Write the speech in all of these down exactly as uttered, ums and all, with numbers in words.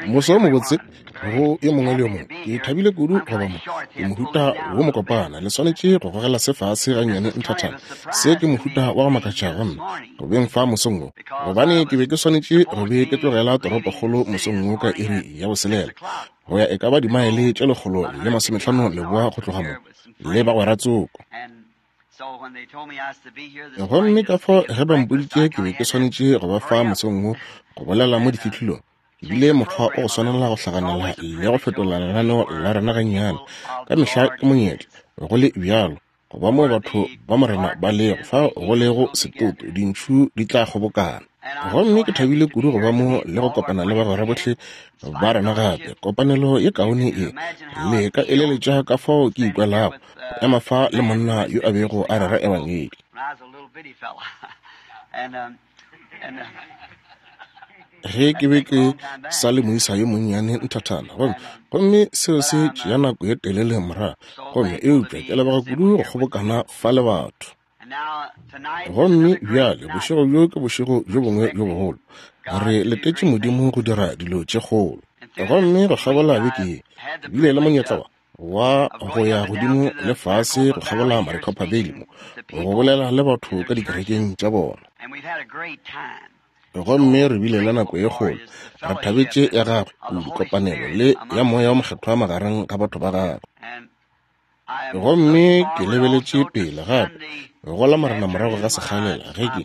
Moso mobotse go yo mongwe le yo mongwe. Ke thabile kudu go ba mo. Ke mohuta wo mokopana. Le swanetše go gogela se fase gannyane nthathana. Se ke mohuta wa go makatša go nna go beng fa mosong wo, gobane ke be ke swanetše go be ke tlogela toropokgolo mosong wo ka iri ya boselela go ya e ka ba dimaele tše lekgolo le masomehlano leboa go tloga mo le bagwera tsoko. Gomme ka fao ge ba mpoditše ke be ke swanetše go ba fa mosong wo go bolela mo difihlolong, ke bile mokgwa o go swanela go hlaganela le go fetola lenaneo la rena gannyane. Ka mehla ke monyetla go le bjalo go ba mo batho ba Morena ba lego, fa go lego setoto dintšhu di tla kgobokana. Gomme ke thabile kudu go ba mo le go kopana le bagwera bohle ba rena gape. Kopanelo ye kaone ye le ka eleletša ka fao ke ikwelago go ema fa le monna yo a bego a rera ebangedi. Ge ke be ke sa le moisa yo monnyane nthathana, gomme gomme seo se tšea nako ye telele morago, gomme eupša ke leboga kudu go kgobokana fa le batho. Gomme bjale bošego bjo ke bošego bjo bongwe bjo bogolo. Re letetše Modimo go dira dilo tše kgolo. Gomme go kgabola beke ye ke bile le monyetla wa go ya godimo le fase go kgabola Maricopa Valley mo go bolela le batho ka dikerekeng tša bona. Gomme re bile le nako ye kgolo. Re thabetše ya gagwe kudu kopanelo le ya Moya wo Mokgethwa magareng ga batho ba gagwe. Gomme ke lebeletše pele gape go la Morena morago ga sekgalela ge ke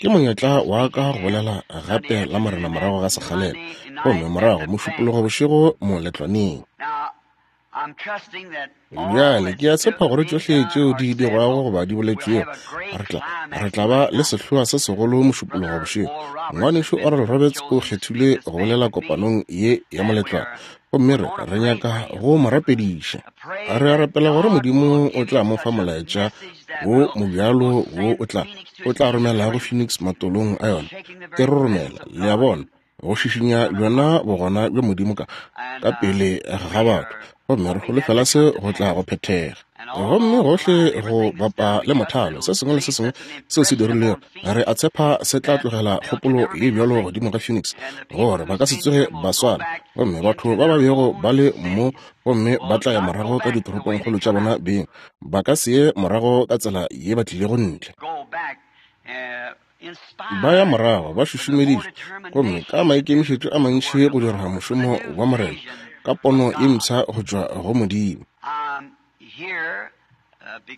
ke monyetla wa ka go bolela gape la Morena morago ga sekgalela, gomme morago mošupologo bošego moletlwaneng. Bjale ke a tshepa gore tšohle tšeo di dirwago goba di boletšwego re tla re tla ba le sehloa se segolo mošupologo bošego. Ngwanešu Oral Roberts o kgethilwe go bolela kopanong ye ya moletlwana, gomme re re nyaka go mo rapediša. Re a rapela gore Modimo o tla mo fa molaetša wo mobjalo wo o tla o tla romelago Phoenix matolong a yona e re romela, le a bona, go šišinya bjona bogona bja Modimo ka ka pele ga batho, gomme re holofela se go tla go phethega. Gomme gohle go bapa le mothalo, se sengwe le se sengwe seo se dirilego, re a tshepa se tla tlogela kgopolo ye bjalo godimo ga Phoenix gore ba ka se tsoge ba swana, gomme batho ba ba bego ba le mo gomme ba tla ya morago ka ditoropongkgolo tša bona beng, ba ka se ye morago ka tsela ye ba tlilego ntle. Ba ya morago ba šušumeditšwe gomme ka maikemišetšo a mantši go dira mošomo wa Morena ka pono ye mpsha go tšwa go Modimo.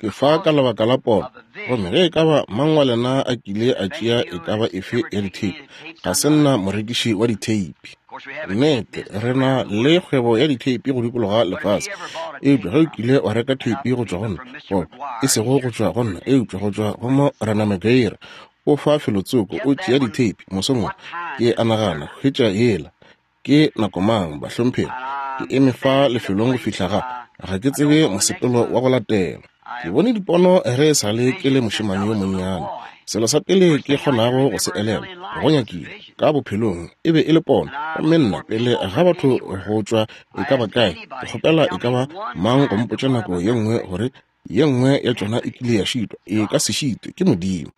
Ke fa ka lebaka la pono, gomme ge e ka ba mang wa lena a kile a tšea e ka ba efe ya ditheipi, ga se nna morekiši wa ditheipi. Nnete, re na le kgwebo ya ditheipi go dikologa lefase, eupša ge o kile wa reka theipi go tšwa go nna, goba e sego go tšwa go nna, eupša go tšwa go Morena Maguire, o fa felotsoko o tšea ditheipi mosong wo, ke a nagana hwetša yela. Ke nako mang, bahlomphegi? Ke eme fa lefelong go fihla ga ga ke tsebe mosepelo wa go latela. Ke bone dipono ge e sa le ke le mošemane yo monnyane. Selo sa pele ke kgonago go se elelwa go nyakile ka bophelong e be e le pono, gomme nna pele ga batho go tšwa e ka ba kae, ke kgopela e ka ba mang go mpotša nako ye nngwe gore ye nngwe ya tšona e kile ya šitwa, e ka se šitwe ke Modimo.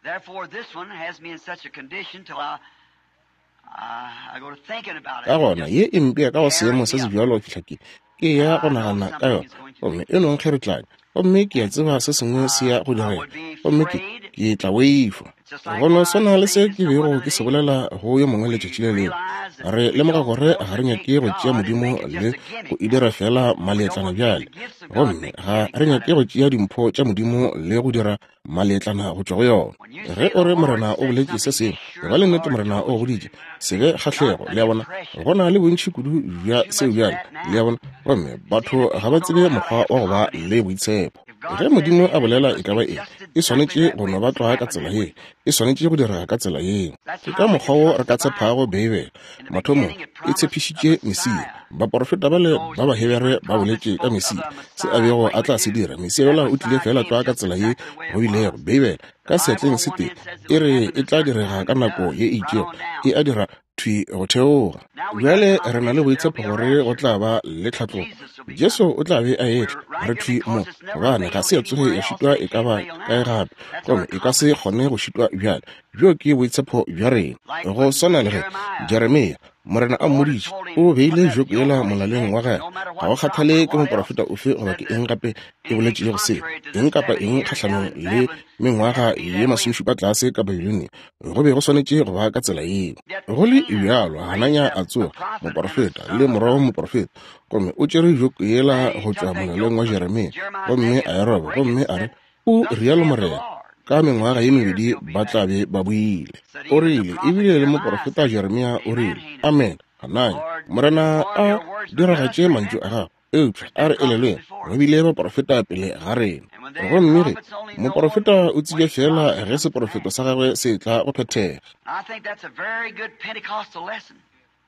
Ka gona ye e mpea ka go seemo se se bjalo fihla ke ke ya go nagana ka yona, gomme e nong kgeretlanya, gomme ke a tseba se sengwe se ya go direga, gomme ke ke tla boifa. Go no swana le se ke bego ke se bolela go yo mongwe letšatši le lengwe. Re lemoga gore ga re nyake go tšea Modimo le go e dira fela maletlana bjale, gomme ga re nyake go tšea dimpho tša Modimo le go dira maletlana go tšwa go yona. Ge o re Morena o boletše se sengwe, e ba le nnete Morena o goditše, se be kgahlego, le a bona. Go na le bontši kudu bja seo bjale, le a bona, gomme batho ga ba tsebe mokgwa wa go ba le boitshepo. Ge Modimo a bolela e ka ba eng, e swanetše go no ba tlwa ka tsela ye, e swanetše go dira ka tsela yeo. Ke ka mokgwa wo re ka tshepago Beibele. Mathomong e tshepišitše Mesia. Baporofeta bale ba Bahebere ba boletše ka Mesia, se a bego a tla se dira. Mesia yola o tlile fela tlwa ka tsela ye go bilego. Beibele ka seatleng se tee e re e tla direga ka nako ye e itšego, e a dira thwi go theoga. Bjale re na le boitshepo gore go tla ba le tlhatlogo. Jesu o tla be a etla re thwi mo, gobane ga se ya tsoge ya šitwa e ka ba kae gape, gomme e ka se kgone go šitwa bjale. Bjo ke boitshepo bja rena. Go swana le ge Jeremia Morena a mmoditše, o beile joko yela molaleng wa gagwe. Ga go kgathale ke moprofeta ofe goba ke eng gape e boletšego se, eng kapa eng kgahlanong le mengwaga ye masomešupa tlase ka Babilonia, go be go swanetše go ba ka tsela yeo. Go le bjalo, Hananya a tsoga, moprofeta le morwa wa moprofeta, gomme o tšere joko yela go tšwa molaleng wa Jeremia, gomme a e roba, gomme a re, O rialo Morena, ka mengwaga ye mebedi ba tla be ba boile. O rile, ebile le moprofeta Jeremia o rile, amen, Hananya, Morena a diragatše mantšu a gago. Eupša a re elelweng, go bile baprofeta pele ga rena. Gomme ge moprofeta o tsebja fela ge seprofeto sa gagwe se tla go phethega.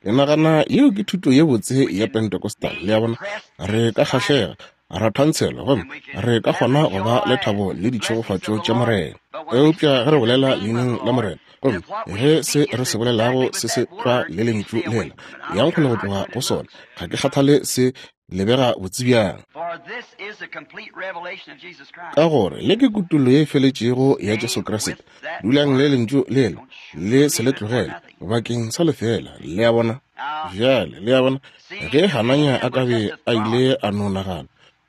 Ke nagana yeo ke thuto ye botse ya Pentecostal. Le a bona, re ka kgahlega, ra thantshelwa, gomme re ka kgona go ba le thabo le ditšhegofatšo tša Morena. Eupša ge re bolela leineng la Morena, gomme ge se re se bolelago se se tlwa le lentšu lela, yang kgole go tloga go sona. Ga ke kgathale se lebega botse bjang, ka gore le ke kutollo ye e feletšego ya Jesu Kriste. Dulang le lentšu lela, le se le tlogele bakeng sa lefela. Le a bona? Bjale, le a bona, ge Hananya a ka be a ile a no nagana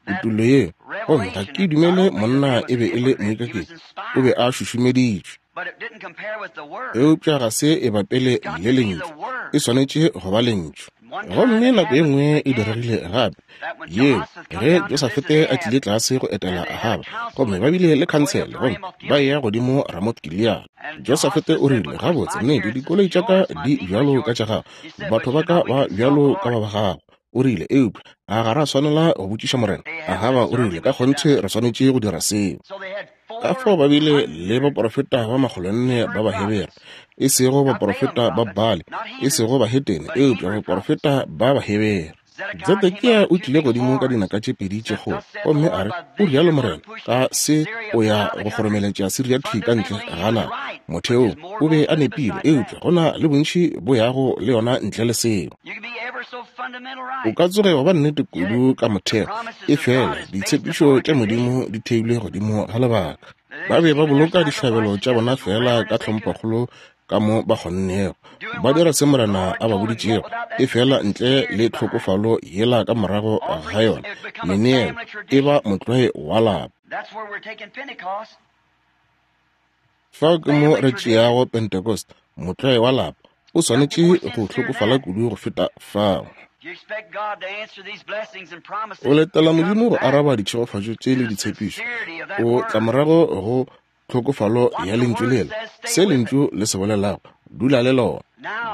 kutollo yeo, gomme ga ke dumele monna e be e le moikaketši, o be a šušumeditšwe, eupša ga se e bapele le lentšu, e swanetše go ba lentšu. Gomme nako ye nngwe e diregile gape yeo ge Josafete a tlile tlase go etela Ahaba, gomme ba bile le khansele, gomme ba eya godimo Ramoth Gilead. Josafete o rile, gabotse, nnete, dikoloi tša ka di bjalo ka tša gago, batho ba ka ba bjalo ka ba ba gago. O rile, eupša a ga ra swanela go botšiša Morena? Ahaba o rile, ka kgonthe re swanetše go dira seo. Ka fao ba bile le baprofeta ba makgolonne ba Bahebere, e sego baprofeta ba Baale, e sego bahetene, eupša baprofeta ba Bahebere. Tsedekia o tlile godimo ka dinaka tše pedi tše kgolo, gomme a re, o rialo Morena, ka se o ya go kgoromeletša Siria thwi ka ntle ga naga. Motheong o be a nepile, eupša go na le bontši bo yago le yona ntle le seo. O ka tsoge wa ba nnete kudu ka motheo, e fela ditshepišo tša Modimo di theilwe godimo ga lebaka. Ba be ba boloka dihlabelo tša bona fela ka tlhomphokgolo ka mo ba kgonnego, ba dira se Morena a ba boditšego, e fela ntle le tlhokofalo yela ka morago ga yona, meneelo e ba motlwae wa lapa. Fao ke mo re tšeago Pentecost, motlwae wa lapa, o swanetše go hlokofala kudu go feta fao. O letela Modimo go araba ditšhegofatšo tše le ditshepišo, o tla morago go tlhokofalo ya lentšu lela, se lentšu le se bolelago, dula le lona.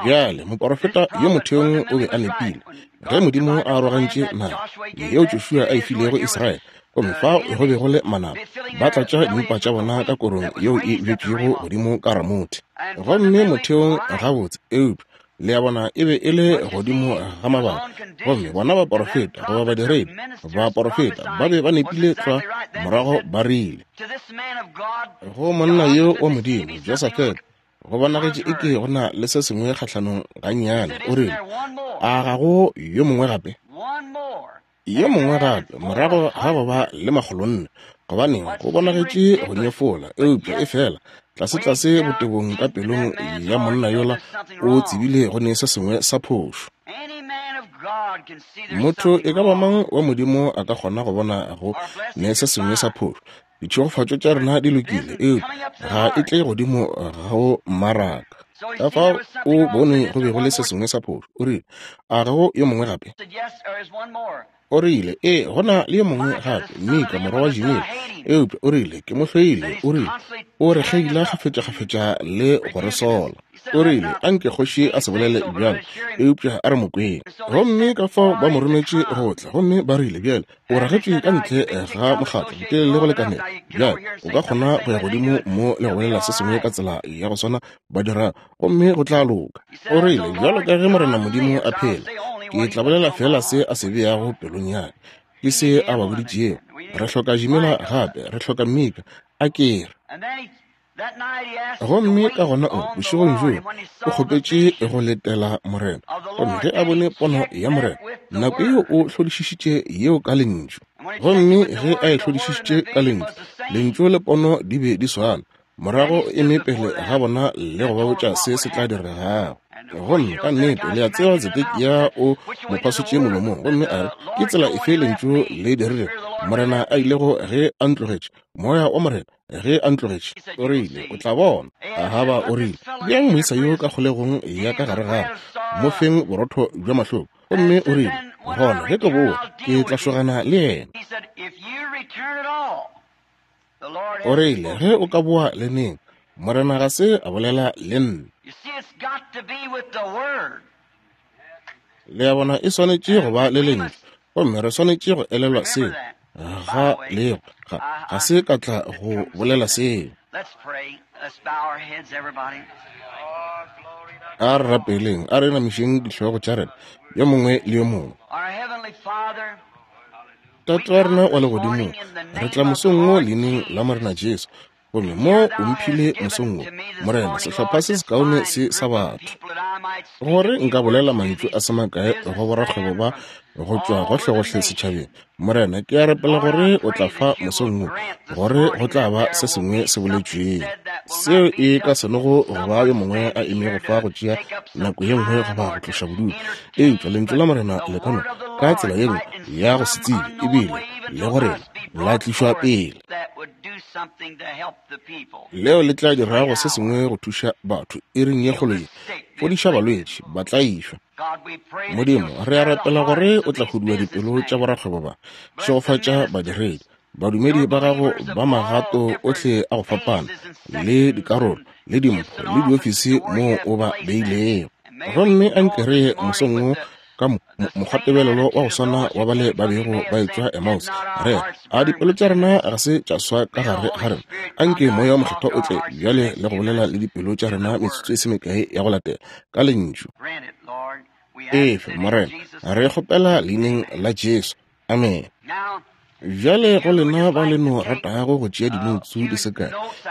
Bjale moprofeta yo motheong o be a nepile ge Modimo a arogantše naga yeo Joshua a e filego Israele, gomme fao go be go le manaba ba tlatša dimpa tša bona ka korong yeo e bjetšwego godimo ka Ramothe. Gomme motheong gabotse, eupša le a bona e be e le godimo ga mabaka, gomme bona baprofeta goba badiredi baprofeta ba be ba nepile tlwa morago ba rile go monna yo wa Modimo Josafete, go bonagetše e ke go na le se sengwe kgahlanong gannyane. O rile, a ga go yo mongwe gape? Yo mongwe gape morago ga go ba le makgolonne, gobaneng go bonagetše go nyefola, eupša e fela tlase-tlase botebong ka pelong ya monna yola o tsebile go ne se sengwe sa phošo. Motho e ka ba mang wa Modimo a ka kgona go bona go ne se sengwe sa phošo. Ditšhegofatšo tša rena di lokile, eupša ga e tle godimo go mmaraka. Ka fao o bone go be go le se sengwe sa phošo. O rile, a ga go yo mongwe gape? O rile, ee, go na le yo mongwe gape, Mika morwa wa Jimila, eupša o rile, ke mo hloile. O rile, o re kgeila kgafetša-kgafetša le go re sola. O rile, anke kgoši a se bolele bjalo, eupša a re mo kweng. Gomme ka fao ba mo rometše go tla, gomme ba rile, bjale o ragetšwe ka ntle ga mokgatlo ntle le go lekanela. Bjale o ka kgona go ya godimo mo le go bolela se sengwe ka tsela ya go swana ba dira, gomme go tla loka. O rile, bjalo ka ge Morena Modimo a phela, ke tla bolela fela se a se beago pelong ya ka, ke se a ba boditšego. Re hloka Jimila gape, re hloka Mika, a ke re. Gomme ka gona o bošegong bjoo o kgopetše go letela Morena, gomme ge a bone pono ya Morena, nako yeo o hlodišišitše yeo ka lentšu. Gomme ge a e hlodišišitše ka lentšu, lentšu le pono di be di swana. Morago eme pele ga bona le go ba botša se se tla diregago. Gomme ka nnete le a tseba Tsedekia o mo phasotše molomong, gomme a re, ke tsela efe lentšu le dirilego Morena a ilego ge a ntlogetše, moya wa Morena ge a ntlogetše? O rile, o tla bona. Ahaba o rile, bjang moisa yo ka kgolegong ya ka gare gare, mo feng borotho bja mahloko. Gomme o rile, gona ge ke boa ke tla šogana le yena. O rile, ge o ka boa le neng, Morena ga se a bolela le nna. Le a bona, e swanetše go ba le lentšu, gomme re swanetše go elelwa seo. Ga lego ga, ga se ka tla go bolela seo. A re rapeleng, a re namišeng dihlogo tša rena yo mongwe le yo mongwe. Tate wa rena wa legodimong, re tla mosong wo leineng la Morena Jesu, gomme mo o mphile mosong wo, Morena, sehlopha se sekaone se sa batho, gore nka bolela mantšu a se makae go borakgwebo ba go tšwa gohlegohle setšhabeng. Morena, ke a rapela gore o tla fa mosong wo, gore go tla ba se sengwe se boletšweng seo e ka se nogo go ba yo mongwe a emego fa go tšea nako ye nngwe goba go tloša bodutu, eupša lentšu la Morena le ka no ka tsela ye nngwe ya go se tsebe ebile le go rena la tlišwa pele, leo le tla dirago se sengwe go thuša batho iring ye kgolo ye, fodiša balwetši, ba tla išwa. Modimo, re a rapela gore o tla hudua dipelo tša borakgwebo ba, šegofatša badiredi, badumedi ba gago ba magato ohle a go fapana, le dikarolo, le dimpho, le diofisi moo o ba beilego. Gomme anke re mosong wo ka mokgwatebelelo wa go swana wa bale ba bego ba etšwa Emmaus, re a dipelo tša rena ga se tša swa ka gare ga rena. Anke moya wa mokgethwa o tle bjale le go bolela le dipelo tša rena metsotso e se mekae ya go latela ka lentšu. Efe, Morena, re kgopela leineng la Jesu. Amen. Bjale go lena ba le no ratago go tšea dinoutsu di se kae,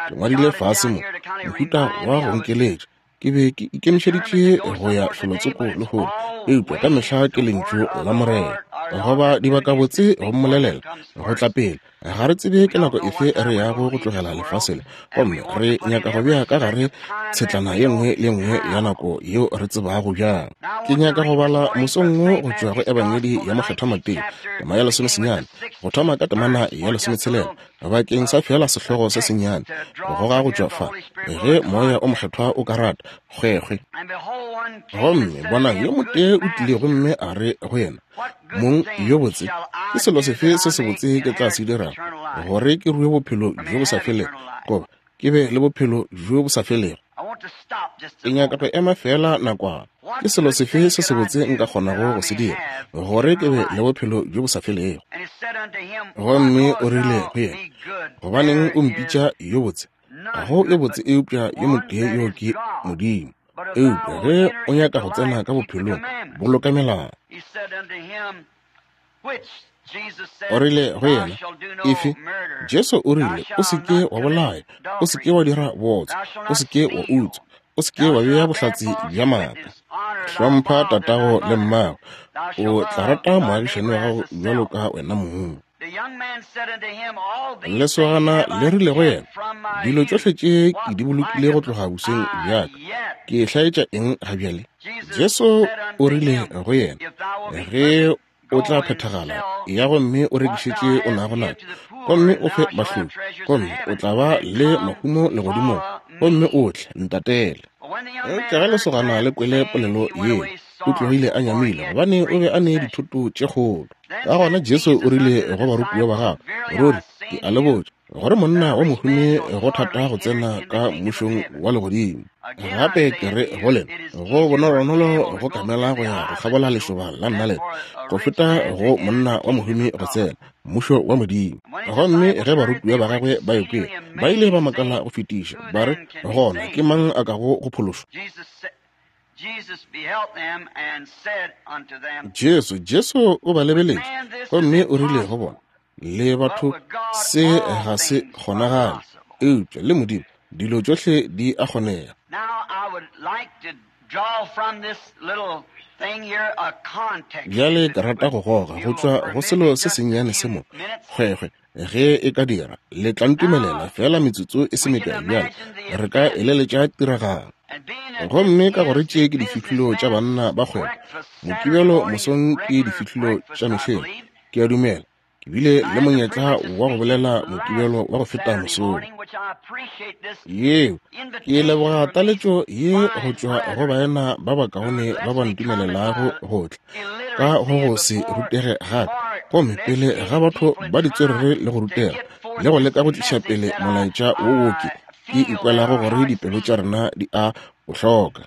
ke ngwadile fase mo mohuta wa go nkeletša. Ke be ke ikemišeditše go ya felotsoko lehono, eupša ka mehla ke lentšu la Morena goba dibakabotse go mmolelela go tla pele. Ga re tsebe ke nako efe re yago go tlogela lefase le, gomme re nyaka go bea ka gare tshetlana ye nngwe le nngwe ya nako yeo re tsebago bjang. Ke nyaka go bala mosong wo go tšwa go Ebangedi ya Mokgethwa Mateo, tema ya lesomesenyane, go thoma ka temana ya lesometshelela, bakeng sa fela sehlogo se sennyane, go goga go tšwa fa, ge moya o mokgethwa o ka rata, kgwekgwe. Gomme bonang, yo motee o tlile gomme a re go yena, Mong yo botse, ke selo sefe se sebotse ke tla se dirago gore ke rue bophelo bjo bo sa felego, goba ke be le bophelo bjo bo sa felego? Ke nyaka go ema fela nakwana. Ke selo sefe se sebotse nka kgonago go se dira gore ke be le bophelo bjo bo sa felego? Gomme o rile go yena, gobaneng o mpitša yo botse? Ga go yo botse eupša yo motee yo ke Modimo. Eupša ge o nyaka go tsena ka bophelong, boloka melao. O rile go yena, efe? Jesu o rile, o se ke wa bolaya, o se ke wa dira bootswa, o se ke wa utswa, o se ke wa bea bohlatse bja maaka, hlompha tatago le mmago, o tla rata moagišani wa gago bjalo ka wena mong. Lesogana le rile go yena, dilo tšohle tše ke di bolokile go tloga bosweng bja ka, ke hlaetša eng ga bjale? Jesu o rile go yena, ge o tla phethagala, ya gomme o rekišetše o nago nayo, gomme o fe bahloki, gomme o tla ba le mahumo legodimong, gomme o tle ntatele. Eupša ge lesogana le kwele polelo yeo, o tlogile a nyamile, gobane o be a ne dithoto tše kgolo. Ka gona Jesu o rile go barutiwa ba gagwe, ruri ke a le botša gore monna wa mohumi go thata go tsena ka mmušong wa legodimo. Gape ke re go lena, go bonolonolo go kamela go ya go kgabola lešoba la nnalete go feta go monna wa mohumi go tsena mmušo wa Modimo. Gomme ge barutiwa ba gagwe ba ekwele, ba ile ba makala go fetiša, ba re, gona ke mang a kago go phološwa? Jesu Jesu o ba lebeletše gomme o rile go bona, le batho se ga se kgonagale, eupša le Modimo dilo tšohle di a kgonega. Bjale ke rata go goga go tšwa go selo se sennyane se mo, kgwekgwe, ge e ka dira, le tla ntumelela feela metsotso e se mekae bjale, re ka eleletša tiragalo. Gomme ka gore tše ke difihlolo tša banna ba kgwebo, Mokibelo mosong ke difihlolo tša mehleng, ke a dumela ke bile le monyetla wa go bolela Mokibelo wa go feta mosong. Yeo, ke leboga taletšo ye go tšwa go baena ba bakaone ba ba ntumelelago go tla ka go go se rutege gape, gomme pele ga batho ba ditswerere le go rutega le go leka go tliša pele molaetša wo wo ke ke ikwelago gore dipelo tša rena di a o hloka.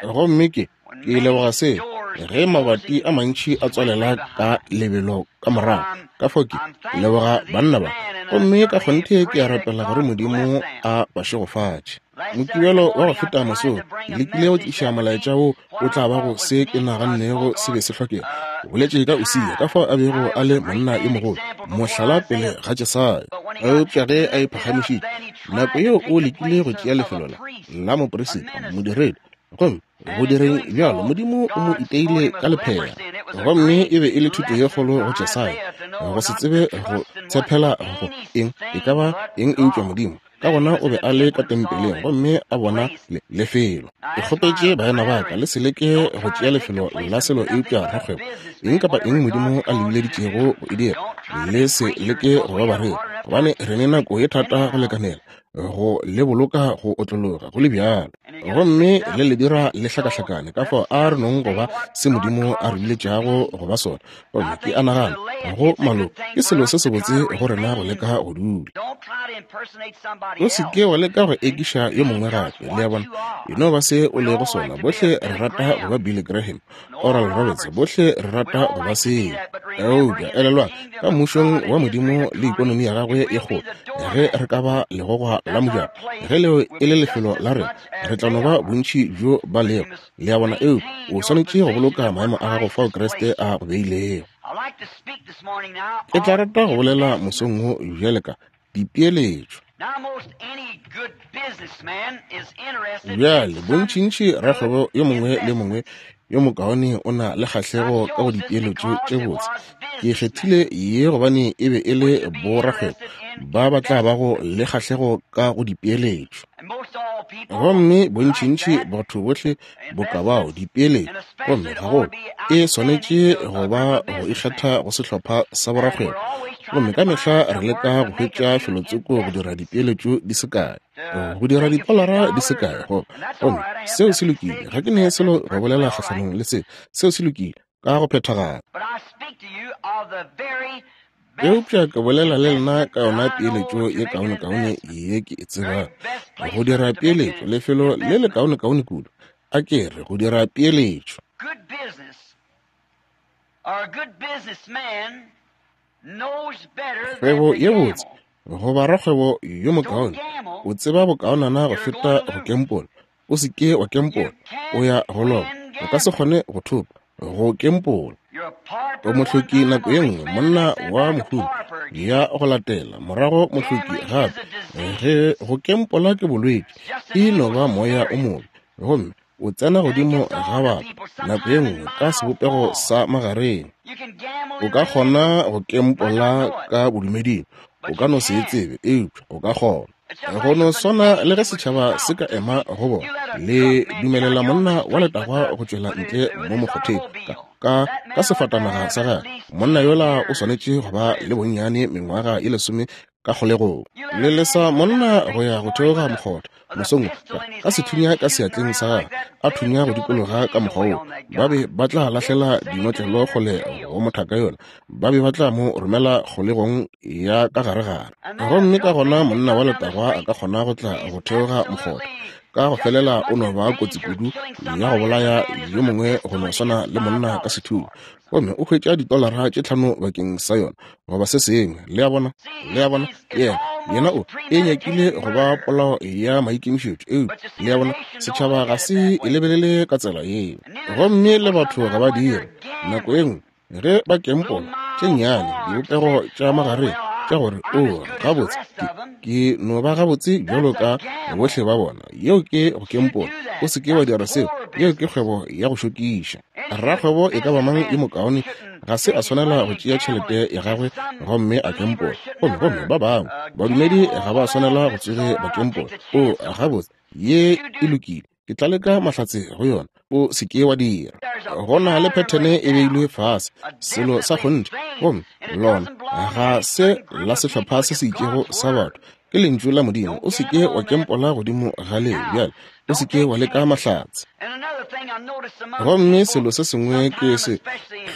Gomme ke ke leboga se ge mabati a mantši a tswalela ka lebelo ka morago, ka fao ke leboga banna ba, gomme ka kgonthe ke a rapela gore Modimo a ba šegofatše. Mokibelo wa go feta mosong ke lekile go tliša molaetša wo o tla bago se ke nagannego se be se hlokega. O boletše ka Usia, ka fao a bego a le monna yo mogolo, mohlala pele ga Jesaya. Eupša ge a iphagamišitše, nako yeo o lekile go tšea lefelo la la moperisita, modiredi, gomme go direng bjalo Modimo o mo iteile ka lephera. Gomme e be e le thuto ye kgolo go Jesaya, go se tsebe go tshepela go eng, e ka ba eng eupša Modimo. Ka gona o be a le ka tempeleng gomme a bona le lefelo. Ke kgopetše baena ba ka, le se leke go tšea lefelo la selo eupša rakgwebo. Eng kapa eng Modimo a le bileditšego go e dira, le se leke go ba bareri, gobane re ne nako ye thata go lekanela go le boloka go otlologa go le bjalo, gomme le le dira le hlakahlakane. Ka fao a re nong go ba se Modimo a re biletšago go ba sona. Gomme ke a nagana go maloko ke selo se sebotse go rena go leka go dula. O se ke wa leka go ekiša yo mongwe gape, le a bona, e no ba se o lego sona. Bohle re rata go ba Billy Graham, Oral Roberts, bohle re rata go ba seo. Eupša elelwang, ka mmušong wa Modimo le ikonomi ya gagwe ye kgolo, ge re ka ba legogwa la mojako, ge leo e le lefelo la rena, re tla no ba bontši bjo ba lego, le a bona. Eupša o swanetše go boloka maemo a gago fao Kriste a go beilego. Ke tla rata go bolela mosong wo bjale ka dipeeletšo. Bjale bontšintši rakgwebo yo mongwe le mongwe yo mokaone o na le kgahlego ka go dipeeletšo tše botse. Ke kgethile ye gobane e be e le borakgwebo ba ba tla bago le kgahlego ka go dipeeletšo. Gomme bontšintši batho bohle boka bao dipeeletšo, gomme gagolo e swanetše go ba go ikgetha go sehlopha sa borakgwebo. Gomme ka mehla re leka go hwetša felotsoko go dira dipeeletšo di se kae, go dira dipolara di se kae. Gomme seo se lokile, ga ke ne selo go bolela kgahlanong le se, seo se lokile ka go phethagala. Eupša ke bolela le lena ka yona peeletšo ye kaonekaone ye ke e tsebang, go dira peeletšo, lefelo le le kaonekaone kudu, a ke re go dira peeletšo. Kgwebo ye botse goba rakgwebo yo mokaone o tseba bokaonana go feta go kempola. O se ke wa kempola, o ya go loba, o ka se kgone go thopa go kempola. O mohloki nako ye nngwe, monna wa mohumi ya go latela morago mohloki gape. Ge go kempola ke bolwetši, e no ba moya o mobe, gomme o tsena godimo ga batho nako ye nngwe ka sebopego sa magareng. O ka kgona go kempola ka bodumeding, o ka no se e tsebe, eupša o ka kgona. Go no swana le ge setšhaba se ka ema go bona, le dumelela monna wa letagwa go tšwela ntle mo mokgotheng ka ka ka sefatanaga sa gagwe. Monna yola o swanetše go ba le bonnyane mengwaga ye lesome ka kgolegong. Le lesa monna go ya go theoga mokgotha mosong ka sethunya ka seatleng sa gagwe, a thunya go dikologa ka mokgwa woo. Ba be ba tla lahlela dinotlelo kgole go mothaka yola, ba be ba tla mo romela kgolegong ya ka garegare. Gomme ka gona monna wa letagwa a ka kgona go tla go theoga mokgotha ka go felela o no ba kotsi kudu ya go bolaya yo mongwe go no swana le monna ka sethunya, gomme o hwetša ditolara tše tlhano bakeng sa yona goba se sengwe. Le a bona, le a bona, yena yena o e nyakile go ba polao ya maikemišetšo. Eupša le a bona, setšhaba ga se e lebelele ka tsela yeo, gomme le batho ga ba dire. Nako e nngwe ge ba kempola tše nnyane dibopego tša magareng, tša gore, o, gabotse, ke, ke no ba gabotse bjalo ka bohle ba bona. Yeo ke go kempola. O se ke wa dira seo. Yeo ke kgwebo ya go šokiša. Rakgwebo e ka ba mang yo mokaone ga se a swanela go tšea tšhelete ya gagwe gomme a kempola. Gomme, gomme ba bangwe badumedi ga ba swanela go tsoge ba kempola. O, gabotse, ye e lokile. Ke tla leka mahlatse go yona. O se ke wa dira. Go na le phethene e beilwe fase, selo sa kgonthe, gomme lona ga se la sehlopha se se itšego sa batho. Ke lentšu la Modimo. O se ke wa kempola godimo ga leo bjale. O se ke wa leka mahlatse. Gomme selo se sengwe ke se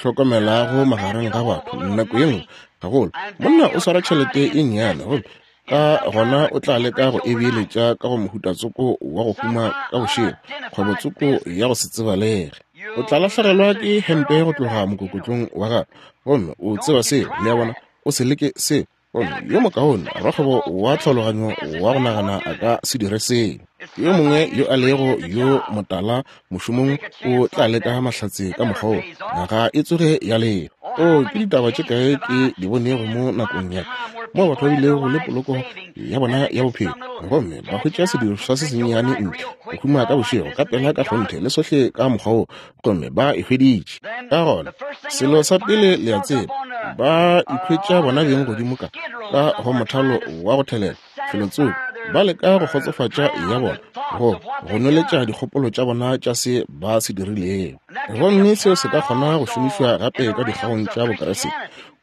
hlokomelago magareng ga batho nako ye nngwe gagolo, monna o swara tšhelete e nnyane, gomme ka gona o tla leka go e beeletša ka go mohuta tsoko wa go huma ka bošego, kgwebo tsoko ya go se tsebalege. O tla lahlegelwa ke hempe go tloga mokokotlong wa gago, gomme o tseba seo, le a bona. O se leke seo. Gomme yo mokaone rakgwebo wa tlhaologanyo wa go nagana a ka se dire seo. Yo mongwe yo a lego yo motala mošomong o tla leka mahlatse ka mokgwa wo, ga e tsoge ya lefa. O, ke ditaba tše kae ke di bonego mo nakong ya mo batho ba bilego le poloko ya bona ya bophelo, gomme ba hwetša sedirišwa se sennyane ntle go huma ka bošego ka pela ka kgonthe le sohle ka mokgwa wo, gomme ba e hweditše. Ka gona selo sa pele le a tseba, ba ikhwetša bona beng godimo ka ka go mothalo wa go thelela felotsoko, ba leka go kgotsofatša ya bona, go go nweletša dikgopolo tša bona tša se ba se dirilego. Gomme seo se ka kgona go šomišwa gape ka dikgaong tša Bokriste.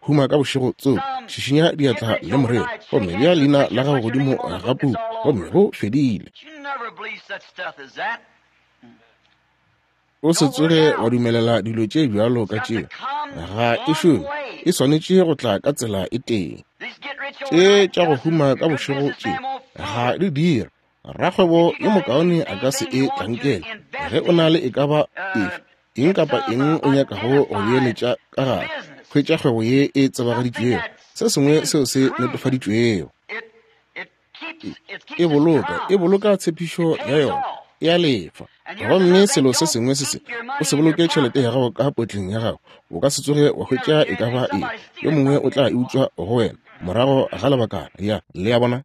Huma ka bošego tsoko, šišinya diatla le morero, gomme bea leina la gago godimo ga puku, gomme go fedile. O se tsoge wa dumelela dilo tše bjalo ka tšeo. Ga e šome. E swanetše go tla ka tsela e tee. Tše tša go huma ka bošego tše ga di dira. Rakgwebo yo mokaone a ka se e tlankele. Ge o na le e ka ba efe, eng kapa eng o nyakago go beeletša ka gare, hwetša kgwebo ye e tsebagaditšwego, se sengwe seo se netefaditšwego. E boloka, e boloka tshepišo ya yona, e a lefa. Gomme selo se sengwe se se, o se boloke tšhelete ya gago ka potleng ya gago, o ka se tsoge wa hwetša e ka ba eng. Yo mongwe o tla e utswa go wena morago ga lebakana. Ya, le a bona.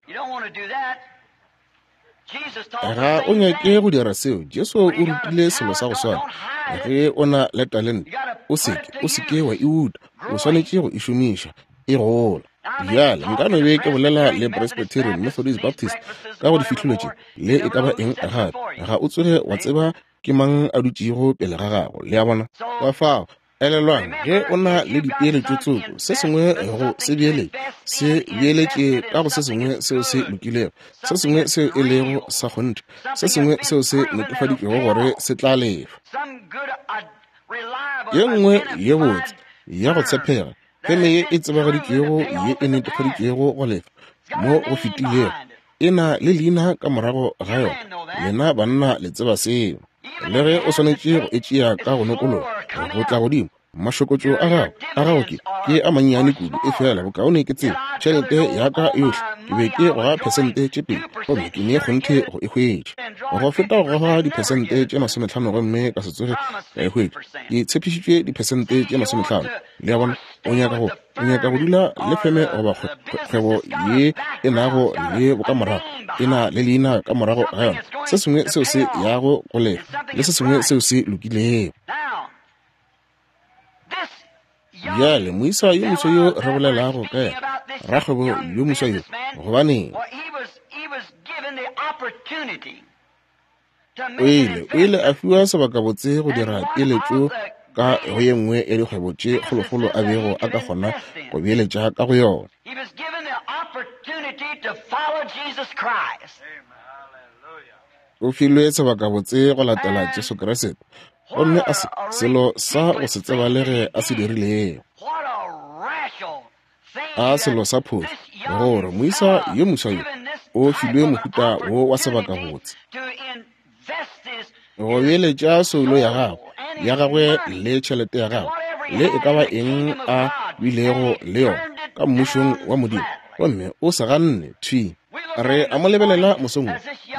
Ga o nyake go dira seo. Jesu o rutile selo sa go swana. Ge o na le talente, o se ke, o se ke wa e uta. O swanetše go e šomiša, e gola. Bjale nka no be ke bolela le Presbyterian, Methodist, Baptist ka go difihlolo tše, le e ka ba eng gape. Ga o tsoge wa tseba ke mang a dutšego pele ga gago, le a bona. Ka fao, elelwang, ge o na le dipeeletšo tsoko, se sengwe go se beeletše, se beeletše ka go se sengwe seo se lokilego, se sengwe seo e lego sa kgonthe, se sengwe seo se netefaditšwego gore se tla lefa. Ye nngwe ye botse ya go tshepega, feme ye e tsebagaditšwego ye e netefaditšwego go lefa mo go fetilego, e na le leina ka morago ga yona. Lena banna le tseba seo. Le ge o swanetše go e tšea ka go nokologa go tla godimo, mašokotšo a gago a gago ke ke a mannyane kudu, e fela bokaone ke tseba tšhelete ya ka yohle ke be ke goga phesente tše pedi, gomme ke ne kgonthe go e hwetša. Go feta go goga diphesente tše masometlhano gomme ka se tsoge ka e hwetša. Ke tshepišitšwe diphesente tše masometlhano. Le a bona, o nyaka go o nyaka go dula le feme goba kgwebo ye e nago le bokamorago, e na le leina ka morago ga yona, se sengwe seo se yago go lefa, le se sengwe seo se lokilego. Bjale moisa yo moswa yo re bolelago ka yena, rakgwebo yo moswa yo, gobaneng o ile o ile a fiwa sebakabotse go dira peeletšo ka go ye nngwe ya dikgwebo tše kgolokgolo a bego a ka kgona go beeletša ka go yona. O filwe sebakabotse go latela Jesu Kriste, gomme a se selo sa go se tsebalege a se dirilego. A selo sa phošo gore moisa yo moswa yo o filwe mohuta wo wa sebakabotse go beeletša soulo ya gagwe ya gagwe le tšhelete ya gagwe le e ka ba eng a bilego le yona ka mmušong wa Modimo, gomme o se ganne thwi. Re a mo lebelela mosong wo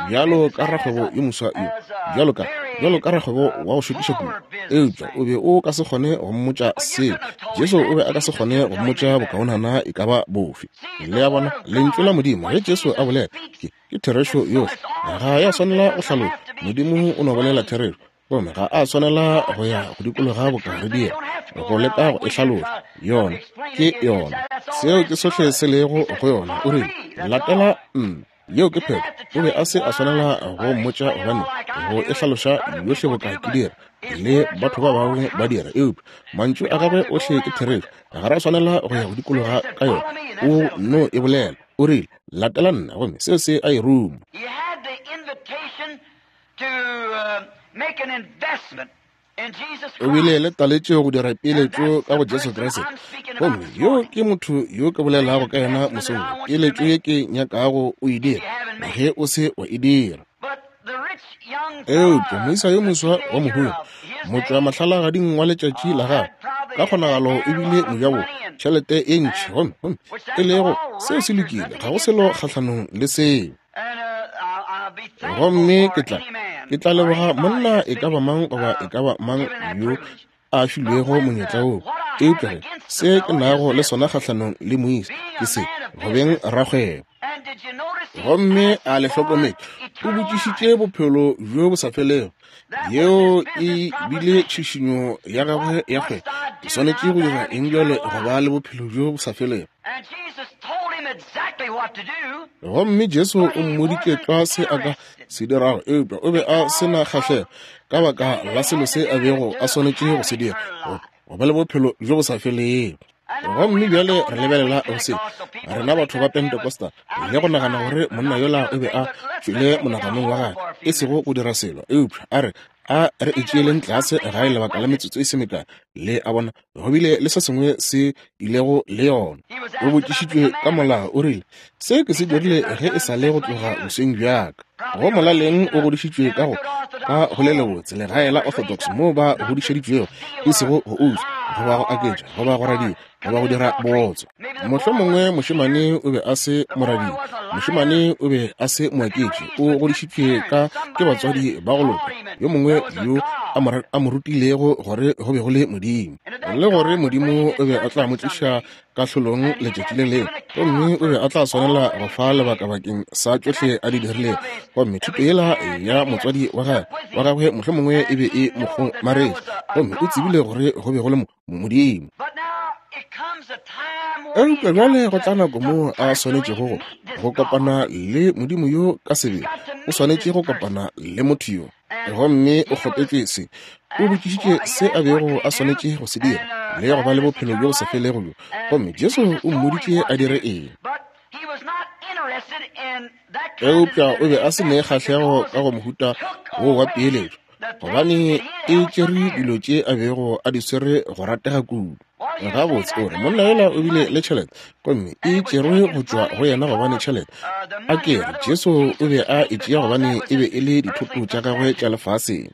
bjalo ka rakgwebo yo moswa yo, bjalo ka bjalo ka rakgwebo wa go šokiša kudu. Eupša o be o ka se kgone go mmotša seo. Jesu o be a ka se kgone go mmotša bokaonana e ka ba bofe. Le a bona, Lentšu la Modimo, ge Jesu a bolela, ke, ke therešo yohle. Ga ya swanela go hlaloša. Modimo o no bolela therešo. Gomme ga a swanela go ya go dikologa boka re dira, go leka go e hlaloša. Yona ke yona. Seo ke sohle se lego go yona. O rile, latela nna. Yeo ke phetho. O be a se a swanela go mmotša gobane go e hlaloša yohle boka ke dira le batho ba bangwe ba dira. Eupša mantšu a gagwe ohle ke therešo. Ga ra swanela go ya go dikologa ka yona. O no e bolela. O rile, latela nna, gomme seo se a e ruma. O bile le taletšo go dira peeletšo ka go Jesu Kriste. Gomme yo ke motho yo ke bolelago ka yena mosong. Peeletšo ye ke nyakago o e dira, ge o se wa e dira. Eupša moisa yo moswa wa mohumi, motšwa mahlalagading wa letšatši la gagwe, ka kgonagalo e bile mojabo tšhelete e ntši, gomme gomme e lego seo se lokile, ga go selo kgahlanong le seo. Gomme ke tla ke tla leboga monna e ka ba mang goba e ka ba mang yo a filwego monyetla wo. Eupša ge se ke nago le sona kgahlanong le moisa ke se, go beng rakgwebo. Gomme a le hlokometše, o botšišitše bophelo bjo bo sa felego. Yeo e bile tšhišinyo ya gagwe ya kgwebo. Ke swanetše go dira eng bjale go ba le bophelo bjo bo sa felego? Gomme Jesu o mmoditše tlwa se a ka se dirago, eupša o be a se na kgahlego ka baka la selo se a bego a swanetše go se dira, go ba le bophelo bjo bo sa felego. Gomme bjale re lebelela go se, rena batho ba Pentecostal, le go nagana gore monna yola o be a tšwele monaganong wa gagwe, e sego go dira selo, eupša a re a re e tšeeleng tlase gae lebaka la metsotso e se mekae. Le a bona, go bile le se sengwe se ilego le yona. O botšišitšwe ka molao, o rile, se ke se dirile ge e sa le go tloga bosweng bjaka. Go molaleng o godišitšwe ka go ka go le lebotse legae la Orthodox moo ba godišeditšwego, e sego go utswa goba go aketša goba go radia goba go dira bootswa. Mohlomongwe mošemane o be a se moradia, mošemane o be a se moaketši, o godišitšwe ka ke batswadi ba go loka, yo mongwe yo a mo rutilego gore go be go le Modimo, le gore Modimo o be a tla mo tliša kahlolong letšatši le lengwe, gomme o be a tla swanela go fa lebaka bakeng sa tšohle a di dirilego. Gomme thuto yela ya motswadi wa gagwe wa gagwe mohlomongwe e be e mo kgomaretše, gomme o tsebile gore go be go le Modimo. Eupša bjale go tla nako moo a swanetšego go go kopana le Modimo yo ka sebele. O swanetše go kopana le motho yo, gomme o kgopetše se. O botšišitše se a bego a swanetše go se dira le go ba le bophelo bjo bo sa felego bjo, gomme Jesu o mmoditše a dire eng. Eupša o be a se ne kgahlego ka go mohuta wo wa peeletšo, gobane e tšere dilo tše a bego a di swere go ratega kudu. Gabotse, o re monna yola o bile le tšhelete, gomme e tšerwe go tšwa go yena gobane tšhelete. A ke re Jesu o be a e tšea gobane e be e le dithoto tša gagwe tša lefaseng.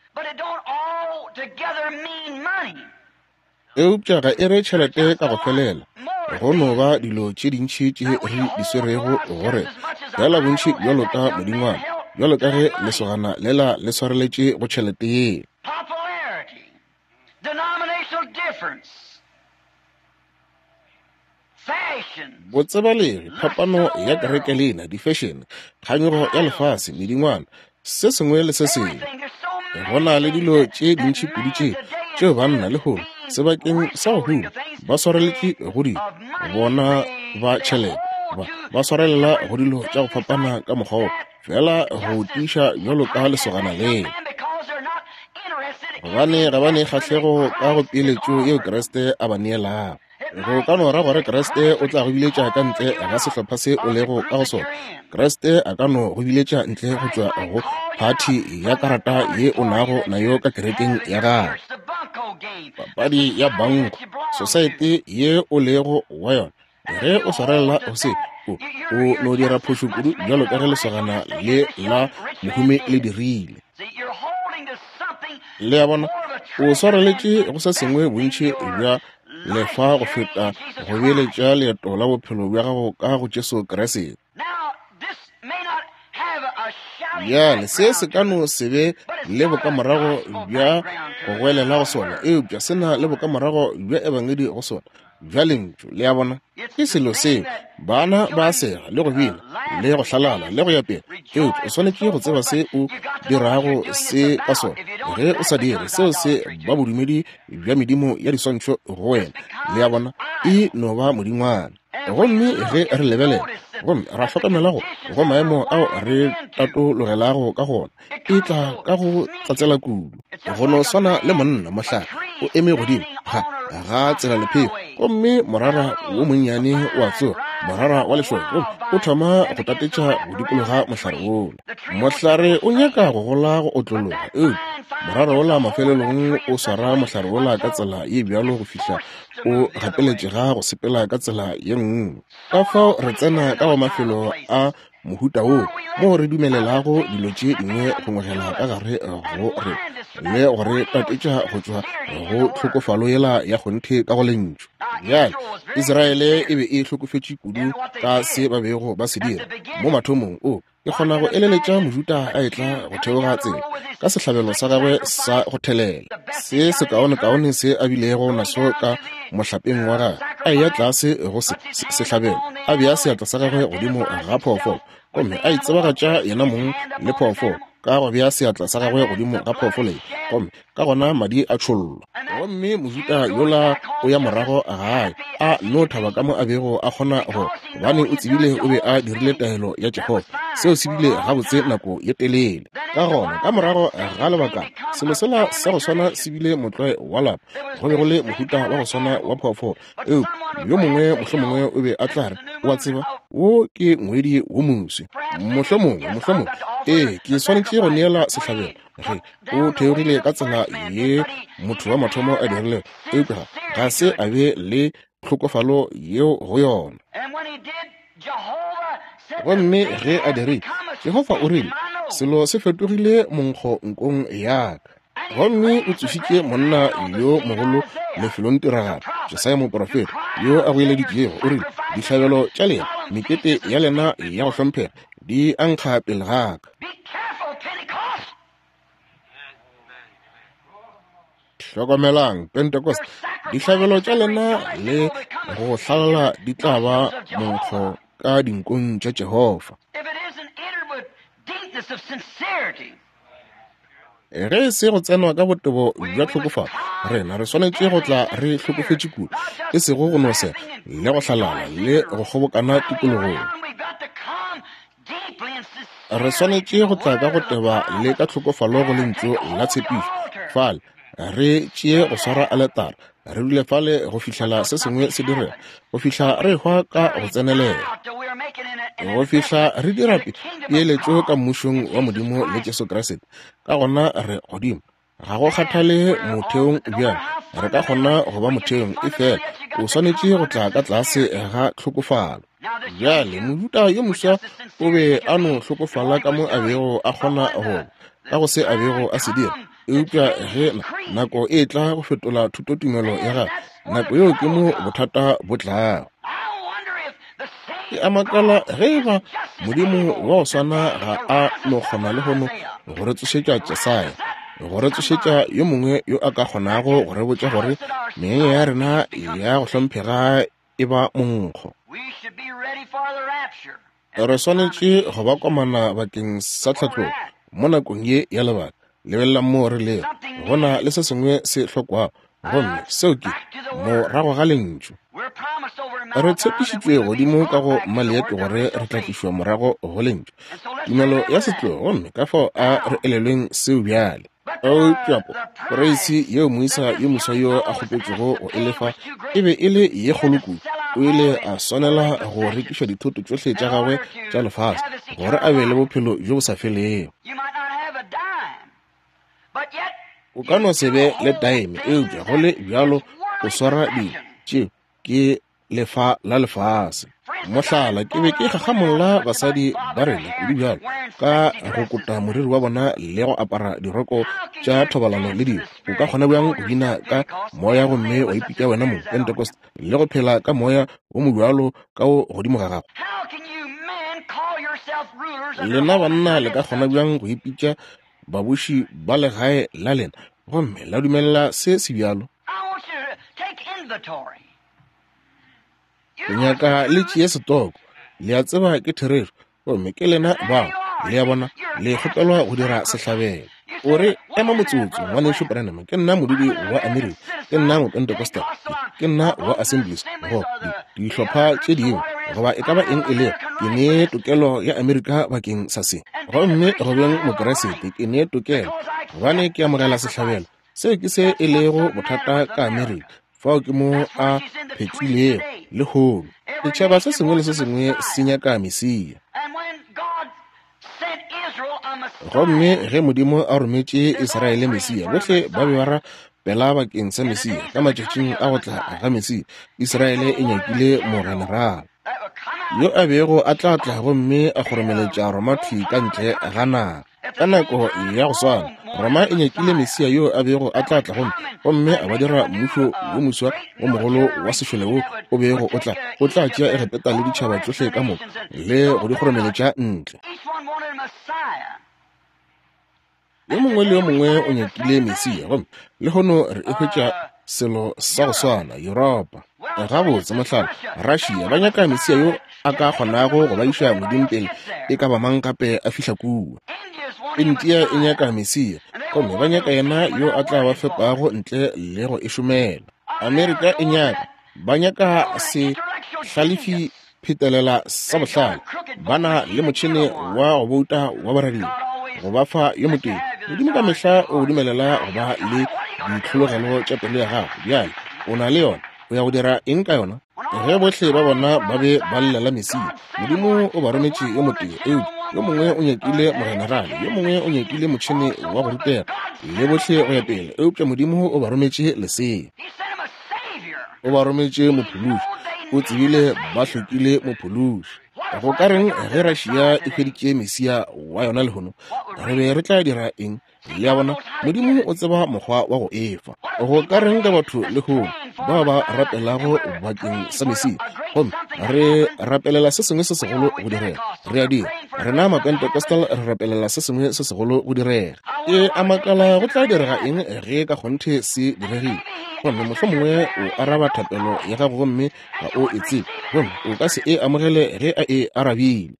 Eupša ga e re tšhelete ka go felela. Go no ba dilo tše dintši tše re di swerego gore fela bontši bjalo ka modingwana, bjalo ka ge lesogana lela le swareletše go tšhelete ye. Botsebalegi, phapano ya kereke lena, di-fashion, kganyogo ya lefase, medingwana, se sengwe le se sengwe. Go na le dilo tše dintši kudu tše tšeo banna lehono sebakeng sa go huma ba swareletše go di bona ba tšhelete, ba ba swarelela go dilo tša go fapana ka mokgwa wo, fela go tiiša bjalo ka lesogana leo, gobane ga ba ne kgahlego ka go peeletšo yeo Kriste a ba neelago. Go ka no ra gore Kriste o tla go biletša ka ntle ga sehlopha se o lego ka go sona. Kriste a ka no go biletša ntle go tšwa go phathi ya karata ye o nago nayo ka kerekeng ya gago, papadi ya banko, sosaete ye o lego wa yona. Ge o swarelela go se, o o no dira phošo kudu bjalo ka ge lesogana le la mohumi le dirile. Le a bona, o swareletše go se sengwe bontši bja lefa go feta go beeletša leeto la bophelo bja gago ka go Jesu Kriste. Bjale se se ka no se be le bokamorago bja go goelela go sona, eupša se na le bokamorago bja ebangedi go sona, bja lentšu. Le a bona? Ke selo seo bana ba sega le go bina le go hlalala le go ya pele, eupša o swanetše go tseba se o dirago se ka sona. Ge o sa dire seo, se ba bodumedi bja medimo ya diswantšho go wena. Le a bona? E no ba modingwana. Gomme ge re lebelela gomme ra hlokomela go go maemo ao re tatologelago ka gona, e tla ka go tlatsela kudu. Go no swana le monna mohlare o eme godimo ga ga tsela lepheko, gomme morara wo monnyane wa tsoga, morara wa lešoka, gomme o thoma go tatetša go dikologa mohlare wola. Mohlare o nyaka go gola go otlologa, eupša morara wola mafelelong o swara mohlare wola ka tsela ye bjalo go fihla o gapeletšega go sepela ka tsela ye nngwe. Ka fao re tsena ka go mafelo a mohuta wo moo re dumelelago dilo tše dingwe go ngwegela ka gare go re le go re tatetša go tšwa go tlhokofalo yela ya kgonthe ka go lentšu. Bjale Israele e be e hlokofetše kudu ka se ba bego ba se dira mo mathomong. O ke kgona go eleletša Mojuda a etla go theoga tsela ka sehlabelo sa gagwe sa go thelela, se sekaonekaone se a bilego naso ka mohlapeng wa gagwe, a eya tlase go se sehlabelo, a bea seatla sa gagwe godimo ga phoofolo, gomme a itsebagatša yena mong le phoofolo ka go bea seatla sa gagwe godimo ga phoofolo ye, gomme ka gona madi a tšhollwa. Gomme Mojuda yola o ya morago gae a no thaba ka mo a bego a kgona go, gobane o tsebile o be a dirile taelo ya Jehofa. Seo se bile gabotse nako ye telele. Ka gona ka morago ga lebaka, selo sela sa go swana se bile motlwae wa lapa. Go be go le mohuta wa go swana wa phoofolo, eupša yo mongwe mohlomongwe o be a tla re, o a tseba, wo ke ngwedi wo moswi, mohlomongwe mohlomongwe ee ke swanetše go neela sehlabelo. Ge o theogile ka tsela ye motho wa mathomo a dirilego, eupša ga se a be le tlhokofalo yeo go yona. Gomme ge a dirile, Jehofa o rile, selo se fetogile monkgo nkong ya ka. Gomme o tsošitše monna yo mogolo lefelong tiragalo, Jesaya moprofeta, yo a goeleditšego, o rile, dihlabelo tša lena, mekete ya lena ya go hlomphega di a nkga pele ga ka. Hlokomelang Pentecost, dihlabelo tša lena le go hlalala di tla ba monkgo ka dinkong tša Jehofa. Ge se go tsenwa ka botebo bja tlhokofalo, rena re swanetše go tla re hlokofetše kudu, e sego go no sega le go hlalala le go kgobokana tikologong. Re swanetše go tla ka go teba le ka tlhokofalo go lentšu la tshepišo. Fale re tšee go swara aletara, re dule fale go fihlela se sengwe se direga, go fihla re hwa ka go tsenelela, go fihla re dira peeletšo ka mmušong wa Modimo le Jesu Kriste. Ka gona re godimo, ga go kgathale motheong bjang, re ka kgona go ba motheong, efela o swanetše go tla ka tlase ga tlhokofalo. Bjale Mojuda yo moswa o be a no hlokofala ka mo a bego a kgona go ba, ka go se a bego a se dira. Eupša ge nako e tla go fetola thutotumelo ya gagwe, nako yeo ke mo bothata bo tlago. Ke a makala ge eba Modimo wa go swana ga a no kgona lehono go re tsošetša Jesaya, go re tsošetša yo mongwe yo a ka kgonago go re botša gore menyanya ya rena ya go hlomphega e ba monkgo. Re swanetše go ba komana bakeng sa tlhatlogo mo nakong ye ya lebaka. Lebelela mo re lego, go na le se sengwe se hlokwago, gomme seo ke morago ga lentšu. Re tshepišitšwe godimo ka go maleeto gore re tla tlišwa morago go lentšu, tumelo ya setlogo, gomme ka fao a re elelweng seo bjale. Eupša poreisi yeo moisa yo moswa yo a kgopetšego go e lefa e be e le ye kgolo kudu. O ile a swanela go rekiša dithoto tšohle tša gagwe tša lefase gore a be le bophelo bjo bo sa felego. O ka no se be le taeme, eupša go le bjalo o swara dilo tšeo ke lefa la lefase. Mohlala, ke be ke gagamolla basadi ba rena kudu bjalo ka go kota moriri wa bona le go apara diroko tša thobalano le dilo. O ka kgona bjang go bina ka moya gomme wa ipitša wena mong Pentecost le go phela ka moya wo mobjalo ka o godimo ga gago? Lena banna le ka kgona bjang go ipitša babuši ba legae la lena gomme la dumelela se se bjalo? Ke nyaka le tšee setoko. Le a tseba ke therešo, gomme ke lena bao. Le a bona, le kgopelwa go dira sehlabelo. O re, ema motsotso, ngwanešu Branham, ke nna modudi wa Amerika, ke nna Mopentecostal, ke nna wa Assemblies, go dihlopha tše dingwe, goba e ka ba eng e lego, ke ne tokelo ya Amerika bakeng sa se. Gomme go beng Mokeresete, ke ne tokelo, gobane ke amogela sehlabelo. Seo ke se e lego bothata ka Amerika. Fao ke mo a phetlilego lehono. Setšhaba se sengwe le se sengwe se nyaka Mesia. Gomme ge Modimo a rometše Israele Mesia, bohle ba be ba rapela bakeng sa Mesia. Ka matšatšing a go tla ga Mesia, Israele e nyakile mogenerala yo a bego a tla tla gomme a kgoromeletša Roma thwi ka ntle ga naga. Ka nako ya go swana, Roma e nyakile Mesia yo a bego a tla tla gomme gomme a ba dira mmušo wo moswa wo mogolo wa sešole wo o bego o tla o tla tšea Egepeta le ditšhaba tšohle ka moka le go di kgoromeletša ntle. Yo mongwe le yo mongwe o nyakile Mesia, gomme lehono re e hwetša selo sa go swana Yuropa. Gabotse, mohlala, Russia ba nyaka Mesia yo a ka kgonago go ba iša modimo pele e ka ba mang gape a fihla kua. India e nyaka Mesia, gomme ba nyaka yena yo a tla ba fepago ntle le go e šomela. Amerika e nyaka, ba nyaka se hlalefi phetelela sa bohlale, ba na le motšhene wa go bouta wa boradia go ba fa yo motee. Modimo ka mehla o dumelela go ba le ditlhologelo tša pelo ya gago. Bjale o na le yona, o ya go dira eng ka yona? Ge bohle ba bona ba be ba llela Mesia, Modimo o ba rometše yo motee, eupša yo mongwe o nyakile mogenerale, yo mongwe o nyakile motšhene wa go rutega, le bohle go ya pele, eupša Modimo o ba rometše lesea. O ba rometše mophološi. O tsebile ba hlokile mophološi. Go ka reng ge Russia e hweditše Mesia wa yona lehono? Re be re tla dira eng? Le a bona, Modimo o tseba mokgwa wa go efa. Go ka reng ka batho lehono bao ba rapelago bakeng sa Mesia, gomme re rapelela se sengwe se segolo go direga? Re a dira. Rena Mapentecostal re rapelela se sengwe se segolo go direga. Ke a makala go tla direga eng ge ka kgonthe se diregile. Gomme mohlomongwe o araba thapelo ya gago gomme ga o e tsebe, gomme o ka se e amogele ge a e arabile.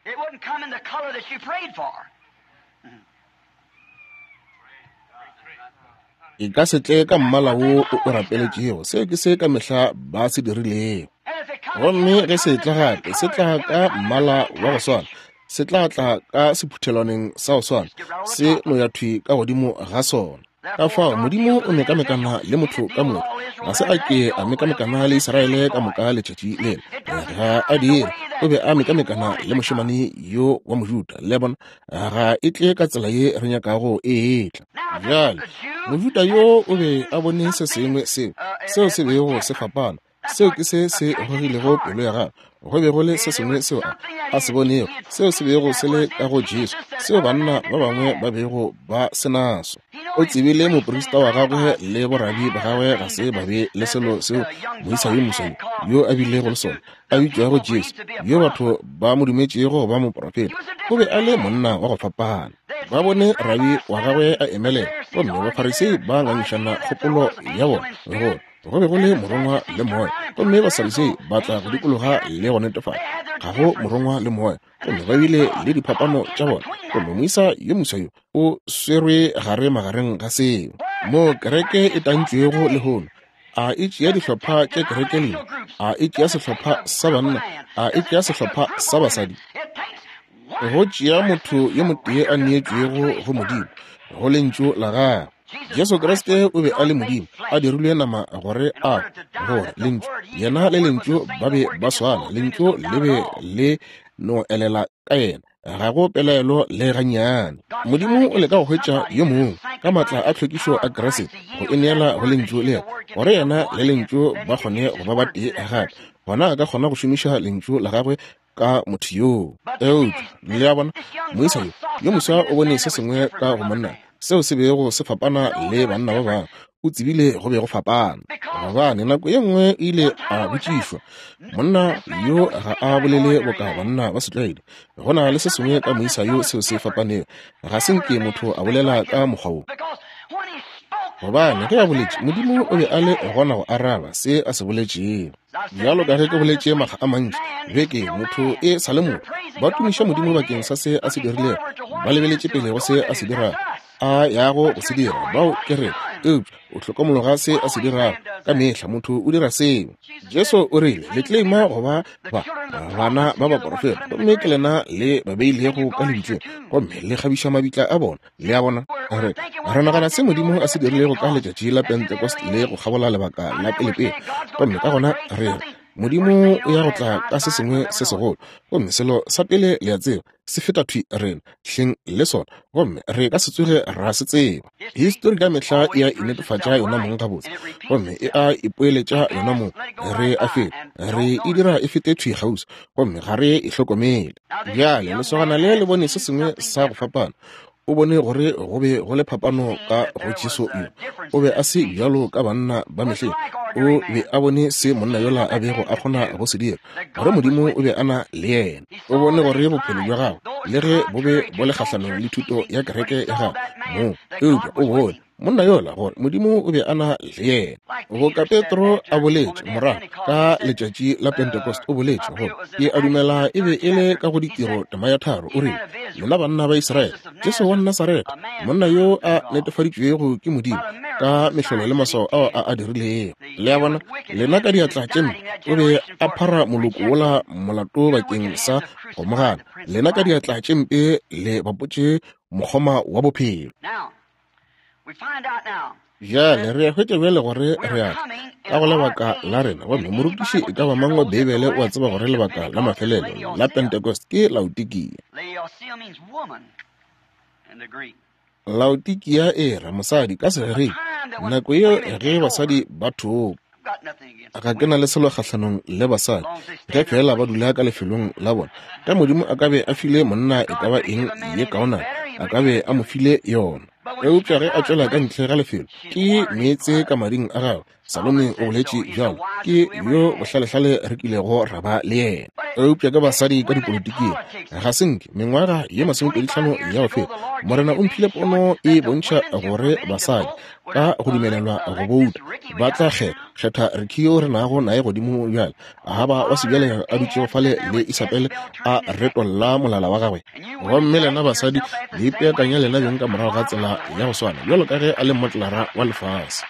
E ka se tle ka mmala wo o o rapeletšego. Seo ke se ka mehla ba se dirilego. Gomme ge se tla gape, se tla ka mmala wa go swana, se tla tla ka sephuthelwaneng sa go swana, se no ya thwi ka godimo ga sona. Ka fao Modimo o mekamekana le motho ka motho. Ga se a ke a mekamekana le Israele ka moka letšatši lela. Ga a dire. O be a mekamekana le mošemane yo wa Mojuda. Le bona, ga e tle ka tsela ye re nyakago e etla. Bjale, Mojuda yo o be a bone se sengwe seo, seo se bego se fapana. Seo ke se se gogilego pelo ya gagwe. Go be go le se sengwe seo a, a se bonego, seo se bego se le ka go Jesu, seo banna ba bangwe ba bego ba se naso. O tsebile moprista wa gagwe le borabi ba gagwe ga se ba be le selo seo moisa yo moswa yo a bilego le sona, a bitšwago Jesu, yo batho ba mo dumetšego go ba moprofeta. O be a le monna wa go fapana. Ba bone rabi wa gagwe a emelela, gomme Bafarisei ba ngangišana kgopolo ya bona gore go be go le morongwa le moya, gomme Basadutsei ba tla go dikologa le go netefatša ga go morongwa le moya, gomme ba bile le diphapano tša bona. Gomme moisa yo moswa yo o swerwe gare magareng ga seo. Mo kereke e tantšwego lehono, a e tšea dihlopha tša kereke lena, a e tšea sehlopha sa banna, a e tšea sehlopha sa basadi. Go tšea motho yo motee a neetšwego go Modimo, go lentšu la gagwe. Jesu Kriste o be a le Modimo, a dirilwe nama gore a gore lentšu, yena le lentšu ba be ba swana, lentšu le be le no elela ka yena, ga go pelaelo le gannyane. Modimo o leka go hwetša yo mongwe ka maatla a tlhwekišo a Kriste go e neela go lentšu le yena, gore yena le lentšu ba kgone go ba batee gape. Gona a ka kgona go šomiša lentšu la gagwe ka motho yoo. Eupša le a bona, moisa yo yo moswa o bone se sengwe ka go monna seo se bego se fapana le banna ba bangwe. O tsebile go be go fapana, Gobane nako ye nngwe ile a botšišwa, monna yo ga a bolele boka banna ba setlwaedi. Go na le se sengwe ka moisa yo seo se fapanego. Ga se nke motho a bolela ka mokgwa wo. Gobane ge a boletše, Modimo o be a le gona go araba se a se boletšego. Bjalo ka ge ke boletše makga a mantši, beke motho e sa le motho. Ba tumiša Modimo bakeng sa se a se dirilego, ba lebeletše pele go se a se dirago, a yago go se dira. Bao ke re, eupša o hlokomologa se a se dirago. Ka mehla motho o dira seo. Jesu o rile, le claima go ba ba bana ba baporofeta, gomme ke lena le ba beilego ka lebitleng, gomme le kgabiša mabitla a bona. Le a bona? Re re nagana se Modimo a se dirilego ka letšatši la Pentecost le go kgabola lebaka la pelepele, gomme ka gona re re Modimo o ya go tla ka se sengwe se segolo, gomme selo sa pele le a tseba se feta thwi rena hleng le sona, gomme re ka se tsoge ra se tseba. Histori ka mehla e a inetefatša yona mong gabotse, gomme e a ipoeletša yona mong. Re a feta, re e dira e fete thwi kgauswi, gomme ga re e hlokomele. Bjale lesogana le le bone se sengwe sa go fapana. O bone gore go be go le phapano ka go Jesu yo. O be a se bjalo ka banna ba mehleng. O be a bone se monna yola a bego a kgona go se dira, gore Modimo o be a na le yena. O bone gore bophelo bja gagwe, le ge bo be bo le kgahlanong le thuto ya kereke ya gagwe moo, eupša o bone monna yola gore Modimo o be a na le yena. Boka Petro a boletše morago ka letšatši la Pentecost, o boletše gore ke a dumela e be e le ka go ditiro tema ya tharo, o rile, lena banna ba Israele, Jesu wa Nasaretha, monna yo a netefaditšwego ke Modimo ka mehlolo le maswao ao a a dirilego. Le a bona, lena ka diatla tše mpe o be a phara moloko wola molato bakeng sa go mo gana. Lena ka diatla tše mpe le bapotše mokgoma wa bophelo. Bjale re a hwetša bjale gore re a ka go lebaka la rena, gomme morutiši e ka ba mang wa Beibele o a tseba gore lebaka la mafelelo la Pentecost ke Laodikia. Laodikia e ra mosadi ka Segerika, nako yeo ge basadi ba thopa. Ga ke na le selo kgahlanong le basadi, ge fela ba dula ka lefelong la bona. Ge Modimo a ka be a file monna e ka ba eng ye kaonana, a ka be a mo file yona. Eupša ge a tšwela ka ntle ga lefelo, ke meetse ka mading a gagwe. Salome o boletše bjalo, ke yo bohlalehlale re kilego ra ba le yena. Eupša ke basadi ka dipolotiking, ga se nke mengwaga ye masomepedi hlano ya go feta, Morena o mphile pono e bontšha gore basadi ka go dumelelwa go bouta ba tla kgetha kgetha Ricky yo re nago naye godimo bjale, Ahaba wa sebjale a dutšego fale le Isabel a retolla molala wa gagwe. Gomme lena basadi le ipeakanya lena beng ka morago ga tsela ya go swana, bjalo ka ge a le motlara wa lefase.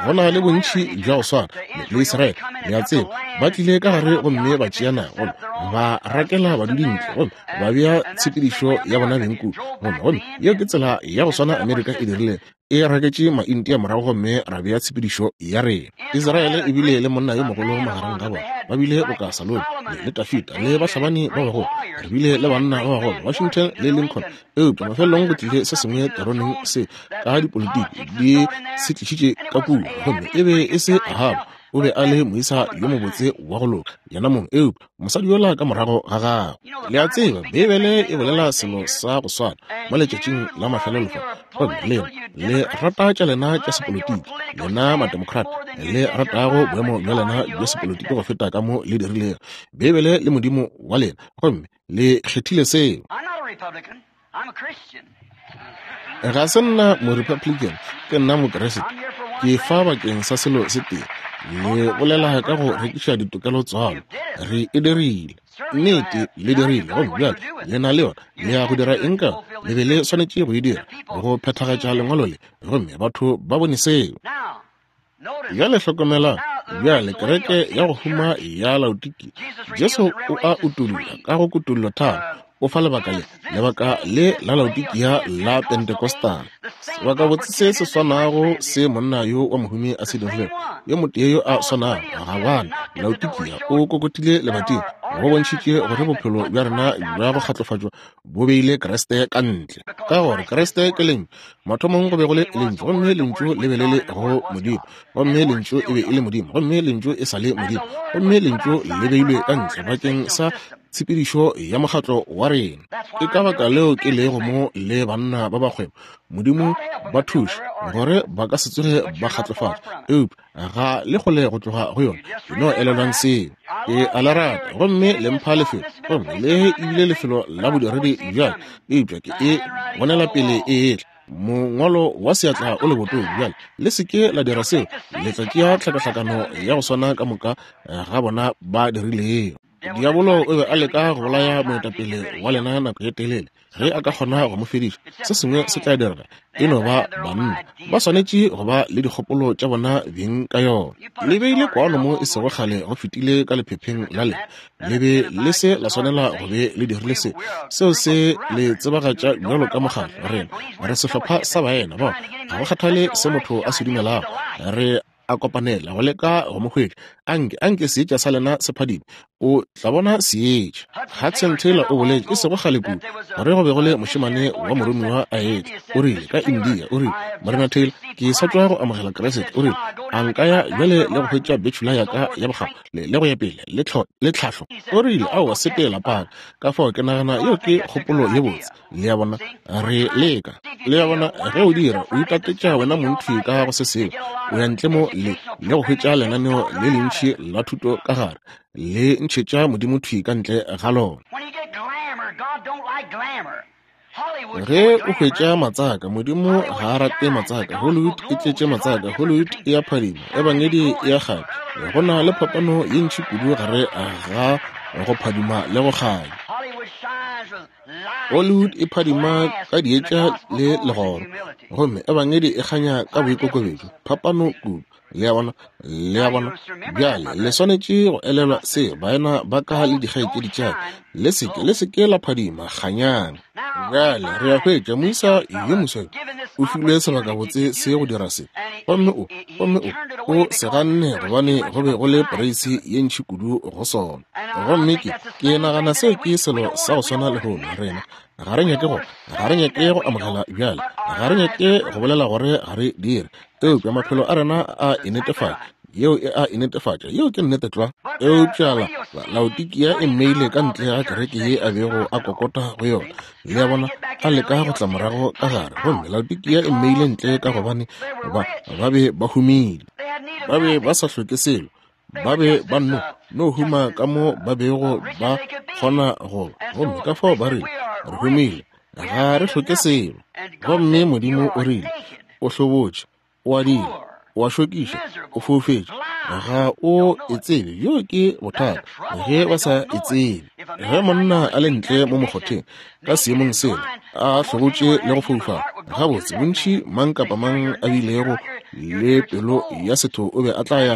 Go na le bontši bja go swana le Israele, le a tseba, ba tlile ka gare gomme ba tšea naga, gomme ba rakela badudi ntle, gomme ba bea tshepedišo ya bona beng kudu. Gomme gomme yeo ke tsela ya go swana Amerika e dirile, e raketše Maindia morago gomme ra bea tshepedišo ya rena. Israele e bile le monna yo mogolo magareng ga bona, ba bile boka Salome le Dafida le bahlabani ba bagolo. Re bile le banna ba bagolo, Washington le Lincoln, eupša mafelelong go tlile se sengwe teroneng se ka dipolitiki di se tlišitše ka kua, gomme e be e se Ahaba. O be a le moisa yo mobotse wa go loka yena mong, eupša mosadi yola ka morago ga gagwe. Le a tseba, Beibele e bolela selo sa go swana mo letšatšing la mafelelo fa. Gomme lena le rata tša lena tša sepolotiki, lena mademocrat le ratago boemo bja lena bja sepolotiki go feta ka mo le dirilego Beibele le Modimo wa lena, gomme le kgethile seo. Ga se nna mo-Republican, ke nna Mokeresete. Ke fa bakeng sa selo se tee. Le bolela ka go rekiša ditokelo tswalo. Re e dirile. Nnete, le dirile. Gomme bjale le na le yona. Le ya go dira eng ka? Le be le swanetše go e dira, go phethagatša lengwalo le. Gomme batho ba bone seo. Bjale hlokomelang, bjale kereke ya go huma ya Laodikia, Jesu o a utolla ka go kutollo tharo. O fa lebaka le, lebaka le la Laodikia la Pentecostal. Sebakabotse se se swanago se monna yo wa mohumi a se dirilego, yo motee yo a swanago, gabane Laodikia o kokotile lebating, go bontšhitše gore bophelo bja rena bja go kgatlofatšwa bo beile Kriste ka ntle. Ka gore Kriste ke Lentšu. Mathomong go be go le Lentšu, gomme Lentšu le be le le go Modimo, gomme Lentšu e be e le Modimo, gomme Lentšu e sa le Modimo, gomme Lentšu le beilwe ka ntle bakeng sa tshepedišo ya mokgatlo wa rena. Ke ka baka leo ke lego mo le banna ba bakgwebo. Modimo ba thuše gore ba ka se tsoge ba kgatlofatša, eupša ga le kgole go tloga go yona. No elelwang seo. Ke a le rata, gomme le mpha lefelo, gomme le ebile lefelo la bodiredi bjale, eupša ke e bonela pele e etla. Mongwalo wa seatla o lebotong bjale, le se ke la dira seo, le tla tšea tlhakahlakano ya go swana ka moka ga bona ba dirilego. Diabolo o be a leka go bolaya moetapele wa lena nako ye telele. Ge a ka kgona go mo fediša, se sengwe se tla direga. E no ba banna ba swanetše go ba le dikgopolo tša bona beng ka yona. Le beile kwano mo e sego kgale go fetile ka lephepheng la lena. Le be le se la swanela go be le dirile se. Seo se le tsebagatša bjalo ka mokgatlo. Rena re sehlopha sa baena bao ga go kgathale se motho a se dumelago, re a kopanela go leka go mo hwetša. Anke anke seetša sa lena se phadime, o tla bona seetša. Hudson Taylor o boletše e sego kgale kudu gore go be go le mošemane wa moromiwa a etla. O rile ka India, o rile, Morena Taylor, ke sa tšwa go amogela Kriste. O rile, a nka ya bjale le go hwetša bachelor ya ka ya bokgabo le le go ya pele le le tlhahlo. O rile, aowa, sepela paka. Ka fao ke nagana yeo ke kgopolo ye botse. Le a bona, re leka. Le a bona, ge o dira, o itatetša wena montši ka go se sengwe. O ya ntle mo le le go hwetša lenaneo le lentši la thuto ka gare, le ntšhetša Modimo thwi ka ntle ga lona. Ge o hwetša matsaka, Modimo ga a rate matsaka. Hollywood e tletše matsaka. Hollywood e a phadima, ebangedi e a kganya. Go na le phapano ye ntši kudu gare ga go phadima le go kganya. Hollywood e phadima ka dietša le legoro, gomme ebangedi e kganya ka boikokobetšo. Phapano kudu. Le a bona, le a bona. Bjale le swanetše go elelwa se, baena ba ka le dikgaetšedi tša ka. Le seke, le seke la phadima, kganyang. Bjale re a hwetša moisa yo moswa o filwe sebakabotse se go dira se, gomme o gomme o o se ganne gobane go be go le poreisi ye ntši kudu go sona. Gomme ke ke nagana seo ke selo sa go swana lehono. Rena ga re nyake go ga re nyake go amogela bjale, ga re nyake go bolela gore ga re dire, eupša maphelo a rena a e netefatša. Yeo e a e netefatša, yeo ke nnete tlwa. Eupša la Laodikia e mmeile ka ntle ga kereke ye a bego a kokota go yona. Le a bona, a leka go tla morago ka gare, gomme Laodikia e mmeile ntle ka gobane ba ba be ba humile, ba be ba sa hloke selo, ba be ba no no huma ka mo ba bego ba kgona go. Gomme ka fao ba rile, re humile, ga re hloke selo. Gomme Modimo o rile, o hlobotše, o adile, o a šokiša, o foufetše, ga o e tsebe. Yo ke bothata ge ba sa e tsebe. Ge monna a le ntle mo mokgotheng ka seemong sela, a hlobotše le go foufala, gabotse bontši mang kapa mang a bilego le pelo ya setho o be a tla ya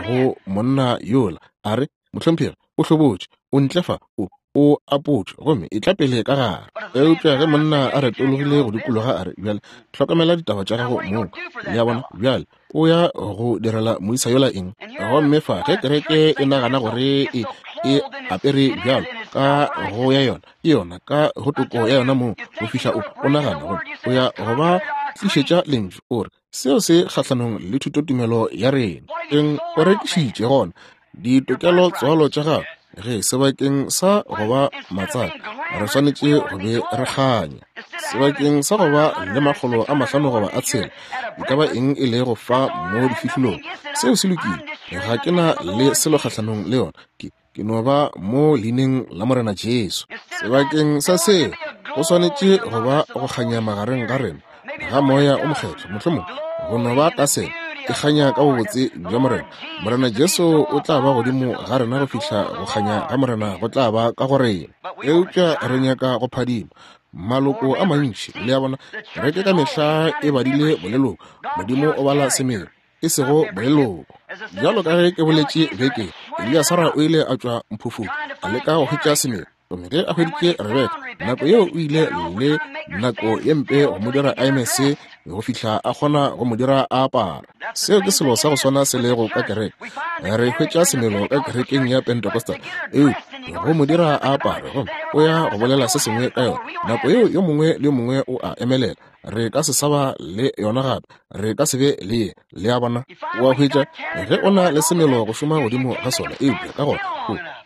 go monna yola a re, mohlomphegi, o hlobotše, o ntle fa, o o apotšwe, gomme e tla pele ka gare. Eupša ge monna a retologile go dikologa a re, bjale hlokomela ditaba tša gago mong. Le a bona, bjale o ya go direla moisa yola eng? Gomme fa ge kereke e nagana gore e e apere bjalo ka go ya yona, ke yona ka go toko ya yona mong, go fihla o o nagana gore o ya go ba tlišetša lentšu, o re seo se kgahlanong le thutotumelo ya rena. Eng o rekišitše gona ditokelo tswalo tša gago? Ge sebakeng sa go ba matsaka, re swanetše go be re kganya. Sebakeng sa go ba le makgolo a mahlano goba a tshela, e ka ba eng e lego fa mo difihlolong, seo se lokile. Ga ke na le selo kgahlanong le yona. Ke ke no ba mo leineng la Morena Jesu. Sebakeng sa seo, go swanetše go ba go kganya magareng ga rena ga moya o mokgethwa, mohlomong go no ba taselo e kganya ka bobotse bja Morena. Morena Jesu o tla ba godimo ga rena go fihla go kganya ga Morena go tla ba ka go rena. Eupša re nyaka go phadima maloko a mantši. Le a bona, kereke ka mehla e badile boleloko. Modimo o bala semelo, e sego boleloko. Bjalo ka ge ke boletše beke, Eliasara o ile a tšwa mphufung a leka go hwetša semelo. Gomme ge a hweditše Rebeka, nako yeo o ile le nako ye mpe go mo dira a eme se go fihla a kgona go mo dira a apara. Seo ke selo sa go swana se lego ka kereke. Re hwetša semelo ka kerekeng ya Pentecostal, eupša go mo dira a apare, gomme o ya go bolela se sengwe ka yona. Nako yeo yo mongwe le yo mongwe o a emelela. Re ka se sa ba le yona gape, re ka se be le ye. Le a bona, o a hwetša ge o na le semelo go šoma godimo ga sona, eupša ka gona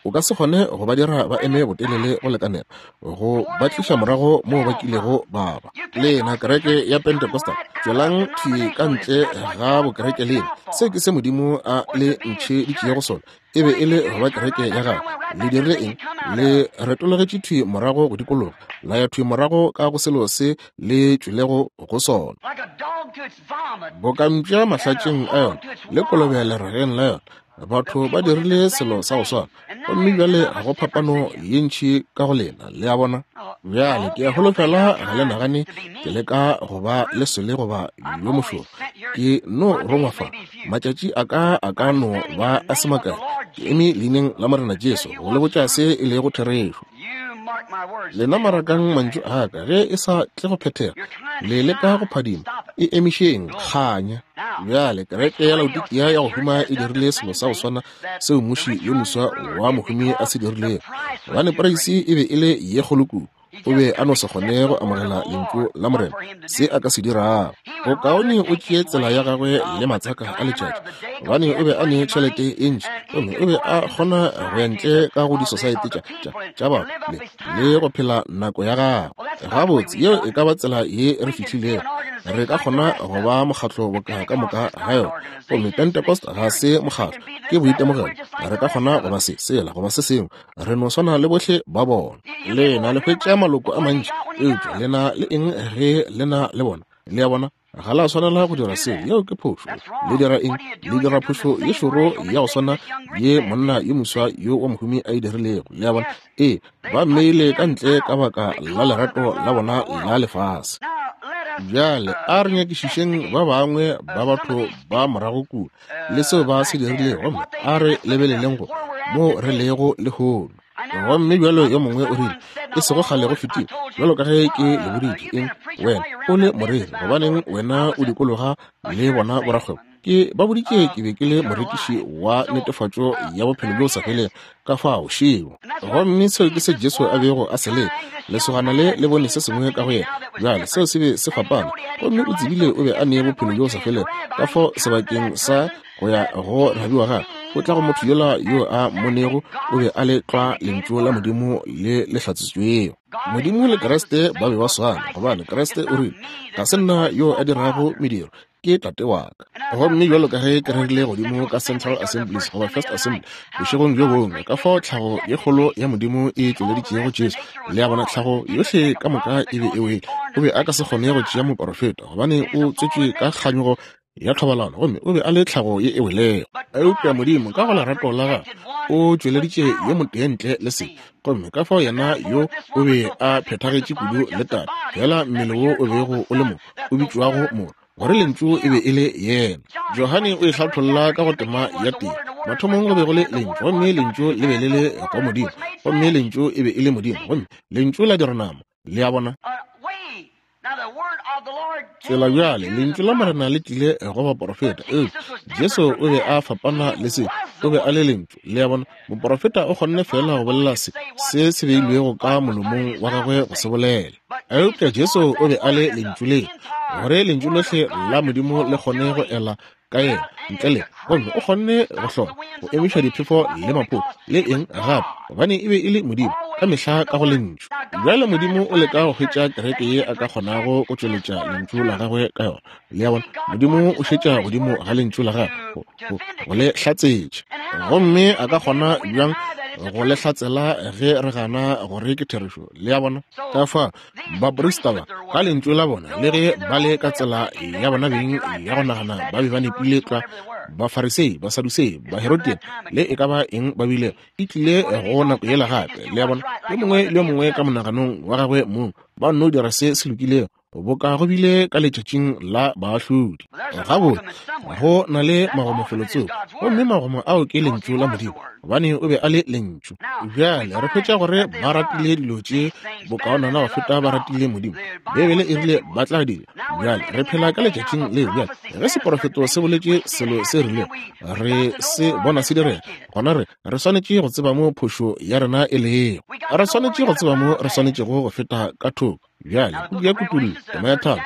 o O ka se kgone go ba dira ba eme botelele go lekanela go ba tliša morago moo ba kilego ba ba. Lena kereke ya Pentecostal, tšwelang thwi ka ntle ga bokereke lena. Se ke se Modimo a le ntšheditšego sona. E be e le go ba kereke ya gagwe. Le dirile eng? Le retologetše thwi morago go dikologa, la ya thwi morago ka go selo se le tšwelego go sona. Boka mpša mahlatšeng a yona le kolobe lerageng la yona, batho ba dirile selo sa go swana. Gomme bjale ga go phapano ye ntši ka go lena, le a bona. Bjale ke a holofela ga le nagane ke leka go ba le sele goba yo mošoro. Ke no rongwa fa, matšatši a ka a ka no ba a se makae. Ke eme leineng la Morena Jesu go le botša se e lego therešo. Lena marakang mantšu a ka, ge e sa tle go phethega, le leka go phadima, e emišeng kganya. Bjale kereke ya Laodikia ya go huma e dirile selo sa go swana seo mmuši yo moswa wa mohumi a se dirilego, gobane poreisi e be e le ye kgolo kudu. O be a no se kgone go amogela lentšu la Morena, se a ka se dirago. Bokaone o tšee tsela ya gagwe le matsaka a letšatši, gobane o be a ne tšhelete e ntši, gomme o be a kgona go ya ntle ka go disosaete tša tša tša batho le, le go phela nako ya gagwe. Gabotse, yeo e ka ba tsela ye re fihlilego. Re ka kgona go ba mokgatlo boka ka moka ga yona, gomme Pentecost ga se mokgatlo, ke boitemogelo. Re ka kgona go ba se, sela goba se sengwe, re no swana le bohle ba bona. Lena le hwetša maloko a mantši, eupša lena le eng ge lena le bona? Le a bona, ga la swanela go dira seo. Yeo ke phošo. Le dira eng? Le dira phošo ye šoro ya go swana ye monna yo moswa yo wa mohumi a e dirilego. Le a bona? Ee, ba mmeile ka ntle ka baka la lerato la bona la lefase. Bjale a re nyakišišeng ba bangwe ba batho ba morago kua le seo ba se dirilego, gomme a re lebeleleng go mo re lego lehono. Gomme bjalo yo mongwe o rile, e sego kgale go fetile, bjalo ka ge ke le boditše, eng wena o le moreri, gobaneng wena o dikologa le bona borakgwebo? Ke ba boditše ke be ke le morekiši wa netefatšo ya bophelo bjo sa felego, ka fao šeo. Gomme seo ke se Jesu a bego a se leka. Lesogana le le bone se sengwe ka go yena. Bjale seo se be se fapana, gomme o tsebile o be a ne bophelo bjo sa felego. Ka fao sebakeng sa go ya go rabi wa gagwe, o tla go motho yola yo a mmonego, o be a le tlwa lentšu la Modimo le le hlatsitšwego. Modimo le Kriste ba be ba swana, gobane Kriste o rile, ga se nna yo a dirago mediro, ke Tate wa ka. Gomme bjalo ka ge ke rerile godimo ka Central Assemblies goba First Assembly bošegong bjo bongwe, ka fao tlhago ye kgolo ya Modimo e tšweleditšego Jesu. Le a bona, tlhago yohle ka moka e be e wele. O be a ka se kgone go tšea moporofeta, gobane o tswetšwe ka kganyogo ya thobalano, gomme o be a le tlhago ye e welego. Eupša Modimo ka go lerato la gagwe o tšweleditše yo motee ntle le sebe, gomme ka fao yena yo o be a phethagetše kudu le Tate, fela mmele wo o bego o le mo o bitšwago Morwa, gore lentšu e be e le yena. Johane o e hlatholla ka go tema ya tee. Mathomong go be go le lentšu, gomme lentšu le be le le go Modimo, gomme lentšu e be e le Modimo, gomme lentšu la dira nama. Le a bona? Tsela bjale, lentšu la Morena le tlile go baporofeta, eupša Jesu o be a fapana le se, o be a le lentšu. Le a bona? Moporofeta o kgonne fela go bolela se se se beilwego ka molomong wa gagwe go se bolela, eupša Jesu o be a le lentšu le, gore lentšu lohle la Modimo le kgone go ela ka yena ntle le, gomme o kgonne go hlola go emiša diphefo le maphoto le eng gape, gobane e be e le Modimo ka mehla ka go lentšu. Bjale Modimo o leka go hwetša kereke ye a ka kgonago go tšweletša lentšu la gagwe ka yona. Le a bona? Modimo o šetša godimo ga lentšu la gagwe go, go, go le hlatsetša, gomme a ka kgona bjang go le hlatsela ge re gana gore ke therešo? Le a bona? Ka fa baprista ba ka lentšu la bona, le ge ba le ka tsela ya bona beng ya go nagana, ba be ba nepile tlwa. Bafarisei, Basadusei, Baherodian, le e ka ba eng ba bile, e tlile go nako yela gape. Le a bona? Yo mongwe le yo mongwe ka monaganong wa gagwe mong ba nno dira se se lokilego, boka go bile ka letšatšing la baahlodi. Gabotse, go na le magomo felotsoko, gomme magomo ao ke lentšu la Modimo, gobane o be a le lentšu. Bjale re hwetša gore ba ratile dilo tše bokaonana go feta ba ratile Modimo. Beibele e rile ba tla dira. Bjale re phela ka letšatšing leo. Bjale ge seporofeto se boletše selo se rilego, re se bona se direga, gona re re swanetše go tseba mo phošo ya rena e lego. Re swanetše go tseba mo re swanetšego go feta ka thoko. Bjale puku ya Kutullo tema ya tharo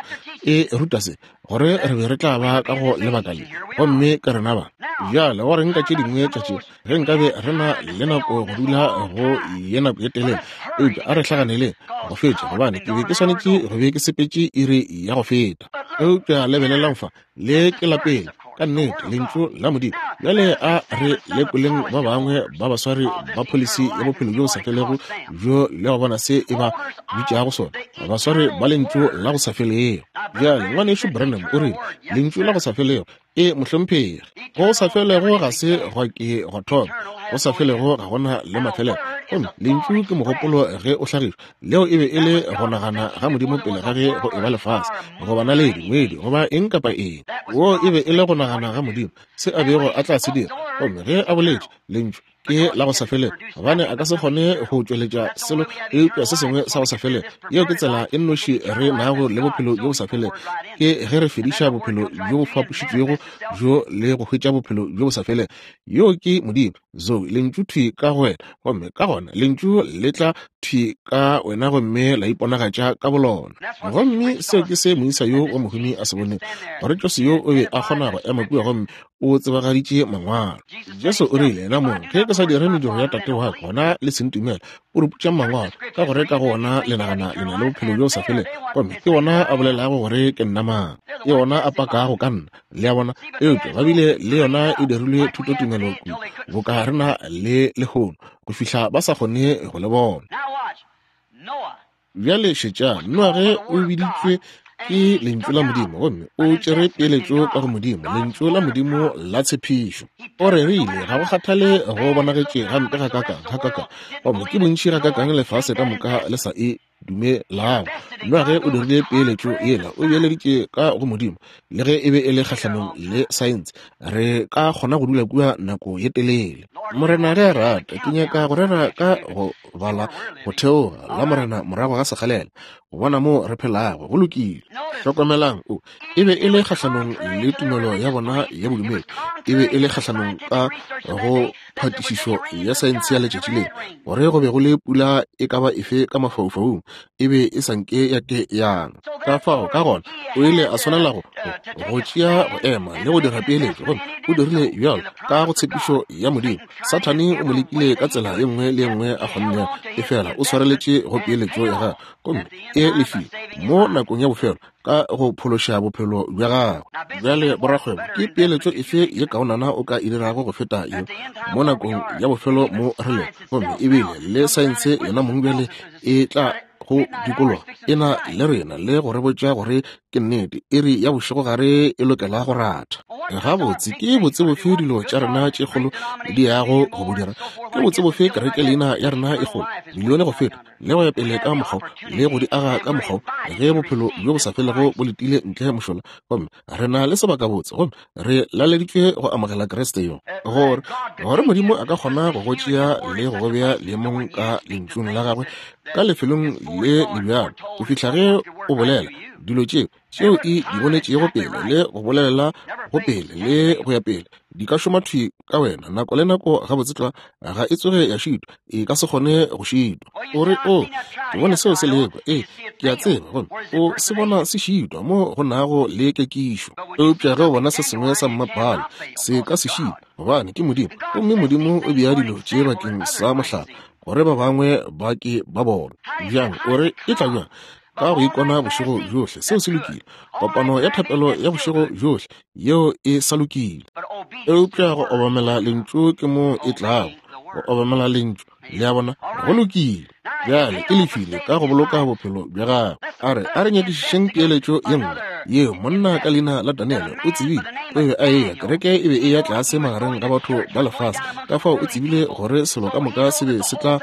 E ruta se, gore re be re tla ba ka go lebaka le, gomme ke rena ba. Bjale go reng ka tše dingwe tša tše, ge nkabe re na le nako go dula go ye nako ye telele, eupša a re hlaganeleng go fetša, gobane ke be ke swanetše go be ke sepetše iri ya go feta. Eupša lebelelang fa, le ke la pele, ka nnete, lentšu la Modimo. Bjale a re lekoleng ba bangwe ba baswari ba pholisi ya bophelo bjo bo sa felego bjo le go bona se e ba bitšago sona, baswari ba lentšu la go sa felego. Bjale ngwanešu Branham o rile, lentšu la go sa felego, e mohlomphegi, go sa felego ga se gwa ke gwa thoma, go sa felego ga gona le mafelelo. Gomme lentšu ke mogopolo ge o hlagišwa, leo e be e le go nagana ga Modimo pele ga ge go eba lefase, goba naledi, ngwedi, goba eng kapa eng. Wo e be e le go nagana ga Modimo, se a bego a tla se dira. Gomme ge a boletše, lentšu ke la go sa felego, gobane a ka se kgone go tšweletša selo eupša se sengwe sa go sa felego. Yeo ke tsela e nnoši re nago le bophelo bjo bo sa felego, ke ge re fediša bophelo bjo bo fapošitšwego bjo le go hwetša bophelo bjo bo sa felego. Yeo ke Modimo, Zoe, lentšu thwi ka go wena, gomme ka gona lentšu le tla thwi ka wena gomme la iponagatša ka bolona. Gomme seo ke se moisa yo wa mohumi a se bonego, gore Jesu yo o be a kgona go ema kua gomme o tsebagaditše mangwalo. Jesu o rile yena mong, ge ke sa dire mediro ya Tate wa ka, gona le se ntumele. O re putša mangwalo, ka gore ka go ona le nagana le na le bophelo bjo bo sa felego, gomme ke ona a bolelago gore ke nna mang, ke ona a pakago ka nna. Le a bona? Eupša ba bile le yona e dirilwe thutotumelo kudu, boka re na le lehono, go fihla ba sa kgone go le bona. Bjale šetšang, Noage o biditšwe ke lentšu la Modimo, gomme o tšere peeletšo ka go Modimo, lentšu la Modimo la tshepišo. O rerile, ga go kgathale go bonagetše gampe gakakang, gakakang, gomme ke bontši gakakang lefase ka moka le sa e dumelago. Noage o dirile peeletšo yela, o beeleditše ka go Modimo, le ge e be e le kgahlanong le saense. Re ka kgona go dula kua nako ye telele. Morena ge a rata, ke nyaka go rera ka go bala go theoga la Morena morago ga sekgalela, go bona mo re phelago. Go lokile. Hlokomelang, o e be e le kgahlanong le tumelo ya bona ya bodumedi, e be e le kgahlanong ka go phatišišo ya saense ya letšatši leo, gore go be go le pula e ka ba efe ka mafaufaung, e be e sa nke ya ke yana. Ka fao ka gona o ile a swanela go go tšea go ema le go dira peeletšo, gomme o dirile bjalo ka go tshepišo ya Modimo. Sathane o mo lekile ka tsela ye nngwe le ye nngwe a kgonnego, efela o swareletše go peeletšo ya gagwe, gomme e lefile mo nakong ya bofelo ka go phološa bophelo bja gagwe. Bjale borakgwebo, ke peeletšo efe ye kaonana o ka e dirago go feta ye mo nakong ya bofelo mo re lego? Gomme ebile le saense yona mong bjale e tla go dikologa e na le rena le go re botša gore ke nnete, iri ya bošegogare e lokela go ratha. Gabotse ke botse bofe dilo tša rena tše kgolo di yago go bo dira? Ke botse bofe kereke leina ya rena e kgolo, milione go feta, le go ya pele ka mokgwa le go di aga ka mokgwa, ge bophelo bjo bo sa felego bo letile ntle mošola? Gomme re na le sebakabotse, gomme re laleditšwe go amogela Kriste yo, gore gore Modimo a ka kgona go go tšea le go go bea leemong ka lentšung la gagwe ka lefelong le le bjalo, go fihla ge o bolela dilo tšeo tšeo e di bonetšego pele le go bolela go pele le go ya pele, di ka šoma thwi ka wena nako le nako. Gabotse tlwa, ga e tsoge ya šitwa, e ka se kgone go šitwa. O re, o ke bone seo se lekwa, ee ke a tseba, gomme o se bona se šitwa mo go nago le kekišo. Eupša ge o bona se sengwe sa mmapale, se ka se šitwa, gobane ke Modimo, gomme Modimo o bea dilo tše bakeng sa mohlala, gore ba bangwe ba ke ba bona. Bjang? O re, e tla bjang? Ka go ikona bošego bjohle. Seo se lokile. Kopano ya thapelo ya bošego bjohle, yeo e sa lokile. Eupša go obamela lentšu ke mo e tlago, go obamela lentšu. Le a bona? Go lokile. Bjale e lefile ka go boloka bophelo bja gagwe. A re a re nyakišišeng peeletšo ye nngwe yeo monna ka leina la Daniele o tsebile o be a eya, kereke e be e ya tlase magareng ga batho ba lefase, ka fao o tsebile gore selo ka moka se be se tla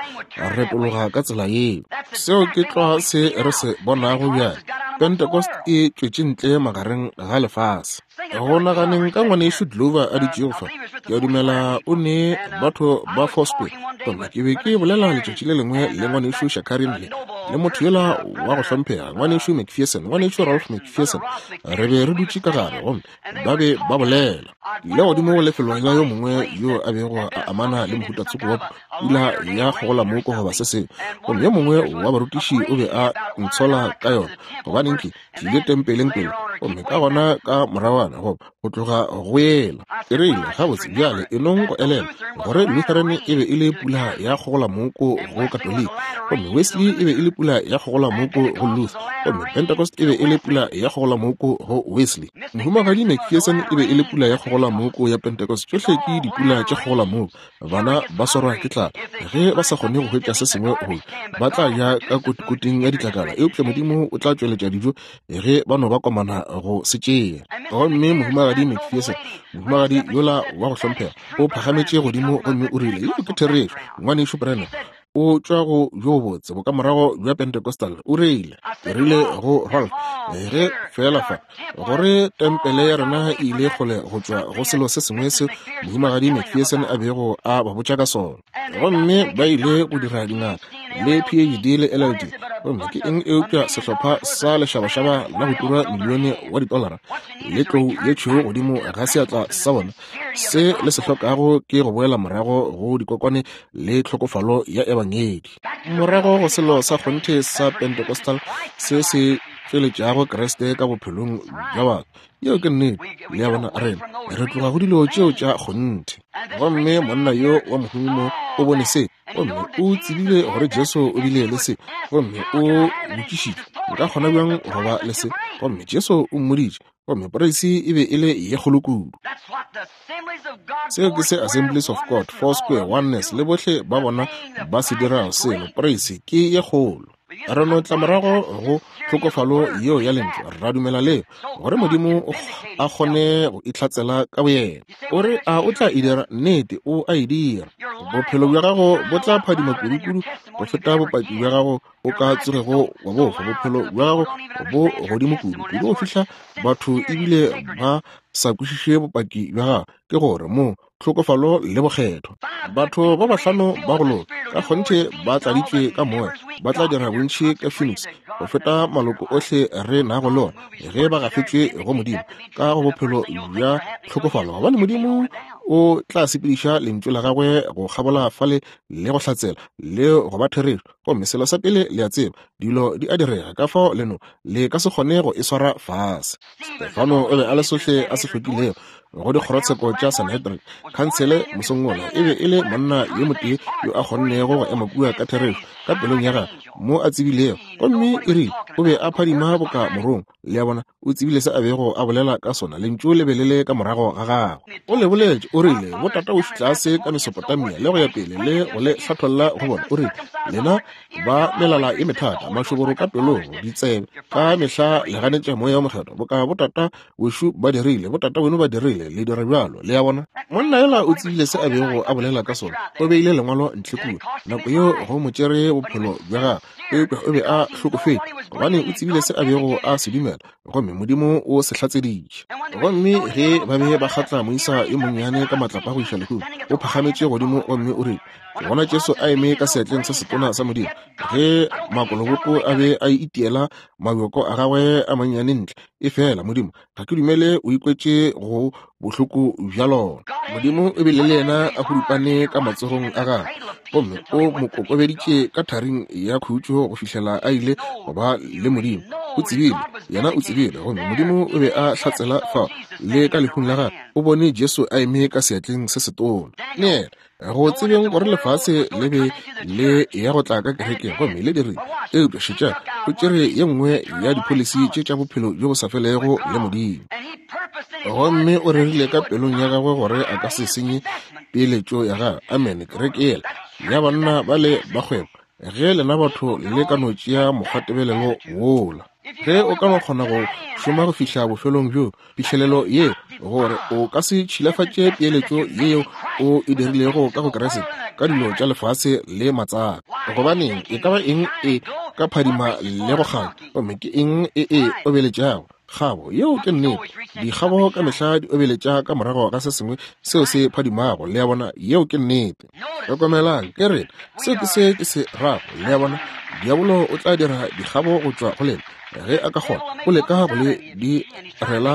retologa ka tsela yeo. Seo ke tlwa se re se bonago bjale. Pentecost e tšwetše ntle magareng ga lefase. Go naganeng ka ngwanešu Glover a dutšego fa, ke a dumela o ne batho ba Foursquare, gomme ke be ke bolela letšatši le lengwe le ngwanešu Shakarin le Le motho yola wa go hlomphega, ngwanešu McPherson, ngwanešu Ralph McPherson, re be re dutše ka gare gomme ba be ba bolela. Ke ile godimo go lefelo la yo mongwe yo a bego a amana le mohutatsoko wa pula ya kgogolamoko goba se sengwe, gomme yo mongwe wa barutiši o be a ntshola ka yona, gobaneng ke tlile tempeleng pele, gomme ka gona ka moragwana goba go tloga go yela. Ke rile, gabotse bjale e nong go elela gore Lutheran e be e le pula ya kgogolamoko go Katoliki, gomme Wesley e be e le pula ya kgogolamoko go Luther, gomme Pentecost e be e le pula ya kgogolamoko go Wesley. Mohumagadi McPherson e be e le pula ya kgogolamoko ya Pentecost. Tšohle ke dipula tša kgogolamoko. Bana ba swarwa ke tlala ge ba sa kgone go hwetša se sengwe go ba tla ja ka kotikoting ya ditlakala, eupša Modimo o tla tšweletša dijo ge ba no ba komana go se tšea. Gomme mohumagadi McPherson, mohumagadi yola wa go hlomphega, o phagametše godimo gomme o rile, yeo ke therešo, ngwanešu Branham, o tšwa go bjo botse bokamorago bja Pentecostal. O rile, ke rile go Ralph, ge fela fa gore tempele ya rena e ile kgole go tšwa go selo se sengwe se mohumagadi McPherson a bego a ba botša ka sona, gomme ba ile go dira dingaka le P H D le L L D, gomme ke eng eupša sehlopha sa lešabašaba la go tura milione wa ditolara le tlou ye tšhweu godimo ga seatla sa bona. Se le se hlokago ke go boela morago go dikokwane le tlhokofalo ya ebangedi, morago go selo sa kgonthe sa Pentecostal se se tšweletšago Kriste ka bophelong bja batho. Yeo ke nnete. Le a bona, rena re tloga go dilo tšeo tša kgonthe. Gomme monna yo wa mohumi mo o bone se, gomme o tsebile gore Jesu o bile le se, gomme o botšišitše, nka kgona bjang go ba le se? Gomme Jesu o mmoditše, gomme poreisi e be e le ye kgolo kudu. Seo ke se Assemblies of God, Foursquare, Oneness le bohle ba bona ba se dirago selo. Poreisi ke ye kgolo. Re no tla morago go tlhokofalo yeo ya lentšu, ra dumela leo gore Modimo a kgone go itlhatsela ka boyena. O re, a o tla e dira? Nnete, o a e dira. Bophelo bja gago bo tla phadima kudu-kudu go feta bopaki bja gago o ka tsogego wa bofa. Bophelo bja gago bo godimo kudu kudu go fihla batho ebile ba sa kwešiše bopaki bja gago, ke gore mo tlhokofalo le bokgethwa. Batho ba bahlano ba go loka ka kgonthe ba tladitšwe ka moya, ba tla dira bontši ka Phoenix go feta maloko ohle re nago le ona ge ba gafetšwe go Modimo ka go bophelo bja tlhokofalo, gobane Modimo o tla sepediša lentšu la gagwe go kgabola fale le go hlatsela le go ba therešo. Gomme selo sa pele le a tseba, dilo di a direga, ka fao leno le ka se kgone go e swara fase. Stefano o be a le sohle a se hlokilego go dikgorotsheko tša Sanhedrin. Khansele mosong wola e be e le monna yo motee yo a kgonnego go ema kua ka therešo ka pelong ya gagwe mo a tsebilego, gomme e rile o be a phadima boka morongwa. Le a bona, o tsebile se a bego a bolela ka sona. Lentšu le be le le ka morago ga gagwe. O le boletše, o rile, botata o tlase ka Mesopotamia le go ya pele le go le hlatholla go bona. O rile, lena ba melala e methata, mašoboro ka pelong, ditsebe ka mehla le ganetša moya wa mokgethwa, boka botata wešo ba dirile, botata weno ba dirile, le dira bjalo. Le a bona, monna yola o tsebile se a bego a bolela ka sona. O beile lengwalo ntle kua nako yeo go mo tšere bophelo bja gagwe, eupša o be a hlokofetše gobane o tsebile se a bego a se dumela, gomme Modimo o se hlatseditše. Gomme ge ba be ba kgatla moisa yo monnyane ka matlapa go iša lehung, o phagametše godimo gomme o rile, ke bona Jesu a eme ka seatleng se setona sa Modimo. Ge makoloboko a be a itiela mabjoko a gagwe a mannyane ntle, e fela Modimo, ga ke dumele o ikwetše go bohloko bja lona. Modimo o bile le yena a hurupane ka matsogong a gagwe, gomme o mo kokobeditše ka tharing ya khutšo go fihlela a ile go ba le Modimo. O tsebile, yena o tsebile, gomme Modimo o be a hlatsela fao le ka lehung la gagwe. O bone Jesu a eme ka seatleng se setona. Le yena go tsebeng gore lefase le be le ya go tla ka kerekeng, gomme le dirile. Eupša šetšang, o tšere ye nngwe ya dipholisi tše tša bophelo bjo bo sa felego le Modimo, gomme o rerile ka pelong ya gagwe gore a ka se senye peeletšo ya gagwe. Amene. Kereke yela ya banna ba le ba kgwebo, ge lena batho le ka no tšea mokgwatebelelo wola, ge o ka no kgona go šoma go fihla bofelong bjo phihlelelo ye, gore o ka se tšhilafatše peeletšo yeo o e dirilego ka go Kriste ka dilo tša lefase le matsaka. Gobaneng, e ka ba eng e ka phadima le go kganya, gomme ke eng e e obeletšago? Kgabo, yeo ke nnete. Dikgabo ka mehla di obeletša ka morago ga se sengwe seo se phadimago, le a bona, yeo ke nnete. Hlokomelang, ke rena, seo ke se ke se rago, le a bona. Diabolo o tla dira dikgabo go tšwa go lena ge a ka kgona. O leka go le direla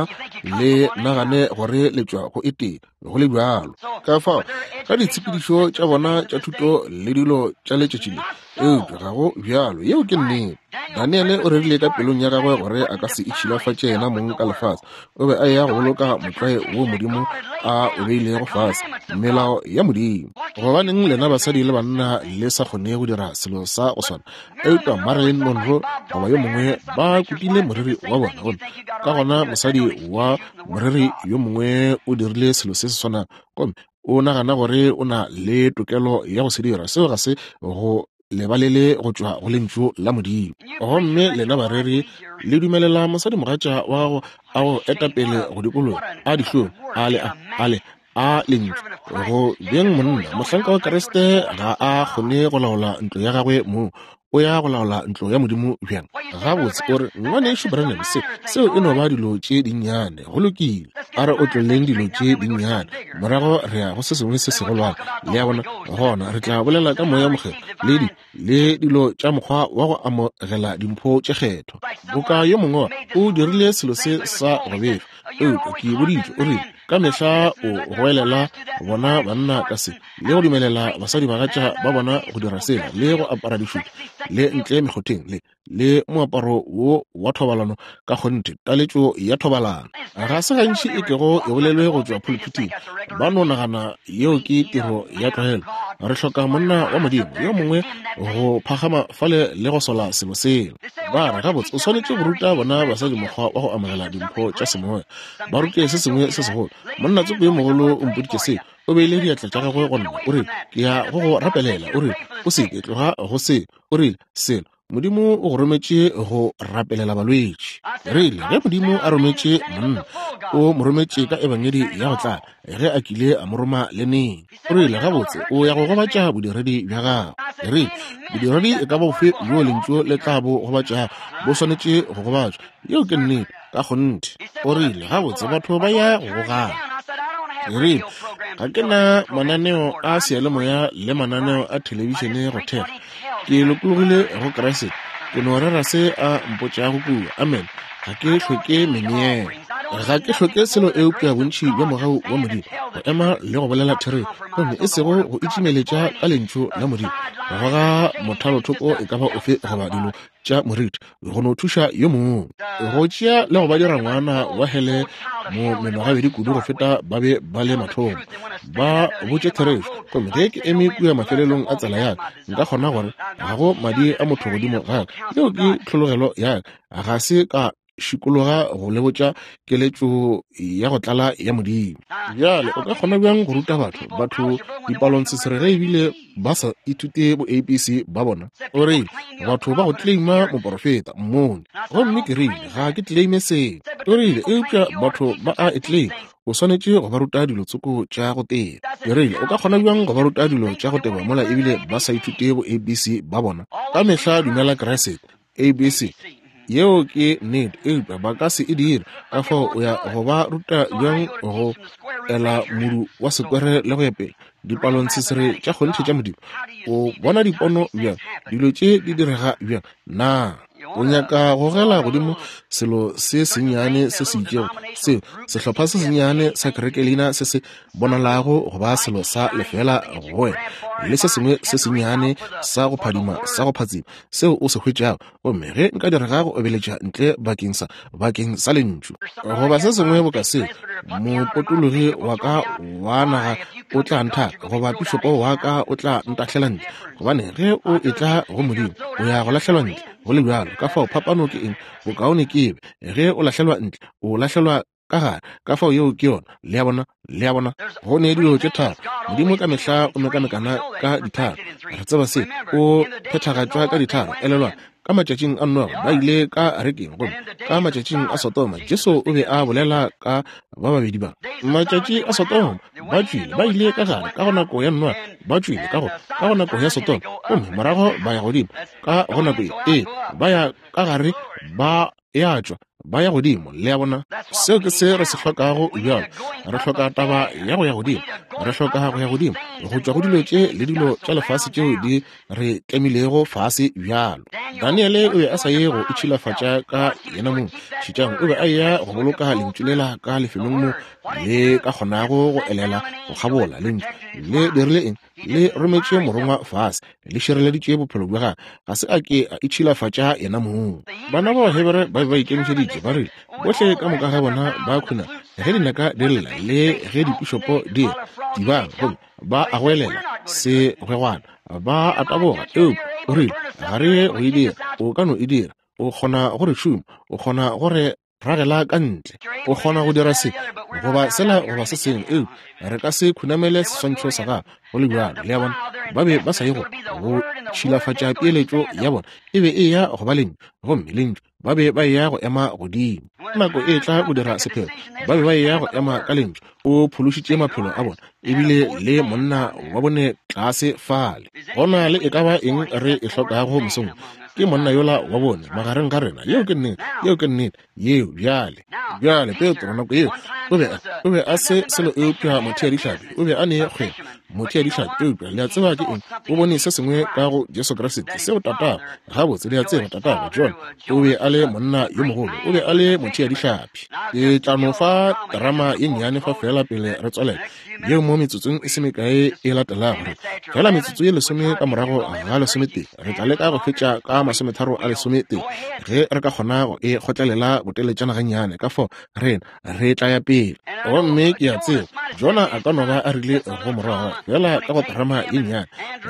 le nagane gore le tšwa go e tee, go le bjalo. Ka fao ka ditshepedišo tša bona tša thuto le dilo tša letšatši le, eupša ga go bjalo, yeo ke nnete. Daniele o rerile ka pelong ya gagwe gore a ka se itšhilafatše yena mong ka lefase. O be a eya go boloka motlwae wo Modimo a o beilego fase, melao ya Modimo. Gobaneng lena basadi le banna le sa kgone go dira selo sa go swana? Eupša Marilyn Monroe goba yo mongwe ba kutile moriri wa bona, gomme ka gona mosadi wa moriri yo mongwe o dirile selo se se swanago, gomme o nagana gore o na le tokelo ya go se dira. Seo ga se go lebalele go tšwa go lentšu la Modimo. Gomme lena bareri le dumelela mosadimogatša wa gago a go etapele go dikologa, a dihlong, a le a a le a lentšu go beng monna. Mohlanka wa Kriste ga a kgone go laola ntlo ya gagwe mong, o ya go laola ntlo ya Modimo bjang? Gabotse o re, ngwanešu Branham, se seo e no ba dilo tše dinnyane. Go lokile, a re otlolleng dilo tše dinnyane, morago re ya go se sengwe se segolwane, le a bona. Gona re tla bolela ka Moya Mokgethwa le di le dilo tša mokgwa wa go amogela dimpho tše kgethwa. Boka yo mongwe o dirile selo se sa go befa, eupša ke boditšwe, o rile ka mehla o goelela bona banna ka se, le go dumelela basadibagatša ba bona go dira sela, le go apara dišupa le ntle mekgotheng, le le moaparo wo wa thobalano, ka kgonthe taletšo ya thobalano. Ga se gantši e kego e bolelwe go tšwa pulpiting, ba no nagana yeo ke tiro ya tlwaelo. Re hloka monna wa Modimo yo mongwe go phagama fale le go sola selo sela. Ba re, gabotse o swanetše go ruta bona basadi mokgwa wa go amogela dimpho tša semoya, ba rute se sengwe se segolo. Monna tsoko yo mogolo o mpoditše se, o beile diatla tša gagwe go nna, o rile, ke ya go go rapelela. O rile, o se ke tloga go se. O rile, selo Modimo o go rometše go rapelela balwetši. Rile, ge Modimo a rometše monna, o mo rometše ka ebangedi ya go tlala, ge a kile a mo roma le neng. O rile, gabotse o ya go gobatša bodiredi bja gago. Rile, bodiredi e ka ba bofe bjo lentšu le tla bo gobatšago, bo swanetše go gobatšwa. Yeo ke nnete, ka kgonthe. O rile, gabotse batho ba ya go gogana. Rile, ga ke na mananeo a seyalemoya le mananeo a thelebišene go thekga. Ke lokologile go Kriste, ke no rera se a mpotšago kua. Amen. Ga ke hloke meneelo, ga ke hloke selo eupša bontši bja mogau wa Modimo, go ema le go bolela therešo, gomme e sego go itšimeletša ka lentšu la Modimo, go goga mothalothoko e ka ba ofe goba dilo tša moriti, go no thuša yo mongwe, go tšea le go ba dira ngwana wa hele mo menogabedi kudu go feta ba be ba le mathomo. Ba botše therešo, gomme ge ke eme kua mafelelong a tsela ya ka, nka kgona gore ga go madi a motho godimo ga ka. Yeo ke tlhologelo ya ka, ga se ka šikologa go le botša keletšo ya go tlala ya Modimo. Bjale o ka kgona bjang go ruta batho batho dipalontshesere ge ebile ba sa ithute bo A B C ba bona? O rile, batho ba go claima moporofeta mmone, gomme ke rile, ga ke claime seo. O rile, eupša batho ba a e claima, o swanetše go ba ruta dilo tsoko tša go teba. Ke rile, o ka kgona bjang go ba ruta dilo tša go teba mola ebile ba sa ithute bo A B C ba bona? Ka mehla dumela Kriste, A B C. Yeo ke nnete, eupša ba ka se e dire. Ka fao o ya go ba ruta bjang go ela modu wa sekwere le go ya pele dipalontshesere tša kgonthe tša Modimo? O bona dipono bjang, dilo tše di direga bjang? Na o nyaka go gogela godimo selo se sennyane se se itšego, seo sehlopha se sennyane sa kerekelina se se bonalago go ba selo sa lefela go wena, le se sengwe se sennyane sa go phadima sa go phatsima seo o se hwetšago, gomme ge nka direga go obeletša ntle bakeng sa bakeng sa lentšu goba se sengwe boka seo, mopotologi wa ka wa naga o tla nthaka, goba pišopo wa ka o tla ntahlela ntle. Gobane ge o etla go Modimo, o ya go lahlelwa ntle go le bjalo. Ka fao phapano ke eng? Bokaone ke ebe ge o lahlelwa ntle, o lahlelwa ka gare. Ka fao yeo ke yona. Le a bona, le a bona, go ne dilo tše tharo. Modimo ka mehla o mekamekana ka ditharo. Re tseba se, o phethagatšwa ka ditharo. Elelwa, ka matšatšing a Noa ba ile ka arekeng, gomme ka matšatšing a Sodoma Jesu o be a bolela ka ba babedi ba. Matšatši a Sodoma ba tšwile, ba ile ka gare ka go nako ya Noa, ba tšwile ka go ka go nako ya Sodoma, gomme morago ba ya godimo ka go nako ye. Ee, ba ya ka gare, ba ya tšwa, Ba ya godimo, le a bona. Seo ke se re se hlokago bjalo. Re hloka taba ya go ya godimo. Re hloka go ya godimo, go tšwa go dilo tše le dilo tša lefase tšeo di re tlemilego fase bjalo. Daniele o be a sa ye go itšhilafatša ka yena mong. Šetšang, o be a eya go boloka lentšu lela ka lefelong mo le ka kgonago go elela go kgabola. Lentšu le dirile eng? Le rometše morongwa fase, le šireleditše bophelo bja gagwe. Ga se a ke a itšhilafatša yena mong. Bana ba Bahebere ba be ba ikemišeditše, ba rile bohle ka moka ga bona ba khuna ge dinaka di lla le ge dipišopo di re tibang, gomme ba a goelela segwegwana, ba a taboga. Eupša o rile ga re ye go e dira. O ka no e dira. O kgona go re šoma, o kgona go re ragela ka ntle, o kgona go dira se goba sela goba se sengwe, eupša re ka se khunamele seswantšho sa gago go le bjalo. Le a bona, ba be ba sa ye go go tšhilafatša peeletšo ya bona. E be e ya go ba lentšu, gomme lentšu ba be ba eya go ema godimo. Nako e tla go dira sephetho, ba be ba eya go ema ka lentšu. O phološitše maphelo a bona, ebile le monna wa bone tlase fale. Gona le e ka ba eng re e hlokago mosong, ke monna yola wa bone magareng ga rena. Yeo ke nnete, yeo ke nnete, yeo. Bjale, bjale Petro nako yeo o be o be a se selo eupša motheadihlapi. O be a ne kgwebo, motheadihlapi, eupša le a tseba ke eng? O bone se sengwe ka go Jesu Kriste seo tatago. Gabotse, le a tseba tatago John o be a le monna yo mogolo, o be a le motheadihlapi. Ke tla no fa terama ye nnyane fa fela pele re tswalela yeo mo metsotsong e se mekae e latelago. Re fela metsotso ye lesome ka morago ga lesometee re tla leka go fetša ka masometharo a lesometee ge re ka kgona go e kgotlelela boteletšana gannyane. Ka fao rena re tla ya pele. Gomme ke a tseba Jona a ka no ba a rile go morwa fela ka go terama ye nnyane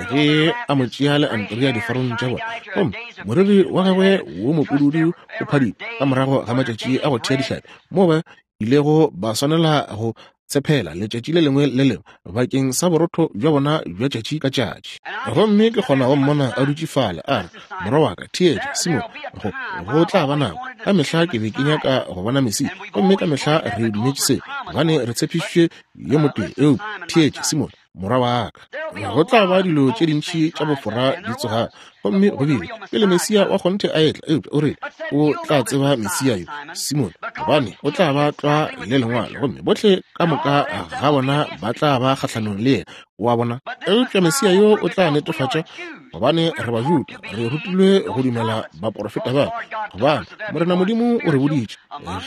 ge a mo tšea le Andrea difarong tša bona, gomme moriri wa gagwe wo mopududu o phadima ka morago ga matšatši a go thea dihlapi, mo ba ilego ba swanela go tshepela letšatši le lengwe le lengwe bakeng sa borotho bja bona bja tšatši ka tšatši. Gomme ke kgona go mmona a dutše fale a re, morwa wa ka, theetša Simon, go go tla ba nako. Ka mehla ke be ke nyaka go bona Mesia, gomme ka mehla re dumetše se, gobane re tshepišitše yo motee. Eupša theetša Simon, morwa wa ka, go tla ba dilo tše dintši tša bofora di tsogago. Gomme go bile pele Mesia wa kgonthe a etla, eupša o rile o tla tseba Mesia yo, Simon, gobane o tla ba tlwa le lengwalo, gomme bohle ka moka ga bona ba tla ba kgahlanong le yena. Wa bona? Eupša Mesia yo o tla netefatša, gobane re Bajuda, re rutilwe go dumela baporofeta ba, gobane Morena Modimo o re boditše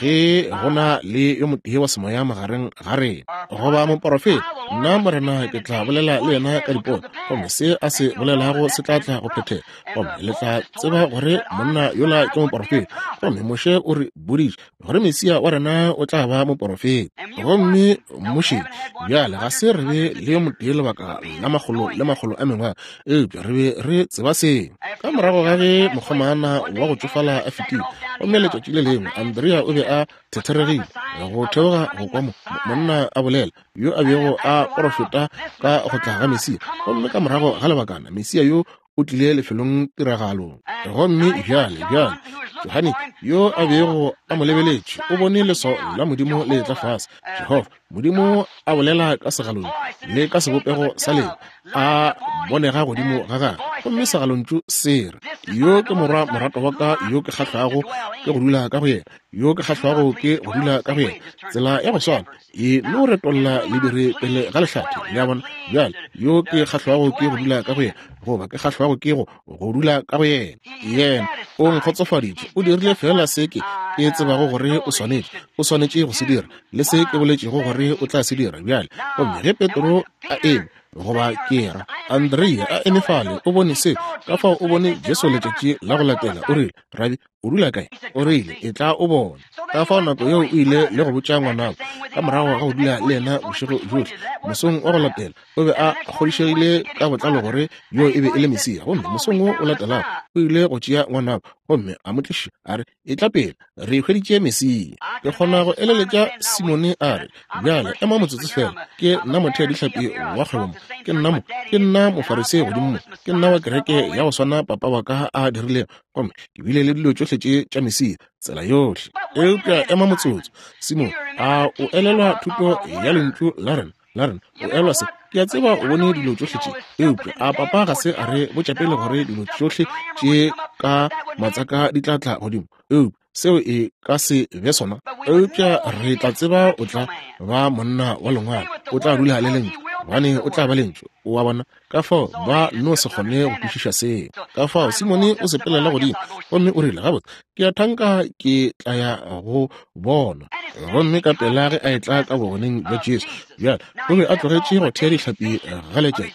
ge go na le yo motee wa semoya magareng ga rena, goba moporofeta, nna Morena ke tla bolela le yena ka dipono, gomme se a se bolelago se tla tla go phethega, gomme le tla tseba gore monna yola ke moporofeta. Gomme Moshe o re boditše gore Mesia wa rena o tla ba moporofeta. Gomme Moshe bjale ga se re be le yo motee lebaka la makgolo le makgolo a mengwaga, eupša re be re tseba seo. Ka morago ga ge mokgomana wa go tšofala a fetile, gomme letšatši le lengwe Andrea o be a thetheregile go theoga go kwa mo monna a bolela yo a bego a porofeta ka go tla ga Mesia. Gomme ka morago ga lebakana Mesia yo o tlile lefelong tiragalong. Gomme bjale bjale Johane yo a bego a mo lebeletše o bone leswao la Modimo le etla fase, Jehofa Modimo a bolela ka segalontšu le ka sebopego sa leo a bonega godimo ga gagwe. Gomme segalontšu se re, yo ke morwa morato wa ka yo ke kgahlwago ke go dula ka go yena, yo ke kgahlwago ke go dula ka go yena. Tsela ya go swana e no retolla lediri pele ga lehlathe. Le a bona? Bjale yo ke kgahlwago ke go dula ka go yena, goba ke kgahlwago ke go go dula ka go yena. Yena o nkgotsofaditše, o dirile fela se ke ke tsebago gore o swanetše, o swanetše go se dira, le se ke boletšego gore o tla se dira. Bjale gomme ge Petro a eme, goba ke ra Andrea a eme fale, o bone se, ka fao o bone Jesu letšatši la go latela. O rile, Rabi, o dula kae? O rile, e tla o bone. Ka fao nako yeo o ile le go botša ngwanabo ka morago ga go dula le yena bošego bjohle. Mosong wa go latela o be a kgodišegile ka botlalo gore yo e be e le Mesia. Gomme mosong wo o latelago o ile go tšea ngwanabo gomme a mo tliša, a re, e tla pele, re hweditše Mesia. Ke kgona go eleletša Simone a re, bjale ema motsotso fela, ke nna motheadihlapi wa kgwebo mo, ke nna mo, ke nna mofarisei godimo mo, ke nna wa kereke ya go swana papa wa ka a dirilego, gomme ke bile le dilo tšohle tše tša Mesia tsela yohle. Eupša ema motsotso, Simone, a o elelwa thuto ya lentšu la rena la rena? O elelwa se? Ke a tseba o bone dilo tšohle tše, eupša a papa ga se a re botša pele gore dilo tšohle tše ka matsaka di tla tla godimo? Eupša Seo e ka se be sona, eupša re tla tseba o tla ba monna wa lengwalo, o tla dula le lentšu, gobane o tla ba lentšu. O a bona? Ka fao ba no se kgone go kwešiša seo. Ka fao Simone o sepelela godimo gomme o rile, gabotse, ke a thanka ke tla ya go bona. Gomme ka pela ge a etla ka bogoneng bja Jesu, bjale o be a tlogetše go thea dihlapi ga letšatši,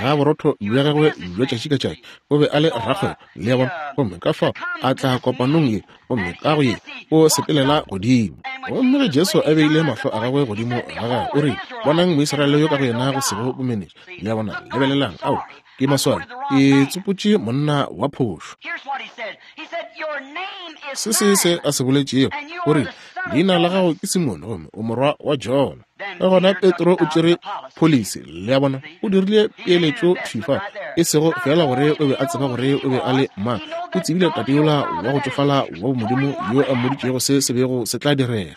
ga borotho bja gagwe bja tšatši ka tšatši. O be a le rakgwebo, le a bona. Gomme ka fao a tla kopanong ye, gomme ka go ye o sepelela godimo. Gomme ge Jesu a beile mahlo a gagwe godimo ga gagwe, o rile, bonang Moisraele yo ka go yena go sego bomenetša. Le a bona? Lebelelang, ao ke maswabi, ke tsopotše monna wa phošo. Se se se a se boletšego, o rile, leina la gago ke Simone gomme o morwa wa Jona. Ka gona Petro o tšere pholisi, le a bona, o dirile peeletšo thwi fa, e sego fela gore o be a tseba gore o be a le mang, o tsebile tate yola wa go tšofala wa bomodimo yo a mmoditšego se se bego se tla direga.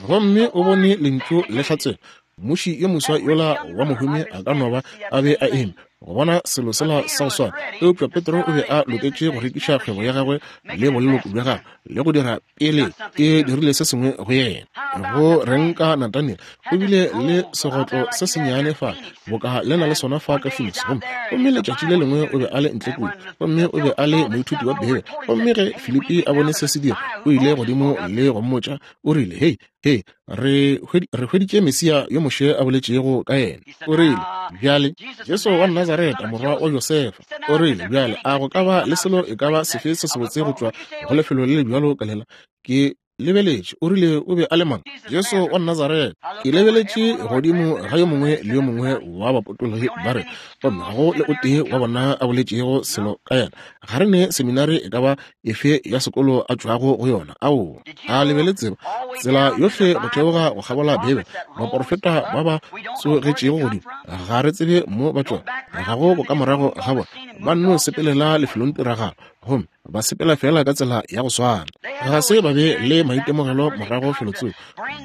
Gomme o bone lentšu le hlatsela. Mmuši yo moswa yola wa mohumi a ka no ba a be a eme go bona selo sela sa go swana, eupša Petro o be a loketše go rekiša kgwebo ya gagwe le boleloko bja gagwe le go dira pele e dirile se sengwe go yena. Go reng ka Nathaniel? O bile le segotlo se sennyane fa, boka le na le sona fa ka Phoenix, gomme gomme letšatši le lengwe o be a le ntle kua, gomme o be a le moithuti wa Beibele. Gomme ge Filipi a bone se se dira, o ile godimo le go mmotša, o rile, hei, hei, re hweditše Mesia yo Moshe a boletšego ka yena. O rile, bjale, Jesu wa Nazareta, morwa wa Josefa. O rile, bjale, a go ka ba le selo e ka ba sefe se sebotse go tšwa go lefelo le le bjalo ka lela? Ke lebeletše. O rile o be a le mang? Jesu wa Nazareta. Ke lebeletše godimo ga yo mongwe le yo mongwe wa bapotologi ba re, gomme ga go le o tee wa bona a boletšego selo ka yena. Ga re ne seminari e ka ba efe ya sekolo a tšwago go yona. Ao, a le be le tseba tsela yohle go theoga go kgabola Beibele, baporofeta ba ba tsogetšego godimo, ga re tsebe mo ba tšwago, ga go bokamorago ga bona, ba nno sepelela lefelong tiragalo, gomme ba sepela fela ka tsela ya go swana. Ga se ba be le maitemogelo morago felotsoko,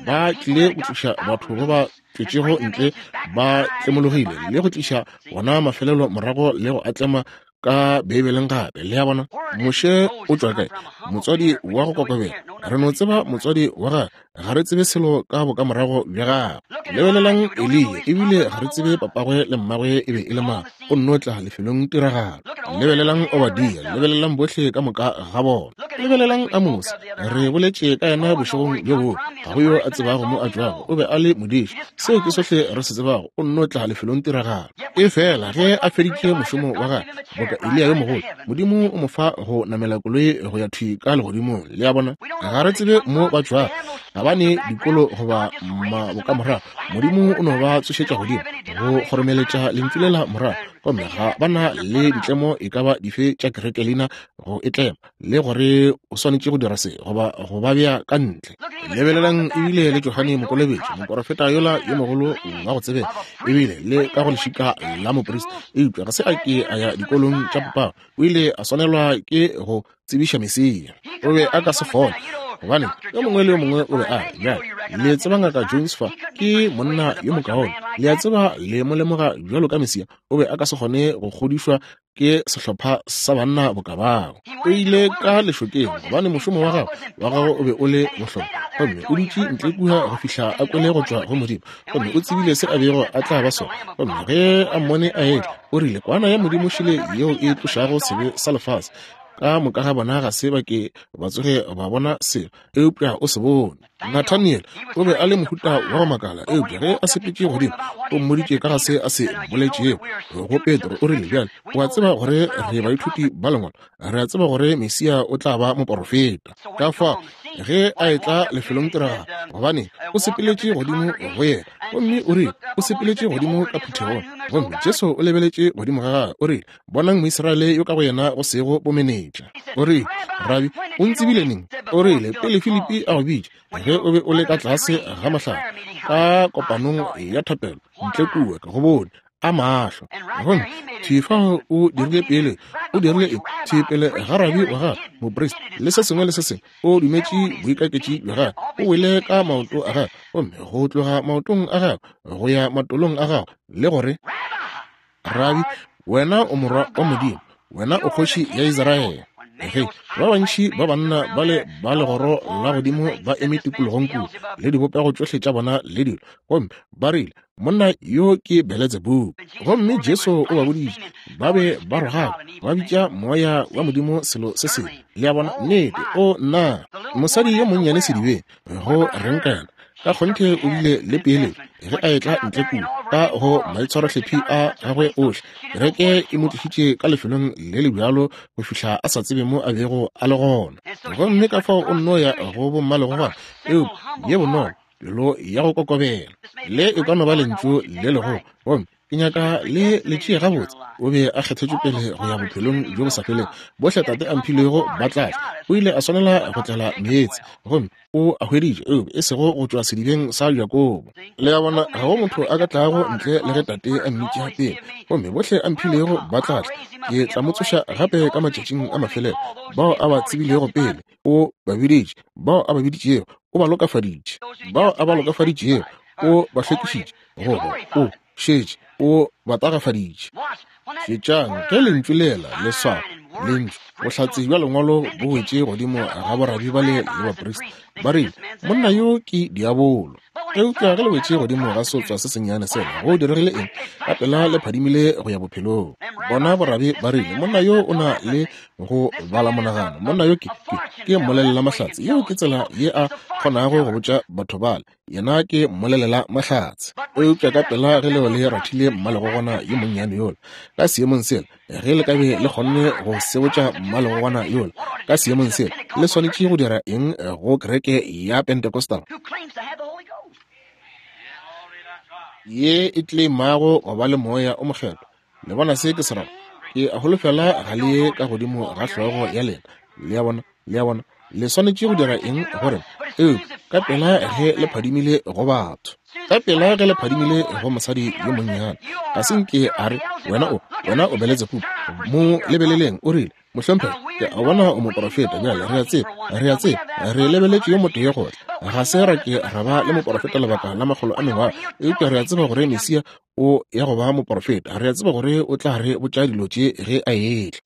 ba tlile go tliša batho ba ba tšwetšego ntle ba tlemologile le go tliša bona mafelelo morago le go atlema ka Beibeleng gape. Le a bona? Moshe o tšwa kae? Motswadi wa go kokobela. Re no tseba motswadi wa gagwe, ga re tsebe selo ka bokamorago bja gagwe. Lebelelang Eliya, ebile ga re tsebe papagwe le mmagwe e be e le mang, o nno tla lefelong tiragalo. Lebelelang Obadia, lebelelang bohle ka moka ga bona. Lebelelang Amose, re boletše ka yena bošegong bjo bongwe, ga go yo a tsebago mo a tšwago, o be a le modiši. Seo ke sohle re se tsebago, o nno tla lefelong tiragalo. E fela ge a feditše mošomo wa gagwe, boka Eliya yo mogolo, Modimo o mo fa go namela koloi go ya thwi ka legodimong. Le a bona? Ga re tsebe mo ba tšwago, ga ba ne dikolo goba mabokamorago. Modimo o no ba tsošetša godimo go kgoromeletša lentšu lela morago, gomme ga ba na le ditlemo e ka ba dife tša kereke leina go e tlema, le gore o swanetše go dira se goba go ba bea ka ntle. Lebelelang ebile le Johane Mokolobetši, moporofeta yola yo mogolo wa go tsebega, ebile le ka go lešika la moprista, eupša ga se a ke a ya dikolong tša popagwe. O ile a swanelwa ke go tsebiša Mesia. O be a ka se fole, gobane yo mongwe le yo mongwe o be a re, bjale le tseba Ngaka Jones fa ke monna yo mokaone, le a tseba le mo lemoga bjalo ka Mesia. O be a ka se kgone go kgodišwa ke sehlopha sa banna boka bao. O ile ka lešokeng gobane mošomo wa gagwe wa gagwe o be o le bohlokwa, gomme o dutše ntle kua go fihla a kwele go tšwa go Modimo, gomme o tsebile se a bego a tla ba sona. Gomme ge a mmone a etla, o rile, kwana ya Modimo šele yeo e tlošago sebe sa lefase. Ka moka ga bona ga se ba ke ba tsoge ba bona selo, eupša o se bone. Nathaniel o be a le mohuta wa go makala, eupša ge a sepetše godimo, o mmoditše ka ga se a se boletšego go Petro. O rile, bjale o a tseba gore re baithuti ba lengwalo, re a tseba gore Mesia o tla ba moporofeta. Ka fao ge a etla lefelong tiragalo, gobane o sepeletše godimo go yena, gomme o rile o sepeletše godimo ka phuthegong, gomme Jesu o lebeletše godimo ga gagwe, o rile, bonang Moisraele yo ka go yena go sego bomenetša. O rile, Rabi, o ntsebile neng? O rile, pele Filipi a go bitša, ge o be o le ka tlase ga mohlare ka kopanong ya thapelo ntle kua, ka go bone a mahlo. Gomme thwi fao o dirile pele, o dirile eng? Thwi pele ga rabi wa gagwe, moprista, le se sengwe le se sengwe, o dumetše boikaketši bja gagwe, o wele ka maoto a gagwe, gomme go tloga maotong a gagwe go ya matolong a gagwe, le gore, Rabi, wena o morwa wa Modimo, wena o kgoši ya Israele. Ge ba bantši ba banna ba le ba legoro la godimo ba eme tikologong kua, le dibopego tšohle tša bona le dilo, gomme ba rile, monna yo ke Beletsebubu. Gomme Jesu o ba boditše, ba be ba rogaka, ba bitša moya wa Modimo selo se sengwe. Le a bona? Nnete. O nna, mosadi yo monnyane sedibeng, go reng ka yena? Ka kgonthe o bile le peeletšo ge a etla ntle kua ka go maitshwarohlephi a gagwe ohle. Kereke e mo tlišitše ka lefelong le le bjalo go fihla a sa tsebe mo a bego a le gona. Gomme ka fao o nno ya go bommalegogwana, eupša ye bonolo, pelo ya go kokobela. Le e ka no ba lentšu le legolo, gomme ke nyaka le le tšee gabotse. O be a kgethetšwe pele go ya bophelong bjo bo sa felego. Bohle Tate a mphilego ba tla tla. O ile a swanela go tlela meetse, gomme o a hweditše, eupša e sego go tšwa sedibeng sa Jakobo. Le a bona, ga go motho a ka tlago ntle le ge Tate a mmitša pele. Gomme bohle a mphilego ba tla tla. Ke tla mo tsoša gape ka matšatšing a mafelelo. Bao a ba tsebilego pele, o ba biditše. Bao a ba biditšego, o ba lokafaditše. Bao a ba lokafaditšego, o ba hlwekišitše. Goba o šetše o ba tagafaditše. Šetšang ge lentšu lela le swara lentšu, bohlatse bja lengwalo bo wetše godimo ga borabi bale le baprista. Ba rile, monna yo ke diabolo. Eupša ge le wetše godimo ga sotswa se sennyane sela, go diregile eng? Ka pela le phadimile go ya bophelong. Bona borabi ba rile, monna yo o na le go bala monagano. Monna yo ke ke ke mmolelela mahlatse. Yeo ke tsela ye a kgonago go botša batho bale. Yena ke mmolelela mahlatse. Eupša ka pela ge leo le rathile mmalegogwana yo monnyane yola ka seemong sela, ge le ka be le kgonne go sebotša mmalegogwana yola ka seemong sela, le swanetše go dira eng go kereke ya Pentecostal ye e tleimago go ba le moya o mokgethwa? Le bona se ke se rago? Ke a holofela ga le ye ka godimo ga hlogo ya lena. Le a bona? Le a bona? Le swanetše go dira eng gore? Eupša ka pela ge le phadimile go batho, ka pela ge le phadimile go mosadi yo monnyane, ga se nke a re, wena o, wena o Beletsebubu. Mo lebeleleng, o rile, mohlomphegi, ke a bona o moporofeta. Bjale re a tseba, re a tseba, re lebeletše yo motee go tla. Ga se ra ke ra ba le moporofeta lebaka la makgolo a mengwaga, eupša re a tseba gore Mesia o ya go ba moporofeta. Re a tseba gore o tla re botša dilo tše ge a etla.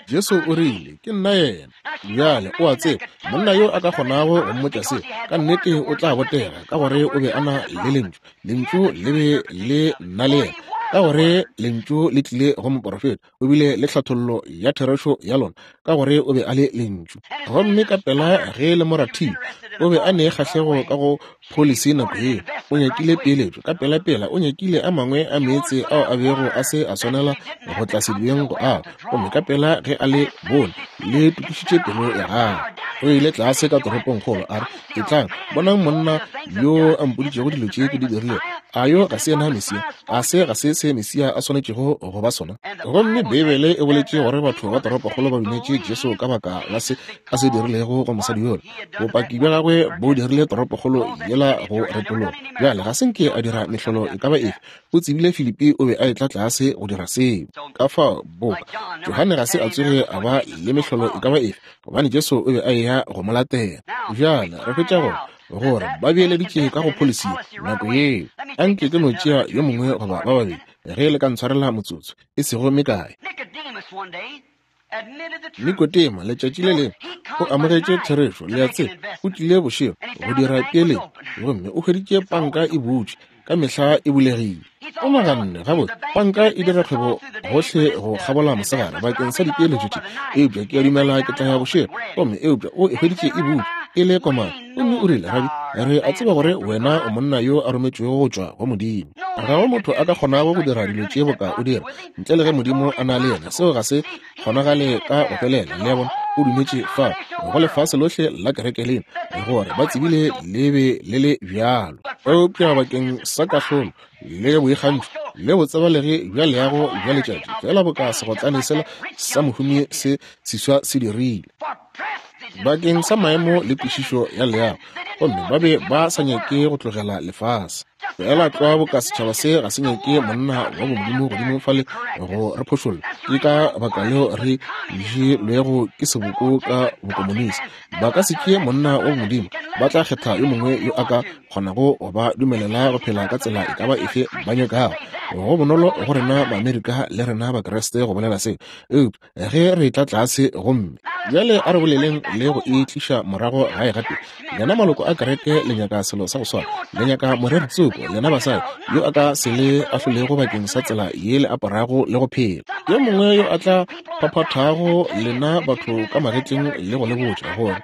Jesu o rile, ke nna yena. Bjale o a tseba, monna yo a ka kgonago go mmotša se, ka nnete o tla botega, ka gore o be a na le lentšu. Lentšu le be le na le yena, ka gore lentšu le tlile go moporofeta. O bile le tlhathollo ya therešo ya lona, ka gore o be a le lentšu. Gomme ka pela ge le mo rathile, o be a ne kgahlego ka go pholisi nako yeo. O nyakile peeletšo ka pelapela, o nyakile a mangwe a meetse ao a bego a se a swanela go tla sedibeng go ao. Gomme ka pela ge a le bone, le tokišitše pelo ya gagwe. O ile tlase ka toropongkgolo, a re, etlang, bonang monna yo a mpoditšego dilo tše ke di dirilego. A yo ga se yena Mesia? A se ga se se Mesia a swanetšego go ba sona? Gomme Beibele e boletše gore batho ba toropokgolo ba dumetše Jesu ka baka la se a se dirilego go mosadi yola. Bopaki bja gagwe bo dirile toropokgolo yela go retologa. Bjale ga se nke a dira mehlolo e ka ba efe. O tsebile Filipi o be a etla tlase go dira seo. Ka fao boka Johane ga se a tsoge a ba le mehlolo e ka ba efe, gobane Jesu o be a eya go mo latela. Bjale re hwetša gore gore ba beeleditše ka go pholisi nako yeo. Anke ke no tšea yo mongwe goba ba babedi, ge le ka ntshwarela motsotso e sego mekae. Nikodema letšatši le lengwe o amogetše therešo. Le a tseba, o tlile bošego go dira peeletšo, gomme o hweditše panka e butšwe, ka mehla e bulegile. O naganne, gabotse, panka e dira kgwebo gohle go kgabola mosegare bakeng sa dipeeletšo tše, eupša ke a dumela ke tla ya bošego. Gomme eupša o e hweditše e butšwe, e le komana. Gomme o rile, Rabi, re a tseba gore wena o monna yo a rometšwego go tšwa go Modimo. Ga go motho a ka kgonago go dira dilo tše boka o dira ntle le ge Modimo a na le yena. Seo ga se kgonagale ka go felela. Le a bona, o dumetše fa go lefase lohle la kereke lena gore ba tsebile le be le le bjalo. Eupša bakeng sa kahlolo le boikgantšho le botsebalegi bja leago bja letšatši, fela boka segotlane sela sa mohumi se seswa se dirile bakeng sa maemo le kwešišo ya leago, gomme ba be ba sa nyake go tlogela lefase. Fela tlwa boka setšhaba se ga se nyake monna wa bomodimo godimo fale go re phošolla. Ke ka baka leo re jelwego ke seboko ka bokomonisi. Ba ka se tšee monna wa bomodimo, ba tla kgetha yo mongwe yo a ka kgonago go ba dumelela go phela ka tsela e ka ba efe ba nyakago. Go bonolo go rena Maamerika le rena Bakreste go bolela seo, eupša ge re tla tlase gomme Bjale a re boleleng le go e tliša morago gae gape. Lena maloko a kereke le nyaka selo sa go swana. Le nyaka moreri tsoko, lena basadi, yo a ka se le ahlolego bakeng sa tsela ye le aparago le go phela. Yo mongwe yo a tla phaphathago lena batho ka magetleng le go le botša gore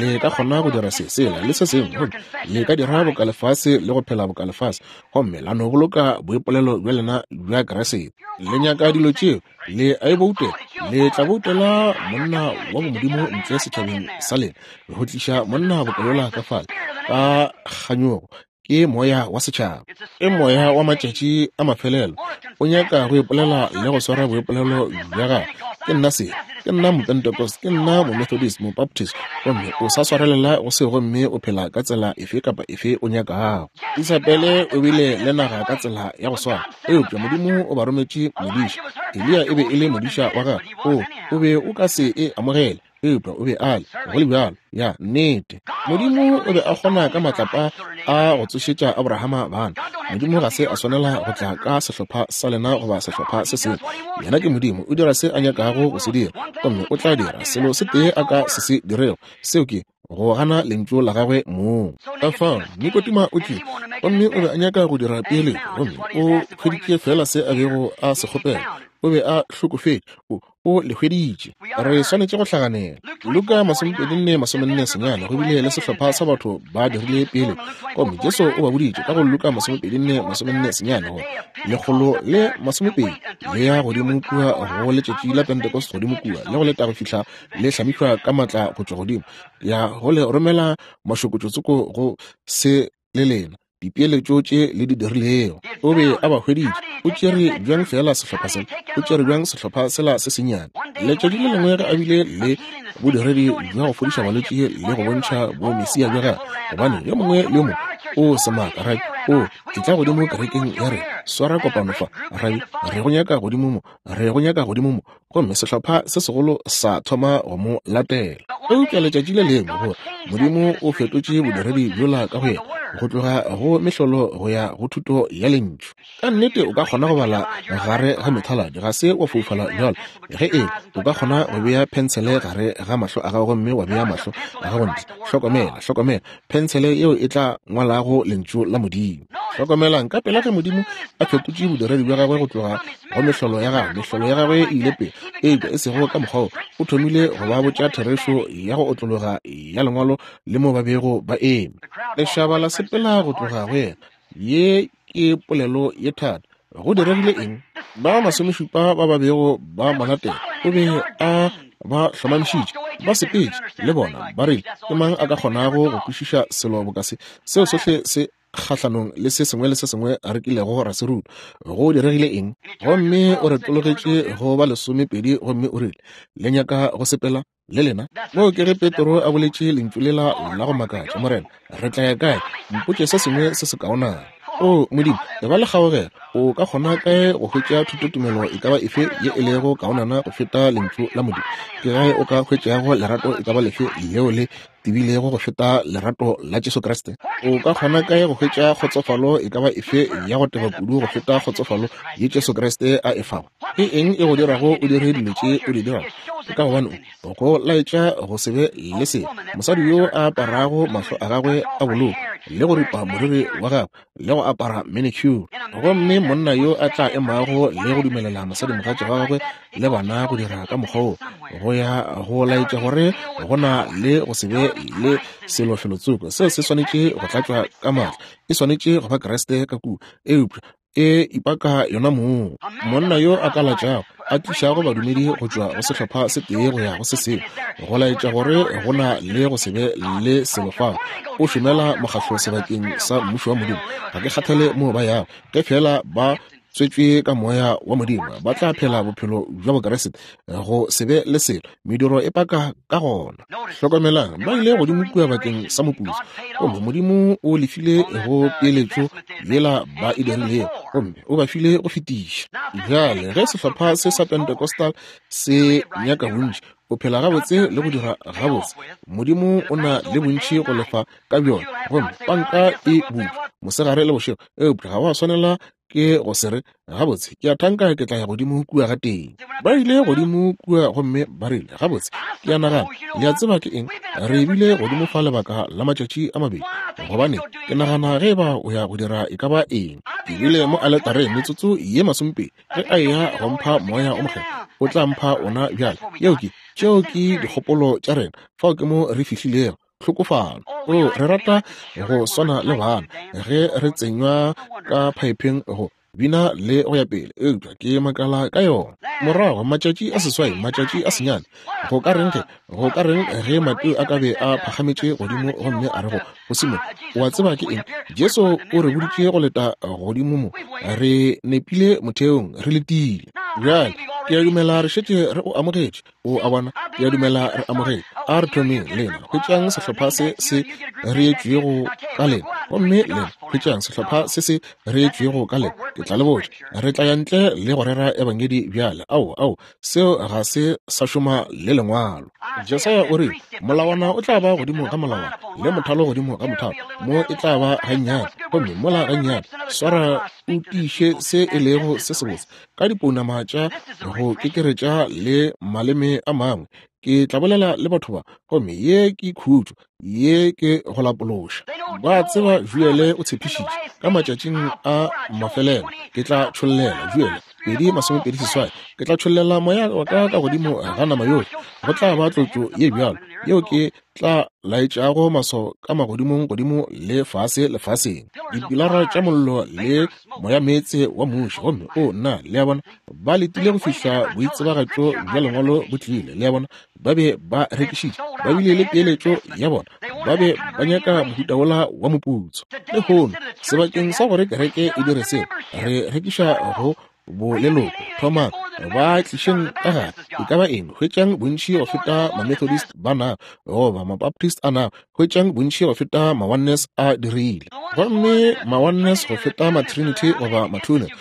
le ka kgona go dira se, sela le se sengwe, gomme le ka dira boka lefase le go phela boka lefase, gomme la no boloka boipolelo bja lena bja Kriste. Le nyaka dilo tšeo, le a e boutela, le tla boutela monna wa bomodimo ntle setšhabeng sa lena, go tliša monna boka ka fale ka kganyogo. Ke moya wa setšhaba, ke moya wa matšatši a mafelelo. O nyaka go ipolela le go swara boipolelo bja gagwe. Ke nna se, ke nna Mopentecost, ke nna Momethodist, Mobaptist, gomme o sa swarelela go se, gomme o phela ka tsela efe kapa efe o nyakago. Isabele o bile le naga ka tsela ya go swana, eupša Modimo o ba rometše modiša. Eliya e be e le modiša wa gagwe. O, o be o ka se e amogele, eupša o be a le go le bjalo. Ya nnete, Modimo o be a kgona ka matlapa a go tsošetša Abrahama bana. Modimo ga se a swanela go tla ka sehlopha sa lena goba sehlopha se sengwe. Yena ke Modimo, o dira se a nyakago go se dira, gomme o tla dira selo se tee a ka se se dirego, seo ke go gana lentšu la gagwe mong. Ka fao Nikodima o tlile, gomme o be a nyaka go dira peeletšo, gomme o hweditše fela se a bego a se kgopela. O be a hlokofetše, o o le hweditše. Re swanetše go hlaganela. Luka masomepedi nne masomenne senyane, go bile le sehlopha sa batho ba dirile pele, gomme Jesu o ba boditše ka go Luka masomepedi nne masomenne senyane gore lekgolo le masomepedi le ya godimo kua go letšatši la Pentecost, godimo kua le go leta go fihla le hlamišwa ka matla go tšwa godimo, ya go le romela mašokotšotsoko go se le lena dipeeletšo tše le di dirilego. O be a ba hweditše. O tšere bjang fela sehlopha sela? O tšere bjang sehlopha sela se sennyane? Letšatši le lengwe ge a bile le bodiredi bja go fodiša balwetši le go bontšha bomesia bja gagwe, gobane yo mongwe le yo mongwe o semaka, rabi, o tla godimo kerekeng ya rena, swara kopano fa, rabi, re go nyaka godimo mo, re go nyaka godimo mo. Gomme sehlopha se segolo sa thoma go mo latela. Eupša letšatši le lengwe gore Modimo o fetotše bodiredi bjola ka go yena, go tloga go mehlolo go ya go thuto ya lentšu. Ka nnete o ka kgona go bala gare ga methaladi, ga se wa foufala bjalo. Ge e o ka kgona go bea pensele gare ga mahlo a gago, gomme wa bea mahlo a gago ntle. Hlokomela, hlokomela, pensele yeo e tla ngwalago lentšu la Modimo. Hlokomelang ka pela ge Modimo a fetotše bodiredi bja gagwe go tloga go mehlolo ya gagwe. Mehlolo ya gagwe e ile pele, eupša e sego ka mokgwa wo. O thomile go ba botša therešo ya go otlologa ya lengwalo le mo ba bego ba eme. Lešaba la sepela go tloga go yena. Ye ke polelo ye thata. Go diregile eng? Ba masomešupa ba ba bego ba mo latela, o be a ba hlomamišitše, ba sepetše le bona, ba rile, ke mang a ka kgonago go kwešiša selo boka se? Seo sohle se kgahlanong le se sengwe le se sengwe re kilego ra se ruta. Go diregile eng? Gomme o retologetše go ba lesomepedi, gomme o rile, le nyaka go sepela le lena? Moo ke ge Petro a boletše lentšu lela la go makatša, Morena, re tla ya kae? Mpotše se sengwe se se kaonana. O Modimo, e ba le kgaogelo. O ka kgona kae go hwetša thutotumelo e ka ba efe ye e lego kaonana go feta lentšu la Modimo? Ke gae o ka hwetšago lerato e ka ba lefe leo le tebilego go feta lerato la Jesu Kriste? O ka kgona kae go hwetša kgotsofalo e ka ba efe ya go teba kudu go feta kgotsofalo ye Jesu Kriste a e fago? Ke eng e go dirago o dire dilo tše o di dirago? Ke ka gobane o go laetša go se be le selo. Mosadi yo a aparago mahlo a gagwe a boloko le go ripa moriri wa gagwe le go apara manicure, gomme monna yo a tla emago le go dumelela mosadimogatša wa gagwe le bana go dira ka mokgwa wo, go ya go laetša gore go na le go se be le selo felotsoko. Seo se swanetše go tlatšwa ka maatla, e swanetše go ba Kriste ka kua, eupša e ipaka yona mong. Monna yo a ka latšago, a tlišago badumedi go tšwa go sehlopha se tee go ya go se sengwe, go laetša gore go na le go se be le selo fao, o šomela mokgahlo sebakeng sa mmušo wa Modimo. Ga ke kgathale moo ba yago, ge fela ba tswetšwe ka moya wa Modimo, ba tla phela bophelo bja Bokriste, go se be le selo. Mediro e paka ka gona. Hlokomelang, ba ile godimo kua bakeng sa moputso, gomme Modimo o lefile go peeletšo yela ba e dirilego, gomme o ba file go fetiša. Bjale ge sehlopha se sa Pentecostal se nyaka bontši, O phela gabotse le go dira gabotse. Modimo o na le bontši go lefa ka bjona, gomme panka e butšwe mosegare le bošego, eupša ga wa swanela ke go se re gabotse ke a thanka ke tla ya godimo kua ga teng. Ba ile godimo kua gomme ba rile, gabotse ke a nagana, le a tseba ke eng, re bile godimo fa lebaka la matšatši a mabedi, gobane ke nagana ge ba o ya go dira e ka ba eng. Ke bile mo aletareng metsotso ye masomepedi, ge a eya go mpha moya o mokgethwa, o tla mpha ona bjale. Yeo ke, tšeo ke dikgopolo tša rena, fao ke mo re fihlilego. Tlhokofalo. O, re rata go swana le bana ge re tsenywa ka phaepheng go bina le go ya pele, eupša ke makala ka yona. Morago matšatši a seswai, matšatši a senyane, go ka reng ge, go ka reng ge Mateo a ka be a phagametše godimo gomme a re go go Simone, o a tseba ke eng, Jesu o re boditše go leta godimo mo, re nepile motheong, re letile. Bjale ke a dumela re šetše re o amogetše. O a bona, ke a dumela re amogetše. A re thomeng lena, hwetšang sehlopha se se reetšwego ka lena, gomme lena hwetšang sehlopha se se reetšwego ka lena. Ke tla le botša, re tla ya ntle le go rera ebangedi bjale. Ao, ao, seo ga se sa šoma le lengwalo. Jesaya o rile, molawana o tla ba godimo ga molawana, le mothalo godimo ga mothalo, mo e tla ba gannyane, gomme mola gannyane. Swara o tiiše se e lego se sebotse ka dipounama tša go kekeretša le maleme a mangwe. Ke tla bolela le batho ba, gomme ye ke khutšo, ye ke go lapološa. Ba tseba Joele o tshepišitše ka matšatšing a mafelelo, ke tla tšhollela Joele pedi masomepedi seswai, ke tla tšhollela moya wa ka ka godimo ga nama yohle. Go tla ba tlotšo ye bjalo yeo ke tla laetšago maswao ka magodimong godimo le fase lefaseng, dipilara tša mollo le moyameetse wa muši. Gomme o nna, le a bona, ba letile go fihla boitsebagatšo bja lengwalo bo tlile. Le a bona, ba be ba rekišitše, ba bile le peeletšo ya bona, ba be ba nyaka mohuta wola wa moputso. Lehono sebakeng sa gore kereke e dire seo, re rekiša go boleloko. Thomang ba tlišeng ka gare, e ka ba eng, hwetšang bontši go feta ma-Methodist ba nago, goba ma-Baptist a nago, hwetšang bontši go feta ma-Oneness a dirile, gomme ma-Oneness go feta ma-Trinity goba ma-Twoness,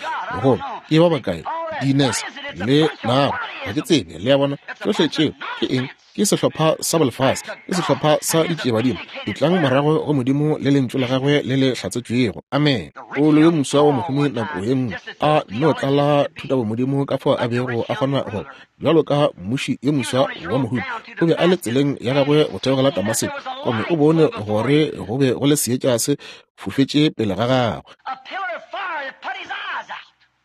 goba ke ba bakae di-Ness le nago, ga ke tsebe. Le a bona, tšohle tšeo ke eng? Ke sehlopha sa bolefase, ke sehlopha sa ditšiebadimo. Etlang morago go Modimo le lentšu la gagwe le le hlatsetšwego. Amen. Paulo yo moswa wa mohumi nako ye nngwe a no tlala thutabomodimo ka fao a bego a kgona go bjalo ka mmuši yo moswa wa mohumi, o be a le tseleng ya gagwe go theogela Damaseko, gomme o bone gore go be go le seetša se fofetše pele ga gagwe,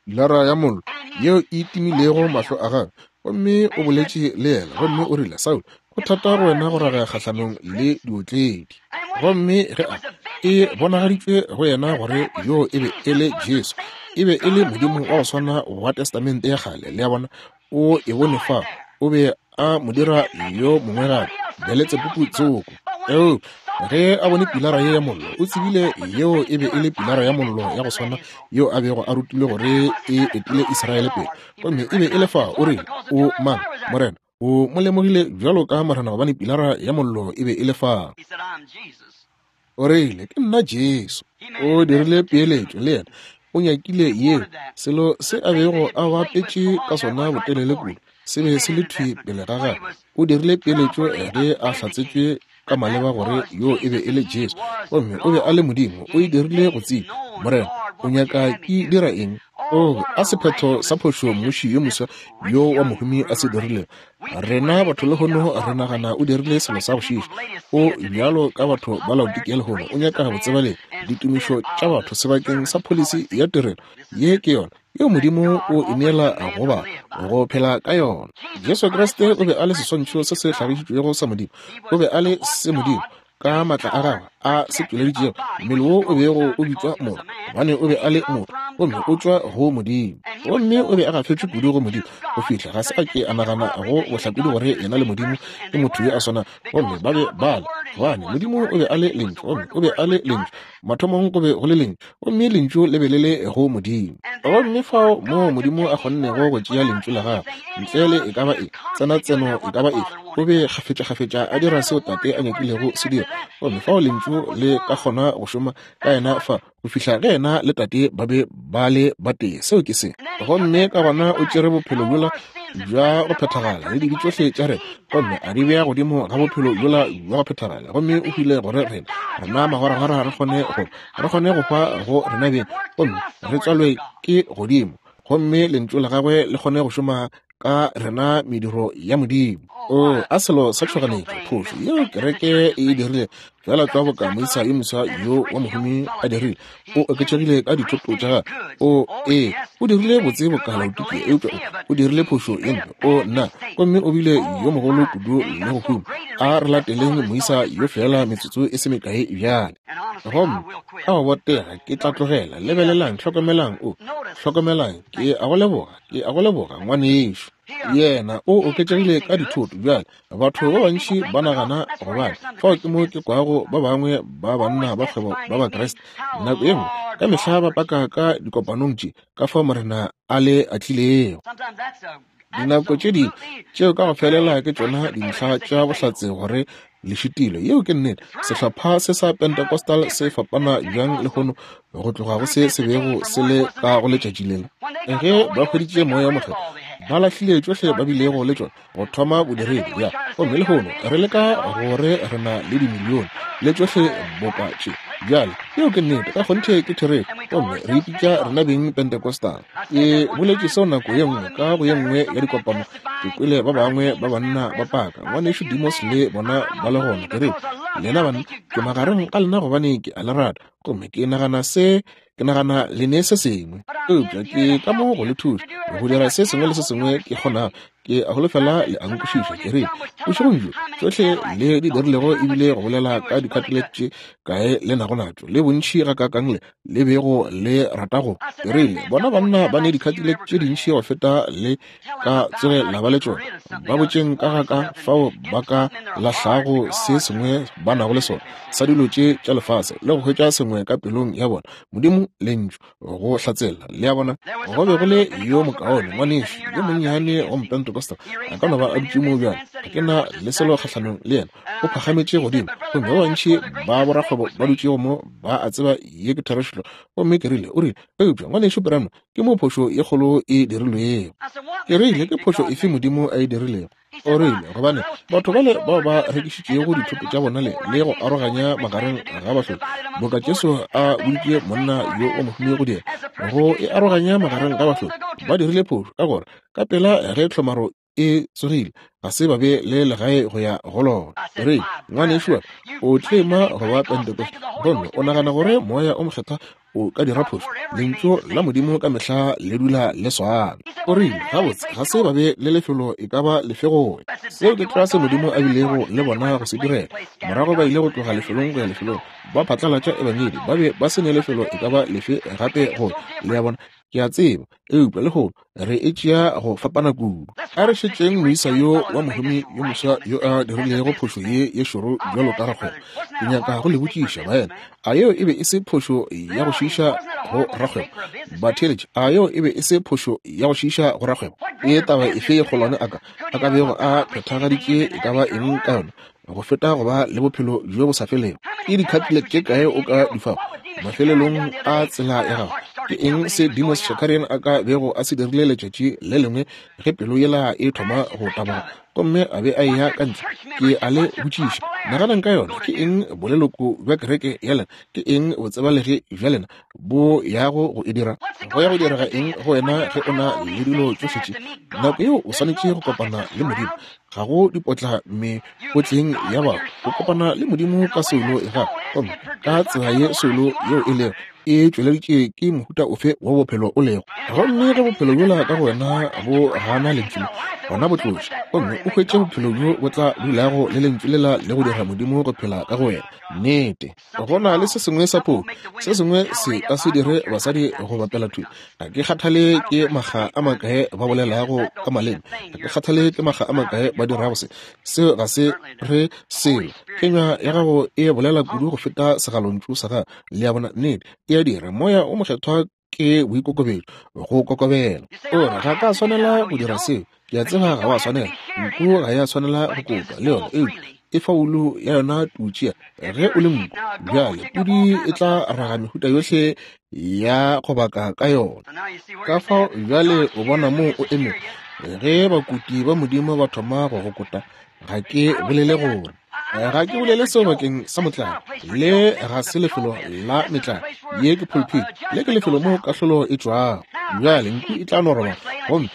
pilara ya mollo yeo e timilego mahlo a gagwe. Gomme o boletše le yena, gomme o rile, Saulo, go thata go wena go raga kgahlanong le diotledi. Gomme ge a e bonagaditšwe go yena gore yo e be e le Jesu, e be e le Modimo wa go swana wa Testamente ya kgale. Le a bona, o e bone fa, o be a mo dira yo mongwe gape, Beletsebubu tsoko. Eupša ge a bone pilara ye ya mollo, o tsebile yeo e be e le pilara ya mollo ya go swana yeo a bego a rutilwe gore e etile Israele pele, gomme e be e le fa. O rile, o mang, Morena? O mo lemogile bjalo ka Morena, gobane pilara ya mollo e be e le fa. O rile, ke nna Jesu. O dirile peeletšo le yena, o nyakile yeo, selo se a bego a bapetše ka sona botelele kudu, se be se le thwi pele ga gagwe. O dirile peeletšo ge a hlatsetšwe ka maleba gore yo e be e le Jesu, gomme o be a le Modimo. O e dirile go tseba, Morena, o nyaka ke dira eng? O a sephetho sa phošo mmuši yo moswa yo wa mohumi a se dirilego. Rena batho lehono re nagana o dirile selo sa go šiša. O bjalo ka batho ba Laodikia lehono, o nyaka go tseba le ditumišo tša batho sebakeng sa pholisi ya tirelo. Ye ke yona yeo Modimo o e neela go ba go phela ka yona. Jesu Kriste o be a le seswantšho se se hlagišitšwego sa Modimo. O be a le se Modimo ka matla a gagwe a se tšweleditšego, mmele wo o bego o bitšwa motho, gobane o be a le motho, gomme o tšwa go Modimo. Gomme o be a gafetšwe kudu go Modimo go fihla ga se a ke a nagana go bohlakodi gore yena le Modimo ke motho yo a swanago. Gomme ba be ba le, gobane Modimo o be a le lentšu, gomme o be a le lentšu. Mathomong go be go le lentšu, gomme lentšu le be le le go Modimo. Gomme fao moo Modimo a kgonnego go tšea lentšu la gagwe ntle le e ka ba e tsena tseno e ka ba efe, O be kgafetšakgafetša a dira seo Tate a nyakilego se dira. Gomme fao Lentšu le ka kgona go šoma ka yena fa go fihla ge yena le Tate ba be ba le batee. Seo ke se. Gomme ka gona o tšere bophelo bjola bja go phethagala le dibe tšohle tša rena, gomme a di bea godimo ga bophelo bjola bja go phethagala, gomme o hwile gore rena rena magwaragwara re kgone go re kgone go hwa go rena beng, gomme re tswalwe ke godimo, gomme lentšu la gagwe le kgone go šoma ka rena mediro ya Modimo. O a selo sa tšhoganetšo, phošo yeo kereke e dirile, fela tlwa boka moisa yo moswa yo wa mohumi a dirile. O oketšegile ka dithoto tša gagwe. O ee, o dirile botse boka Laodikia, eupša o dirile phošo ye mpe. O nna, gomme o bile yo mogolo kudu le go huma. A re lateleng moisa yo fela metsotso e se mekae bjale. Gomme ka go botega ke tla tlogela. Lebelelang, hlokomelang, o hlokomelang, ke a go leboga, ke a go leboga ngwanešo. Yena o oketšegile ka dithoto. Bjale batho ba bantši ba nagana gobane fao ke mo ke kwago ba bangwe ba banna ba kgwebo ba Bakriste nako ye nngwe ka mehla ba paka ka dikopanong tše ka fao Morena a le atlilego. Dinako tše dingwe tšeo ka go felela ke tšona dintlha tša bohlatse gore le šitile. Yeo ke nnete. Sehlopha se sa Pentecostal se fapana bjang lehono go tloga go se se bego se le ka go letšatši lela. Ge ba hweditše Moya o Mokgethwa, ba lahlile tšohle ba bilego le tšona go thoma bodiredi ya. Gomme lehono re leka gore re na le dimilione le tšohle boka tše. Bjale yeo ke nnete, ka kgonthe ke therešo. Gomme re ipitša rena beng Pentecostal. Ke boletše seo nako ye nngwe ka go ye nngwe ya dikopano. Ke kwele ba bangwe ba banna ba paka, ngwanešu Demos le bona ba le gona. Ke re, lena banna, ke magareng a lena gobane ke a le rata, gomme ke nagana se, ke nagana le ne se sengwe, eupša ke ka mo go le thuša go dira se sengwe le se sengwe ke kgonago. Ke a holofela le a nkwešiša. Ke re bošegong bjo tšohle le di dirilego ebile go bolela ka dikatele tše kae le nago natšo le bontši ga kakang le le bego le rata go. Ke rile bona banna ba ne dikatele tše dintši go feta le ka tsoge la ba le tšona. Ba botšeng ka ga ka fao ba ka lahlago se sengwe ba nago le sona sa dilo tše tša lefase le go hwetša sengwe ka pelong ya bona. Modimo lentšu go hlatsela. Le a bona, go be go le yo mokaone ngwanešu yo monnyane wa Mopentecostal a ka no ba a dutše mo bjale. Ga ke na le selo kgahlanong le yena. O phagametše godimo, gomme ba bantši ba borakgwebo ba dutšego mo ba a tseba ye ke therešo. Gomme ke rile, o rile, eupša ngwanešu Branham, ke mo phošo ye kgolo e dirilwego. Ke rile, ke phošo efe Modimo a e dirilego? O rile, gobane batho bale bao ba rekišitšego dithoto tša bona le le go aroganya magareng ga bahloki, boka Jesu a boditše monna yo o mohumi go dira, go e aroganya magareng ga bahloki, ba dirile phošo ka gore ka pela ge tlhomaro e tsogile ga se ba be le legae go ya go lona. Re ngwanešu wa o tlema go ba Pentecost, gomme o nagana gore Moya o Mokgethwa o ka dira phošo? Lentšu la Modimo ka mehla le dula le swana. O rile, gabotse ga se ba be le lefelo e ka ba lefe go ya. Seo ke tlwa se Modimo a bilego le bona go se direla. Morago ba ile go tloga lefelong go ya lefelong, ba phatlalatša ebangedi, ba be ba se ne lefelo e ka ba lefe gape go. Le a bona, ke a tseba, eupša lehono re e tšea go fapana kudu. A re šetšeng moisa yo wa mohumi yo moswa yo a dirilego phošo ye ye šoro bjalo ka rakgwebo. Ke nyaka go le botšiša baena, a yeo e be e se phošo ya go šiiša go rakgwebo? Batheeletši, a yeo e be e se phošo ya go šiiša go rakgwebo? Ke taba efe ye kgolwane a ka a ka bego a phethagaditše e ka ba eng ka yona go feta go ba le bophelo bjo bo sa felego? Ke dikhatile tše kae o ka di fago mafelelong a tsela ya gago? Ke eng se Demos Shakarian a ka bego a se dirile letšatši le lengwe ge pelo yela e thoma go taboga gomme a be a eya ka ntle? Ke a le botšiša, naganang ka yona. Ke eng boleloko bja kereke ya lena, ke eng botsebalegi bja lena bo yago go e dira? Go ya go direga eng go wena ge o na le dilo tšohle tše? Nako yeo o swanetše go kopana le Modimo. Ga go dipotla mekotleng ya batho. O kopana le Modimo ka soulo ya gago, gomme ka tsela ye soulo yeo e lego e tšweleditše ke mohuta ofe wa bophelo o lego. Gomme ge bophelo bjola ka go wena bo gana lentšu le, gona bo tloše, gomme o hwetše bophelo bjo bo tla dulago le lentšu lela le go dira Modimo go phela ka go wena. Nnete, go na le se sengwe sa phošo, se sengwe se ka se dire basadi go bapela thwi. Ga ke kgathale ke makga a makae ba bolelago ka maleme, ga ke kgathale ke makga a makae ba dirago se, seo ga se re selo. Kenywa ya gago e bolela kudu go feta segalontšu sa gago. Le a bona? Nnete, e a dira. Moya o Mokgethwa ke boikokobetšo, go kokobela. O re, ga ka swanela go dira seo. Ke a tseba ga wa swanela. Nku ga ya swanela go kotwa le yona, eupša e fa wulu ya yona tutšea ge o le nku. Bjale pudi e tla raga mehuta yohle ya go baka ka yona. Ka fao bjale o bona moo o emego. Ge bakuti ba Modimo ba thoma go go kota, ga ke bolele gore ga ke bolele seo bakeng sa motlae. Le ga se lefelo la metlae. Ye ke pulpit. Le ke lefelo moo kahlolo e tšwago. Bjale nku e tla no robala gomme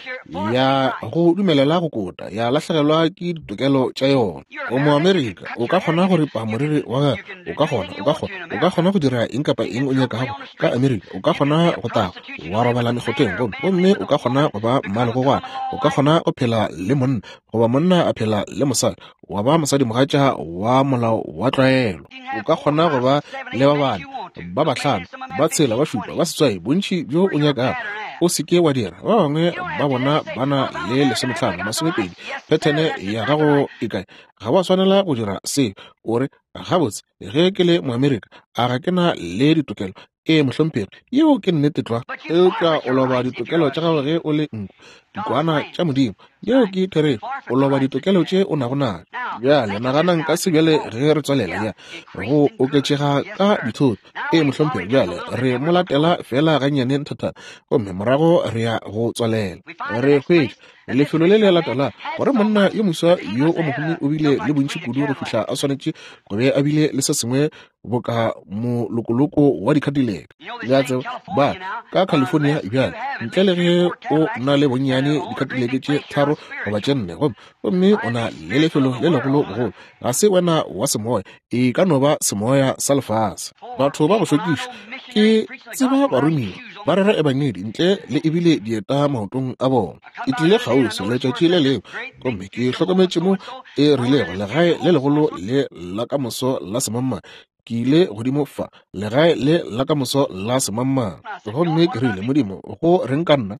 ya go dumelela go kota, ya lahlegelwa ke ditokelo tša yona. O Moamerika, o ka kgona go ripa moriri wa gago, o ka kgona, o ka kgona, o ka kgona go dira eng kapa eng o nyakago ka Amerika. O ka kgona go tago wa robala mekgotheng, gomme gomme o ka kgona go ba mmalegogwana, o ka kgona go phela le monna, goba monna a phela le mosadi, wa ba mosadimogatša wa molao wa tlwaelo. O ka kgona go ba le ba bane, ba bahlano, ba tshela, ba šupa, ba seswai, bontši bjo o nyakago. O se ke wa dira. Ba bangwe ba bona ba na le lesomehlano, masomepedi. Phethene ya gago e kae? Ga wa swanela go dira se. O re, gabotse, ge ke le Moamerika, a ga ke na le ditokelo? Ee, mohlomphegi, yeo ke nnete tlwa. Eupša o loba ditokelo tša gago ge o le nku, dikwana tša Modimo. Yeo ke therešo. O loba ditokelo tše o nago nazo. Bjale naganang ka se bjale ge re tswalela ya go oketšega ka dithoto. Ee, mohlomphegi, bjale re mo latela fela gannyane nthathana, gomme morago re ya go tswalela. Re hwetša lefelo le le latela gore monna yo moswa yo o mohumi o bile le bontši kudu go fihla a swanetše go be a bile le se sengwe boka molokoloko wa di-Cadillac. Le a tseba ba ka California bjale, ntle le ge o na le bonnyane di-Cadillac tše tharo goba tše nne, gomme gomme o na le lefelo le legolo bogolo, ga se wena wa semoya, e ka no ba semoya sa lefase. Batho ba go šokiša, ke tseba baromiwa ba rera ebangedi ntle le ebile dieta maotong a bona. Ke tlile kgauswi letšatši le lengwe gomme ke hlokometše mo e rilego legae le legolo le la ka moso la semamma. Ke ile godimo fa legae le la ka moso la semamma, gomme ke rile, Modimo, go reng ka nna?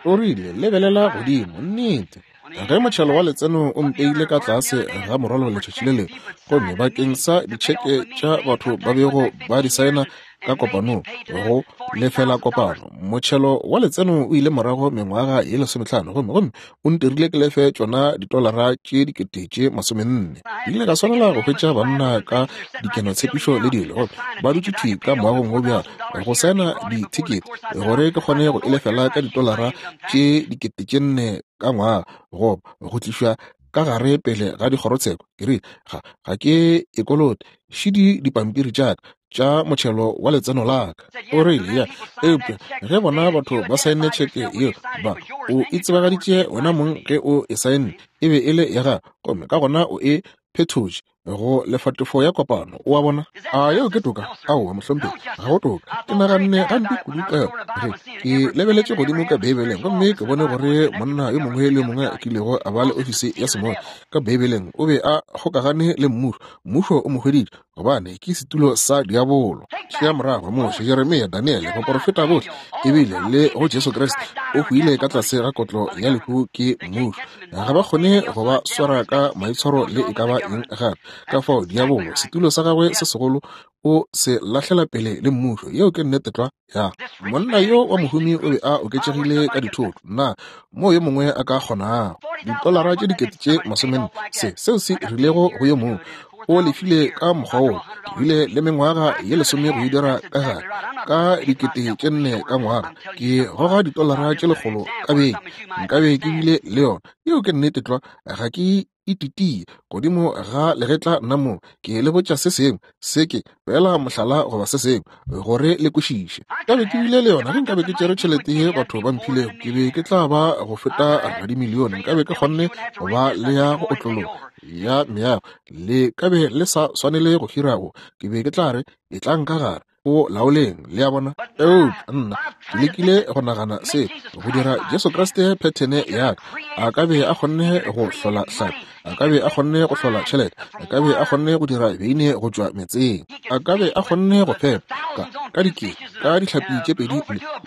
O rile, lebelela godimo. Nnete, ge motšhelo wa letseno o mpeile ka tlase ga morwalo letšatši le lengwe, gomme bakeng sa ditšheke tša batho ba bego ba di saena ka kopanong go lefela kopano, motšhelo wa letseno o ile morago mengwaga ye lesomehlano, gomme gomme o ntirile ke lefe tšona ditolara tše dikete tše masomenne. Ke ile ka swanela go hwetša banna ka dikenotshepišo le dilo, gomme ba dutše thwi ka moagong wo bjalo go saena dithekete gore ke kgone go e lefela ka ditolara tše dikete tše nne ka ngwaga, goba go tlišwa ka gare pele ga dikgorotsheko. Ke rile, ga ga ke e kolote, šidi dipampiri tša ka tša motšhelo wa letseno la ka. O rile, ya, eupša ge bona batho ba saenne tšheke yeo, ba o itsebagaditše wena mong ge o e saenne, e be e le ya gago, gomme ka gona o e phethotše go lefatefo ya kopano. O a bona? A yeo ke toka? Aowa, mohlomphegi, ga go toka. Ke naganne gampe kudu ka yona ge ke lebeletše godimo ka Beibeleng, gomme ke bone gore monna yo mongwe le yo mongwe a kilego a ba le ofisi ya semoya ka Beibeleng o be a kgokagane le mmušo. Mmušo o mo hweditše, gobane ke setulo sa diabolo. Tšea morago Moshe, Jeremia, Daniele, baporofeta bohle, ebile le go Jesu Kriste o hwile ka tlase ga kotlo ya lehu ke mmušo. Ga ba kgone go ba swara ka maitshwaro le e ka ba eng gape. Ka fao diabolo, setulo sa gagwe se segolo, o se lahlela pele le mmušo. Yeo ke nnete tlwa. Ya monna yo wa mohumi o be a oketšegile ka dithoto, na mo yo mongwe a ka kgonago ditolara tše dikete tše masomenne, se seo se rilego go yo mongwe o lefile ka mokgwa wo. Ke bile le mengwaga ye lesome go e dira ka gare, ka dikete tše nne ka ngwaga, ke goga ditolara tše lekgolo ka beke, nkabe ke bile le yona. Yeo ke nnete tlwa. Ga ke ititie godimo ga legetla nna mo, ke le botša se sengwe se ke fela mohlala goba se sengwe gore le kwešiše. Nkabe ke bile le yona ge nkabe ke tšere tšhelete ye batho ba mphilego, ke be ke tla ba go feta radimilione. Nkabe ke kgonne go ba le ya go otlologa ya meago, le kabe le sa swanele go hira go, ke be ke tla re e tla nka gare o laoleng. Le a bona? Eupša nna ke lekile go nagana se go dira Jesu Kriste phethene ya ka. A ka be a kgonne go hlola hlapi, A ka be a kgonne go hlola tšhelete. A ka be a kgonne go dira beine go tšwa metseng. A ka be a kgonne go fepa ka, ka dikete, ka dihlapi tše pedi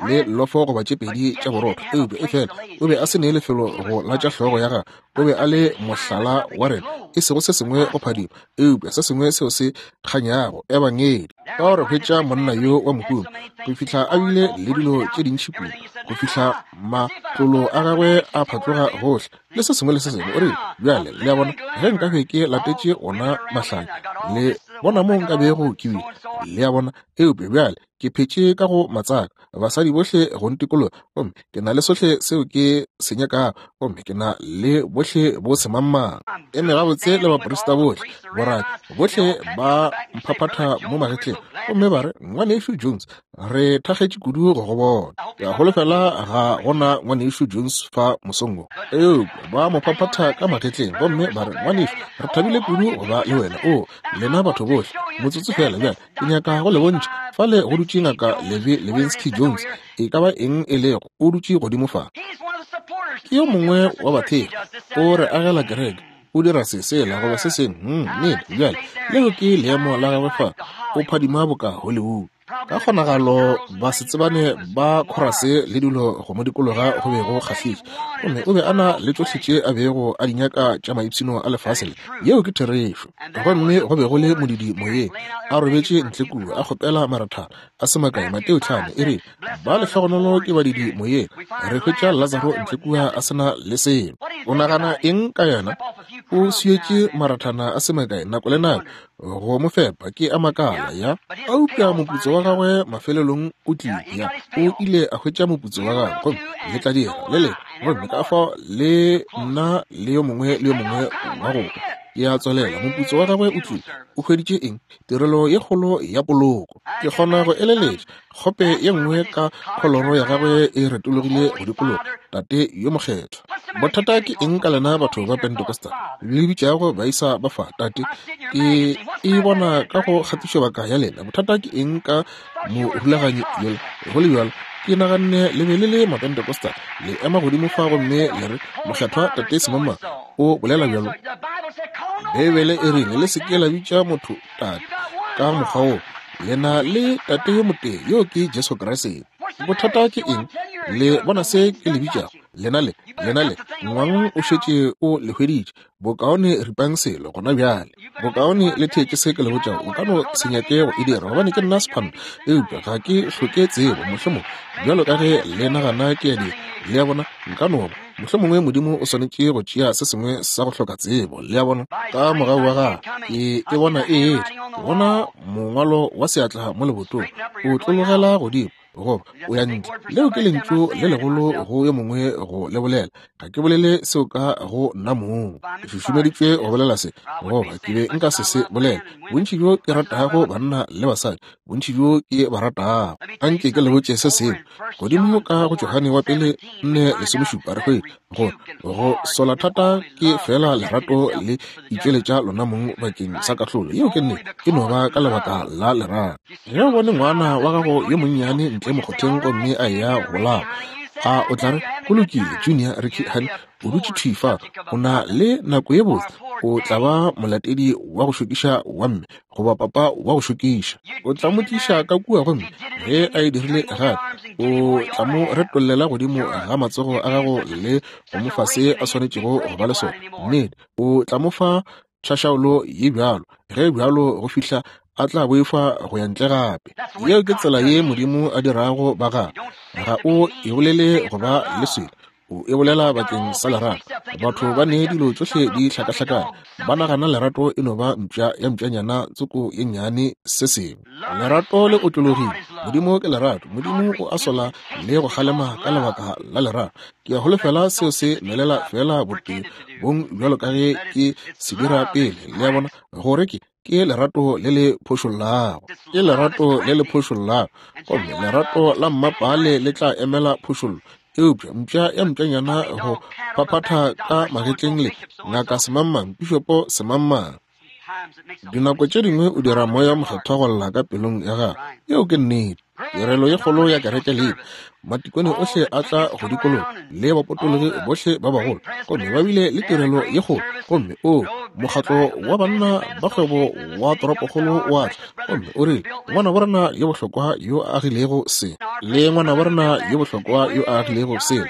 le lofo goba tše pedi tša borotho. Eupša efela o be a se ne lefelo go latša hlogo ya gagwe. O be a le mohlala wa rena, e sego se sengwe go phadima, eupša se sengwe seo se kganyago, ebangedi. Ka gore hwetša monna yo wa mohumi go fihla a bile le dilo tše dintši kudu, go fihla matlolo a gagwe a phatloga gohle le se sengwe le se sengwe. O rile, bjale le a bona, ge nka be ke latetše ona mahlanya, le bona mo nka bego ke bile. Le a bona, eupša bjale ke phetše ka go matsaka, basadi bohle go ntikologa, gomme ke na le sohle seo ke se nyakago, gomme ke na le bohle bo semangmang. Eme gabotse le baprista bohle, boraki bohle ba mphaphatha mo magetleng, gomme ba re, Ngwanešu Jones, re thakgetše kudu go go bona. Ke a holofela ga gona Ngwanešu Jones fa mosong wo. Eupša ba mo phaphatha ka magetleng, gomme ba re, Ngwanešu, re thabile kudu go ba le wena. O, lena batho bohle, motsotso fela bjale, ke nyaka go le bontšha. Fale go dutše ngaka Levi Levinsky Jones, e ka ba eng e lego, o dutše godimo fa. Ke yo mongwe wa bathekgi, o re agela kereke, o dira se sela goba se sengwe. Hmm, nnete, bjale leo ke leemo la gagwe fa, o phadima boka Hollywood. Ka kgonagalo ba se tsebane ba khorase le dilo go mo dikologa go be go kgahliša, gomme o be a na le tšohle tše a bego a di nyaka tša maipshino a lefase le. Yeo ke therešo. Gomme go be go le modidi moyeng, a robetše ntle kua, a kgopela marathana a se makae. Mateo tlhano e rile, ba lehlogonolo ke badidi moyeng. Re hwetša Lazaro ntle kua a se na le selo. O nagana eng ka yena? O swietše marathana a se makae nako le nako go mo fepa, ke a makala ya. Eupša moputso wa gagwe mafelelong o tlile, ya. O ile a hwetša moputso wa gagwe, gomme le tla dira le le, gomme ka fao le nna le yo mongwe le yo mongwe wa go ke a tswelela. Moputso wa gagwe o tlile. O hweditše eng? Tirelo ye kgolo ya poloko. Ke kgona go eleletša kgope ye nngwe ka kholoro ya gagwe e retologile go dikologa, Tate yo mokgethwa. Bothata ke eng ka lena batho ba Pentecostal le bitšago baisa ba fa tate? Ke e bona ka go kgatišobaka ya lena. Bothata ke eng ka morulaganyi yola? Go le bjalo, ke naganne le be le le Mapentecostal, le ema godimo fa gomme le re, Mokgethwa Tate Semama o bolela bjalo. Beibele e rile le se ke la bitša motho tate ka mokgwa wo. Le na le tate yo motee, yo ke Jesu Kriste. Bothata ke eng? Le bona se ke le bitšago? Lena le, lena le, ngwang o šetše o le hweditše. Bokaone ripang selo gona bjale. Bokaone le theetše se ke le botšago. O ka no se nyake go e dira, gobane ke nna sephano, eupša ga ke hloke tsebo, mohlomong bjalo ka ge le nagana ke a dira. Le a bona, nka no ba. Mohlomongwe Modimo o swanetše go tšea se sengwe sa go hloka tsebo. Le a bona, ka mogau wa gagwe ke e bona e etla. Ke bona mongwalo wa seatla mo lebotong, o tlologela godimo goba o ya ntle. Leo ke lentšu le legolo go yo mongwe go le bolela. Ga ke bolele seo ka go nna mong. Ke šušumeditšwe go bolela se, goba ke be nka se se bolela. Bontši bjo ke ratago banna le basadi, bontši bjo ke ba ratago. Anke ke le botše se sengwe. Godimo ka go Johane wa pele nne lesomešupa re hwetša gore go sola thata ke fela lerato le itšweletša lona mong bakeng sa kahlolo. Yeo ke nnete, e no ba ka lebaka la lerato. Ge o bone ngwana wa gago yo monnyane ntle mokgotheng gomme a eya go bolawa, a o tla re, go lokile, Junior, Ricky, honey, o dutše thwi fa, o na le nako ye botse, o tla ba molatedi wa go šokiša wa mme goba papa wa go šokiša. O tla mo tliša ka kua, gomme ge a e dirile gape, o tla mo retollela godimo ga matsogo a gago le go mo fa se a swanetšego go ba le sona. Nnete, o tla mo fa tšhašaolo ye bjalo, ge bjalo go fihla a tla boifa go ya ntle gape. Yeo ke tsela ye Modimo a dirago ba gagwe. Ga o e bolele go ba le selo, o e bolela bakeng sa lerato. Batho ba ne dilo tšohle di hlakahlakane, ba nagana lerato e no ba mpša ya mpšanyana tsoko ye nnyane se sengwe. Lerato le otlologile. Modimo ke lerato. Modimo o a sola le go kgalema ka lebaka la lerato. Ke a holofela seo se nwelela fela botee bong bjalo ka ge ke se dira pele. Le a bona gore ke ke lerato le le phošollago. Ke lerato le le phošollago, gomme lerato la mmapale le tla emela phošollo. Eupša mpša ya mpšanyana go phaphatha ka magetleng le ngaka semangmang, pišopo semangmang. Dinako tše dingwe o dira Moya Mokgethwa go lla ka pelong ya gago. Yeo ke nnete. Tirelo ye kgolo ya kereke le matikone ohle a tla go dikologa le bapotologi bohle ba bagolo, gomme ba bile le tirelo ye kgolo. Gomme o mokgatlo wa banna ba kgwebo wa toropokgolo wa tla, gomme o rile, ngwana borena yo bohlokwa yo a agilego se, le ngwana borena yo bohlokwa yo a agilego se,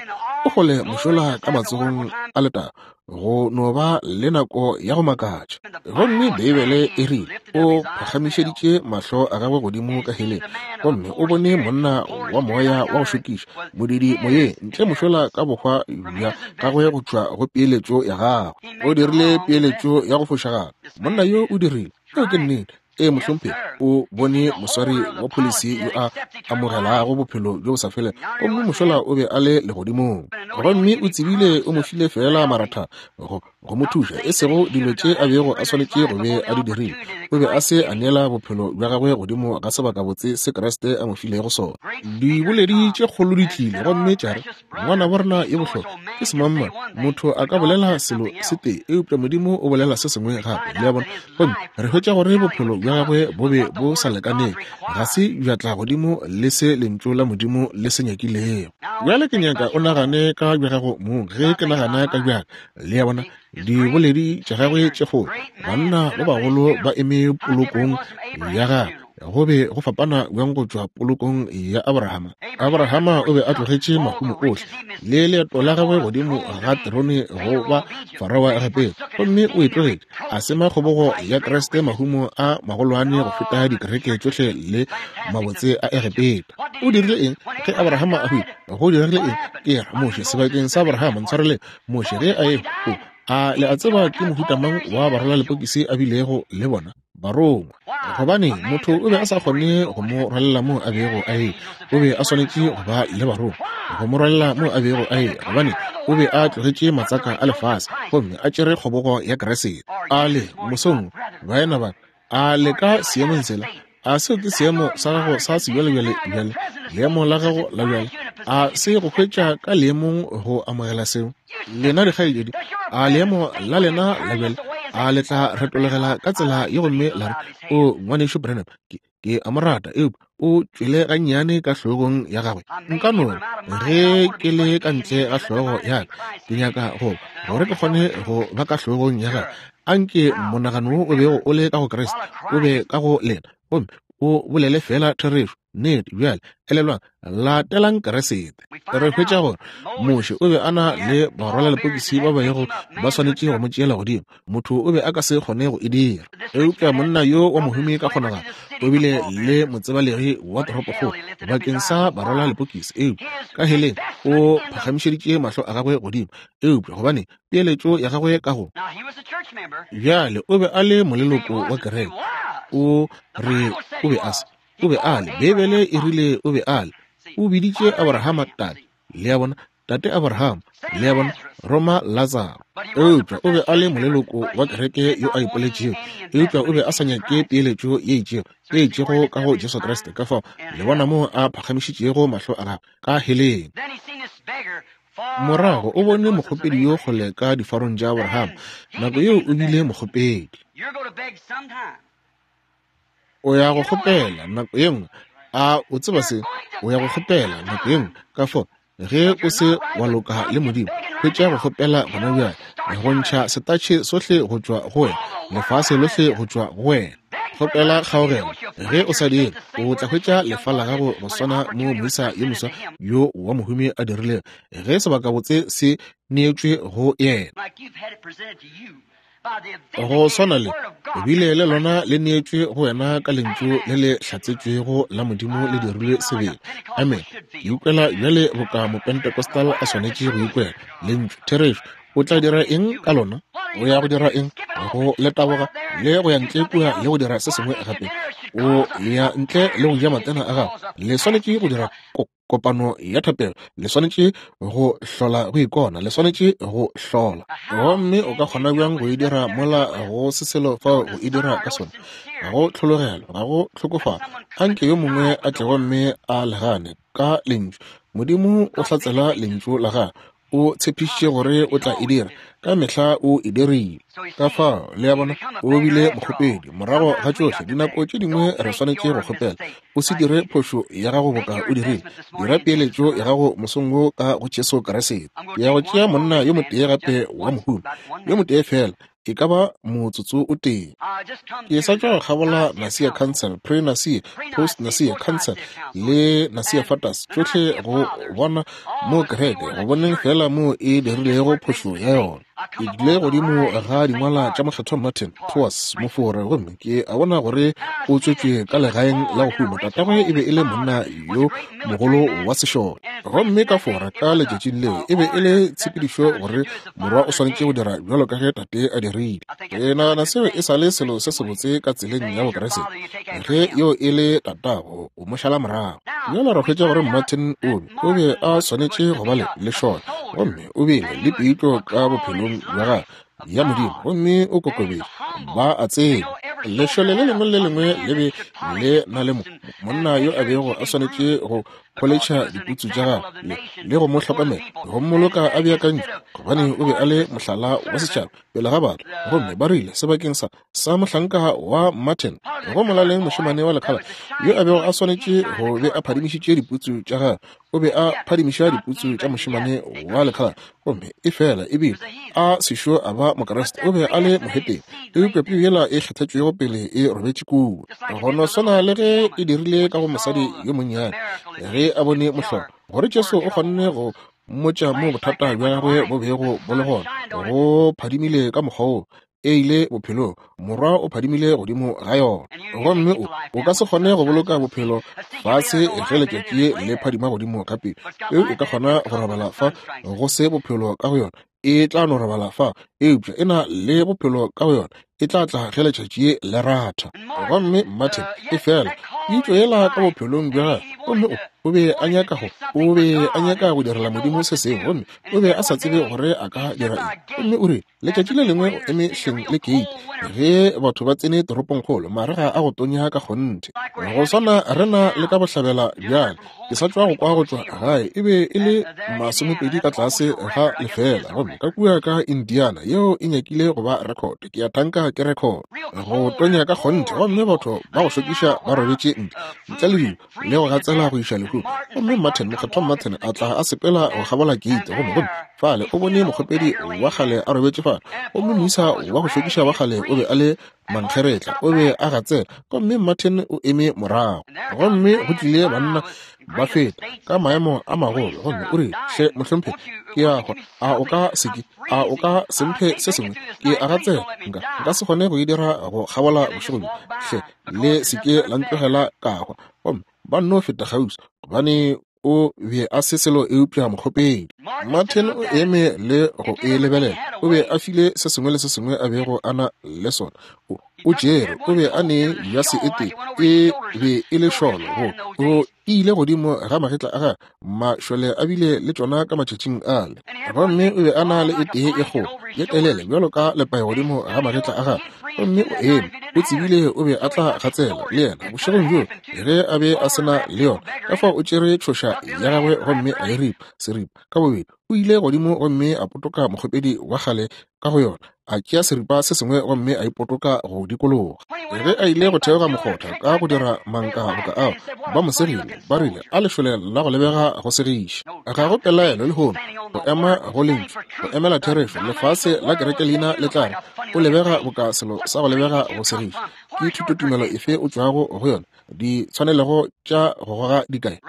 o kgole mošola ka matsogong a letago, go no ba le nako ya go makatša. Gomme Beibele e rile o phagamišeditše mahlo a gagwe godimo ka heleng, gomme o bone monna wa moya wa go šokiša, modidi moyeng, ntle mošola ka bohwa bja gagwe go tšwa go peeletšo ya gagwe. O dirile peeletšo ya go fošagala. Monna yo o dirile. Eo ke nnete. Ee, mohlomphegi, o bone moswari wa pholisi yo a amogelago bophelo bjo bo sa felego, gomme mošola o be a le legodimong. Gomme o tsebile o mo file feela maratha go go mo thuša, e sego dilo tše a bego a swanetše go be a di dirile. O be a se a neela bophelo bja gagwe godimo ga sebakabotse se Kriste a mo filego sona. Diboledi tše kgolo di tlile gomme tša re, ngwana borena ye bohlokwa ke semangmang. Motho a ka bolela selo se tee, eupša Modimo o bolela se sengwe gape. Le a bona? Gomme re hwetša gore bophelo bja gagwe bo be bo sa lekaneng, ga se bja tla godimo le se lentšu la Modimo le se nyakilego. Bjale ke nyaka o nagane ka bja gago mong ge ke nagana ka bjaka. Le a bona? Diboledi tša gagwe tše kgolo, banna ba bagolo ba eme polokong ya gagwe. Go be go fapana bjang go tšwa polokong ya Abrahama. Abrahama o be a tlogetše mahumo ohle le leeto la gagwe godimo ga terone go ba Farao wa Egepeta, gomme o e tlogetše a sema kgobogo ya Kriste mahumo a magolwane go feta dikereke tšohle le mabotse a Egepeta. O dirile eng ge Abrahama a hwile? Go dirile eng? Ke re Moshe sebakeng sa Abrahama, ntshwarele, Moshe ge a e a le a tseba ke mohuta mang wa barwalalepokisi a bilego le bona? Barongwa. Gobane motho o be a sa kgone go mo rwalela mo a bego a e, o be a swanetše go ba le barongwa go mo rwalela mo a bego a e, gobane o be a tlogetše matsaka a lefase gomme a tšere kgobogo ya Kriste. A le mosong baena ba, a le ka seemong sela? A seo ke seemo sa gago sa sebjalebjale bjale, leemo la gago la bjale? A se go hwetša ka leemong go amogela seo? Lena dikgaetšedi, a leemo la lena la bjale a le tla retologela ka tsela ye gomme la re, o ngwanešu Branham, ke, ke a mo rata, eupša o tšwele gannyane ka hlogong ya gagwe. Nka no ge ke le ka ntle ga hlogo ya ka, ke nyaka go gore ke kgone go ba ka hlogong ya gagwe. Anke monagano wo o bego o le ka go Kriste o be ka go lena, gomme o bolele fela therešo nnete. Bjale elelwang, latelang Kriste. Re hwetša gore Moshe o be a na le barwalalepokisi ba bego ba swanetše go mo tšeela godimo. Motho o be a ka se kgone go e dira, eupša monna yo wa mohumi ka kgonagalo o bile le motsebalegi wa toropokgolo bakeng sa barwalalepokisi, eupša ka heleng o phagamišeditše mahlo a gagwe godimo. Eupša gobane peeletšo ya gagwe ka go bjale o be a le moleloko wa kereke. O re o be a se, o be a le, Beibele e rile o be a le. O biditše Abrahama tate. Le a bona? Tate Abraham. Le a bona? Roma Lazaro. Eupša o be a le moleloko wa kereke yo a ipoletšego, eupša o be a sa nyake peeletšo ye itšego, ye itšego ka go Jesu Kriste. Ka fao le bona moo a phagamišitšego mahlo a gagwe ka heleng. Morago o bone mokgopedi yo kgole ka difarong tša Abraham. Nako yeo o bile mokgopedi. O ya go kgopela nako ye nngwe. A o tseba se? O ya go kgopela nako ye nngwe. Ka fao ge o se wa loka le Modimo, hwetša go kgopela gona bjale, go ntšha setatšhe sohle go tšwa go wena, lefase lohle go tšwa go wena. Kgopela kgaogelo. Ge o sa dire, o tla hwetša lefa la gago go swana mo moisa yo moswa yo wa mohumi a dirilego ge sebakabotse se neetšwe go yena. Go swana le bile le lona le neetšwe go wena ka lentšu le le hlatsetšwego la Modimo le dirilwe sebele. Amen. Ke ikwela bjale boka Mopentecostal a swanetše go ikwela. Lentšu, therešo. O tla dira eng ka lona? O ya go dira eng? Go le taboga le go ya ntle kua le go dira se sengwe gape. O ya ntle le go ja matena a gago. Le swanetše go dira kopano ya thapelo, le swanetše go hlola go ikona, le swanetše go hlola. Gomme o ka kgona bjang go e dira mola go se selo fao go e dira ka sona? Ga go tlhologelo, ga go tlhokofalo. Anke yo mongwe a tle gomme a legane ka lentšu. Modimo o hlatsela lentšu la gagwe. O tshepišitše gore o tla e dira. Ka mehla o e dirile. Ka fao, le a bona, o bile mokgopedi. Morago ga tšohle, dinako tše dingwe re swanetše go kgopela. O se dire phošo ya gago boka o dirile. Dira peeletšo ya gago mosong wo ka go Jesu Kriste. Ke ya go tšea monna yo motee gape wa mohumi, yo motee fela, e ka ba motsotso o tee. Ke sa tšwa go kgabola Nicaea Council, Pre-Nicaea, Post-Nicaea Council le Nicaea Fathers, tšohle go bona mo kereke, go boneng fela mo e dirilego phošo ya yona. Ke tlile godimo ga dingwala tša Mokgethwa Martin Tours mofore, gomme ke a bona gore o tswetšwe ka legaeng la go huma. Tatagwe e be e le monna yo mogolo wa sešole, gomme ka Fora ka letšatšing leo e be e le tshepedišo gore morwa o swanetše go dira bjalo ka ge tate a dirile. Ke nagana seo e sa le selo se sebotse ka tseleng ya Bokriste. Ge yo e le tatago, o mo šala morago. Bjale re hwetša gore Martin o be o be a swanetše go ba le lešole, gomme o bile le pitlo ka bophelong bja gagwe ya Modimo, gomme o kokobetše. Ba a tseba lešole le lengwe le lengwe le be le na le monna yo a bego a swanetše go pholetšha diputsu tša gagwe le, le go mo hlokomela, go mmoloka a beakantšwe, gobane o be a le mohlala wa setšhaba pele ga batho. Gomme ba rile sebakeng sa sa mohlanka wa Martin, go molaleng mošemane wa lekhala yo a bego a swanetše go be a phadimišitše diputsu tša gagwe, o be a phadimiša diputsu tša mošemane wa lekhala. Gomme e fela ebile a sešo a ba Mokriste, o be a le mohetene, eupša peu yela e kgethetšwego pele e robetše kua, go no swana le ge e dirile ka go mosadi yo monnyane ge a bone mohlolo, gore Jesu o kgonne go mmotša mo bothata bja gagwe bo bego bo le gona. Go phadimile ka mokgwa wo e ile bophelong, morwa o phadimile godimo ga yona. Gomme o o ka se kgone go boloka bophelo fase ge letšatši le phadima godimo ka pele. Peu e ka kgona go robala fa go se bophelo ka go yona, e tla no robala fa, eupša e na le bophelo ka go yona, e tla tla ge letšatši le ratha. Gomme Martin e fela pitšo yela ka bophelong bja gagwe, gomme o o be a nyaka go o be a nyaka go direla Modimo se sengwe, gomme o be a sa tsebe gore a ka dira eng. Gomme o rile letšatši le lengwe o eme hleng le keiti ge batho ba tsene toropongkgolo, marega a go tonya ka kgonthe, go swana rena le ka bohlabela bjale. Ke sa tšwa go kwa go tšwa gae, e be e le masomepedi ka tlase ga lefela, gomme ka kua ka Indiana yeo e nyakile go ba record, ke a thanka ke record, go tonya ka kgonthe, gomme batho ba go šokiša ba robetše ntle ntle le dilo le go gatsela go iša lehung. Gomme Martin, Mokgethwa Martin a tla a sepela go kgabola keiti, gomme gomme fale o bone mokgopedi wa kgale a robetše fale, gomme moisa wa go šokiša wa kgale o be a le mankgeretla, o be a gatsela, gomme Martin o eme morago. Gomme go tlile banna ba feta ka maemo a magolo, gomme o rile, hle mohlomphegi, ke ya hwa, a o ka se ke, a o ka se mphe se sengwe? Ke a gatsela, nka nka se kgone go e dira go kgabola bošego bjo, hle le se ke la ntlogela ka hwa. Gomme ba nno feta kgauswi, gobane o be a se selo eupša mokgopedi. Martin o eme le go e lebelela. O be a file se sengwe le se sengwe a bego a na le sona. O, o tšere, o be a ne jase e tee, e be e le šolo, go o ile godimo ga magetla a gagwe, mašole a bile le tšona ka matšatšing ale. Gomme o be a na le e tee e kgolo ye telele bjalo ka lepae godimo ga magetla a gagwe. Gomme o eme, o tsebile o be a tla gatsela le yena bošegong bjo ge a be a se na le yona. Ka fao o tšere tšhoša ya gagwe gomme a e ripa seripa ka bobedi. O ile godimo gomme a potoka mokgopedi wa kgale ka go yona, a tšea seripa se sengwe gomme a ipotoka go dikologa. Ge a ile go theoga mokgotha ka go dira manka boka ao, ba mo segile, ba rile a lešole la go lebega go segiša. Ga go pelaelo lehono go ema go lentšu, go emela therešo. Lefase la kereke leina le tla re o lebega boka selo sa go lebega go segiša. Ke thutotumelo efe o tšwago go yona? Ditshwanelego tša go goga dikae?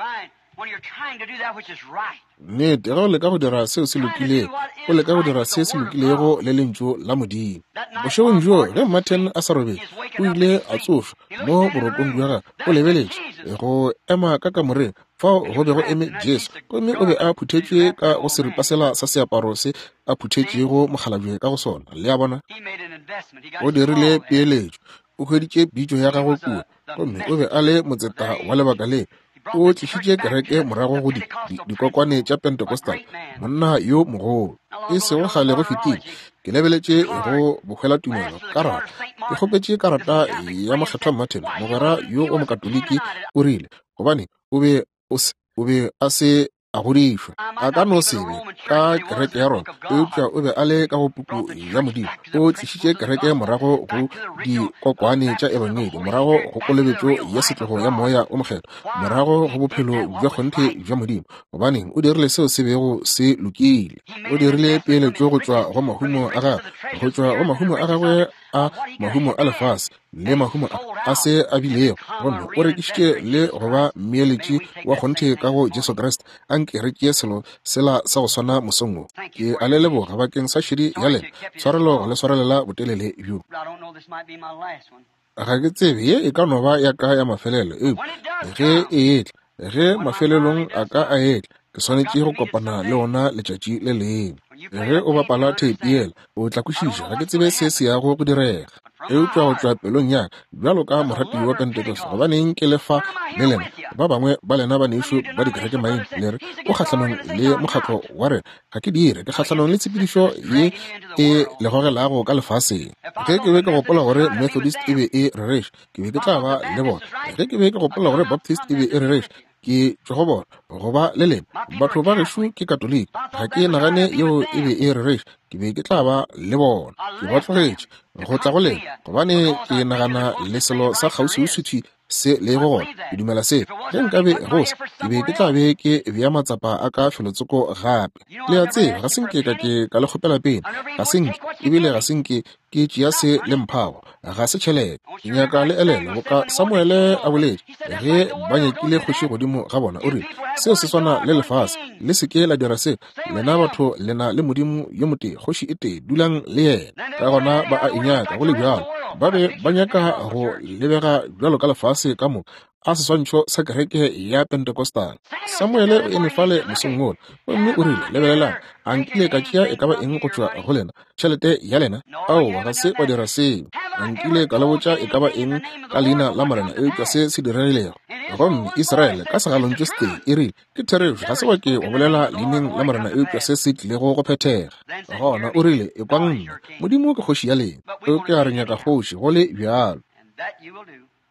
Nnete, ge o leka go dira seo se lokilego, o leka go dira se se lokilego le lentšu la Modimo. Bošegong bjoo ge Martin a sa robetše, o ile a tsošwa mo borokong bja gagwe. O lebeletše go ema ka kamoreng fao go be go eme Jesu, gomme o be a phuthetšwe ka go seripa sela sa seaparo se a phuthetšego mokgalabje ka go sona. Le a bona, o dirile peeletšo, o hweditše pitšo ya gagwe kua, gomme o be a le motseta wa lebaka le. O tlišitše kereke morago go di, di, dikokwane tša Pentecostal, monna yo mogolo. E sego kgale go fetile, ke lebeletše go bohwelatumelo karata. Ke kgopetše karata ya Mokgethwa Martin, mogwera yo wa Mokatoliki. O rile gobane o be o se, o be a se a godišwa. A ka no se be ka kereke ya Roma, eupša o be a le ka go puku ya Modimo. O tlišitše kereke morago go dikokwane tša ebangedi, morago go kolobetšo ya setlogo ya Moya o Mokgethwa, morago go bophelo bja kgonthe bja Modimo. Gobaneng, o dirile seo se bego se lokile. O dirile peeletšo go tšwa go mahumo a gagwe, go tšwa go mahumo a gagwe a mahumo a lefase le mahumo a, a se a bilego, gomme o rekišitše le go ba mmeeletši wa kgonthe ka go Jesu Kriste. Anke re tšee selo sela sa go swana mosong wo. Ke a le leboga bakeng sa šedi ya lena. Tshwarelo go le swarelela botelele bjo. Ga ke tsebe ye e ka no ba ya ka ya mafelelo, eupša ge e etla, ge mafelelong a ka a etla, ke swanetše go kopana le ona letšatši le lengwe. Ge o bapala theipi yela, o tla kwešiša. Ga ke tsebe se se yago go direga, eupša go tšwa pelong ya ka bjalo ka morati wa Pentecost, gobaneng ke le fa le lena ba bangwe ba lena banešu ba dikereke maina le re o kgahlanong le mokgatlo wa rena. Ga ke dire, ke kgahlanong le tshepedišo ye e le gogelago ka lefaseng. Ge ke be ke gopola gore Methodist e be e rereša, ke be ke tla ba le bona. Ge ke be ke gopola gore Baptist e be e rereša, ke tšwa go bona. Go ba le lena batho ba gešo ke Katoliki, ga ke nagane yeo e be e rereša, ke be ke tla ba le bona. Ke ba tlogetše go tla go lena gobane ke nagana le selo sa kgauswiuswi se lego gona. Ke dumela se. Ge nkabe go se, ke be ke tla be ke bea matsapa a ka felotsoko gape. Le a tseba, ga se nke ka ke ka le kgopela pele, ga se nke, ebile ga se nke ke tšea se le mphago, ga se tšhelete. Ke nyaka le elelwe boka Samuele a boletše ge ba nyakile kgoši godimo ga bona, o rile, seo se swana le lefase, le se ke la dira se. Lena batho le na le Modimo yo motee, kgoši e tee, dulang le yena. Ka gona ba a e nyaka go le bjalo. Ba be ba nyaka go lebega bjalo ka lefase ka moka, a seswantšho sa kereke ya Pentecostal. Samuele o eme fale mosong wola, gomme o rile, lebelelang, a nkile ka tšea e ka ba eng go tšwa go lena, tšhelete ya lena? Aowa, ga se wa dira seo. A nkile ka le botša e ka ba eng ka leina la Morena eupša se se diregilego? Gomme Israele ka segalontšu setee e rile, ke therešo, ga se wa ke wa bolela leineng la Morena eupša se se tlilego go phethega. Gona o rile, ekwang nna, Modimo ke kgoši ya lena, eupša re nyaka kgoši go le bjalo.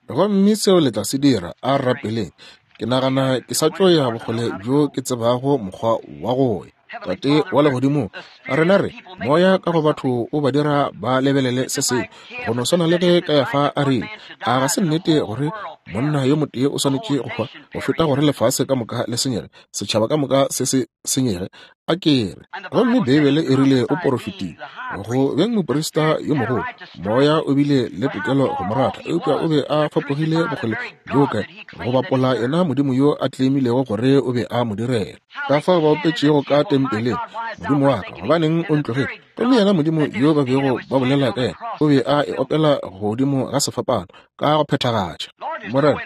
Gomme seo le tla se dira, a rapeleng. Ke nagana ke sa tšo ya bokgole bjo ke tsebago mokgwa wa go ya. Tate wa legodimo, rena re moya ka go batho o ba dira ba lebelele se sengwe go no swana le ge Kayafa a rile, a ga se nnete gore monna yo motee o swanetše go hwa go feta gore lefase ka moka le senyege, setšhaba ka moka se se senyege? A ke re. Gomme Beibele e rile o porofetile go beng moprista yo mogolo, moya o bile le tokelo go mo rata, eupša o be a fapogile bokgole bjo kae go bapola yena Modimo yo a tleimilego gore o be a mo direla. Ka fao ba opetšego ka tempeleng, Modimo wa ka, gobaneng o ntlogetše? Gomme yena Modimo yo ba bego ba bolela ka yena o be a e opela godimo ga sefapano ka go phethagatša. Morena,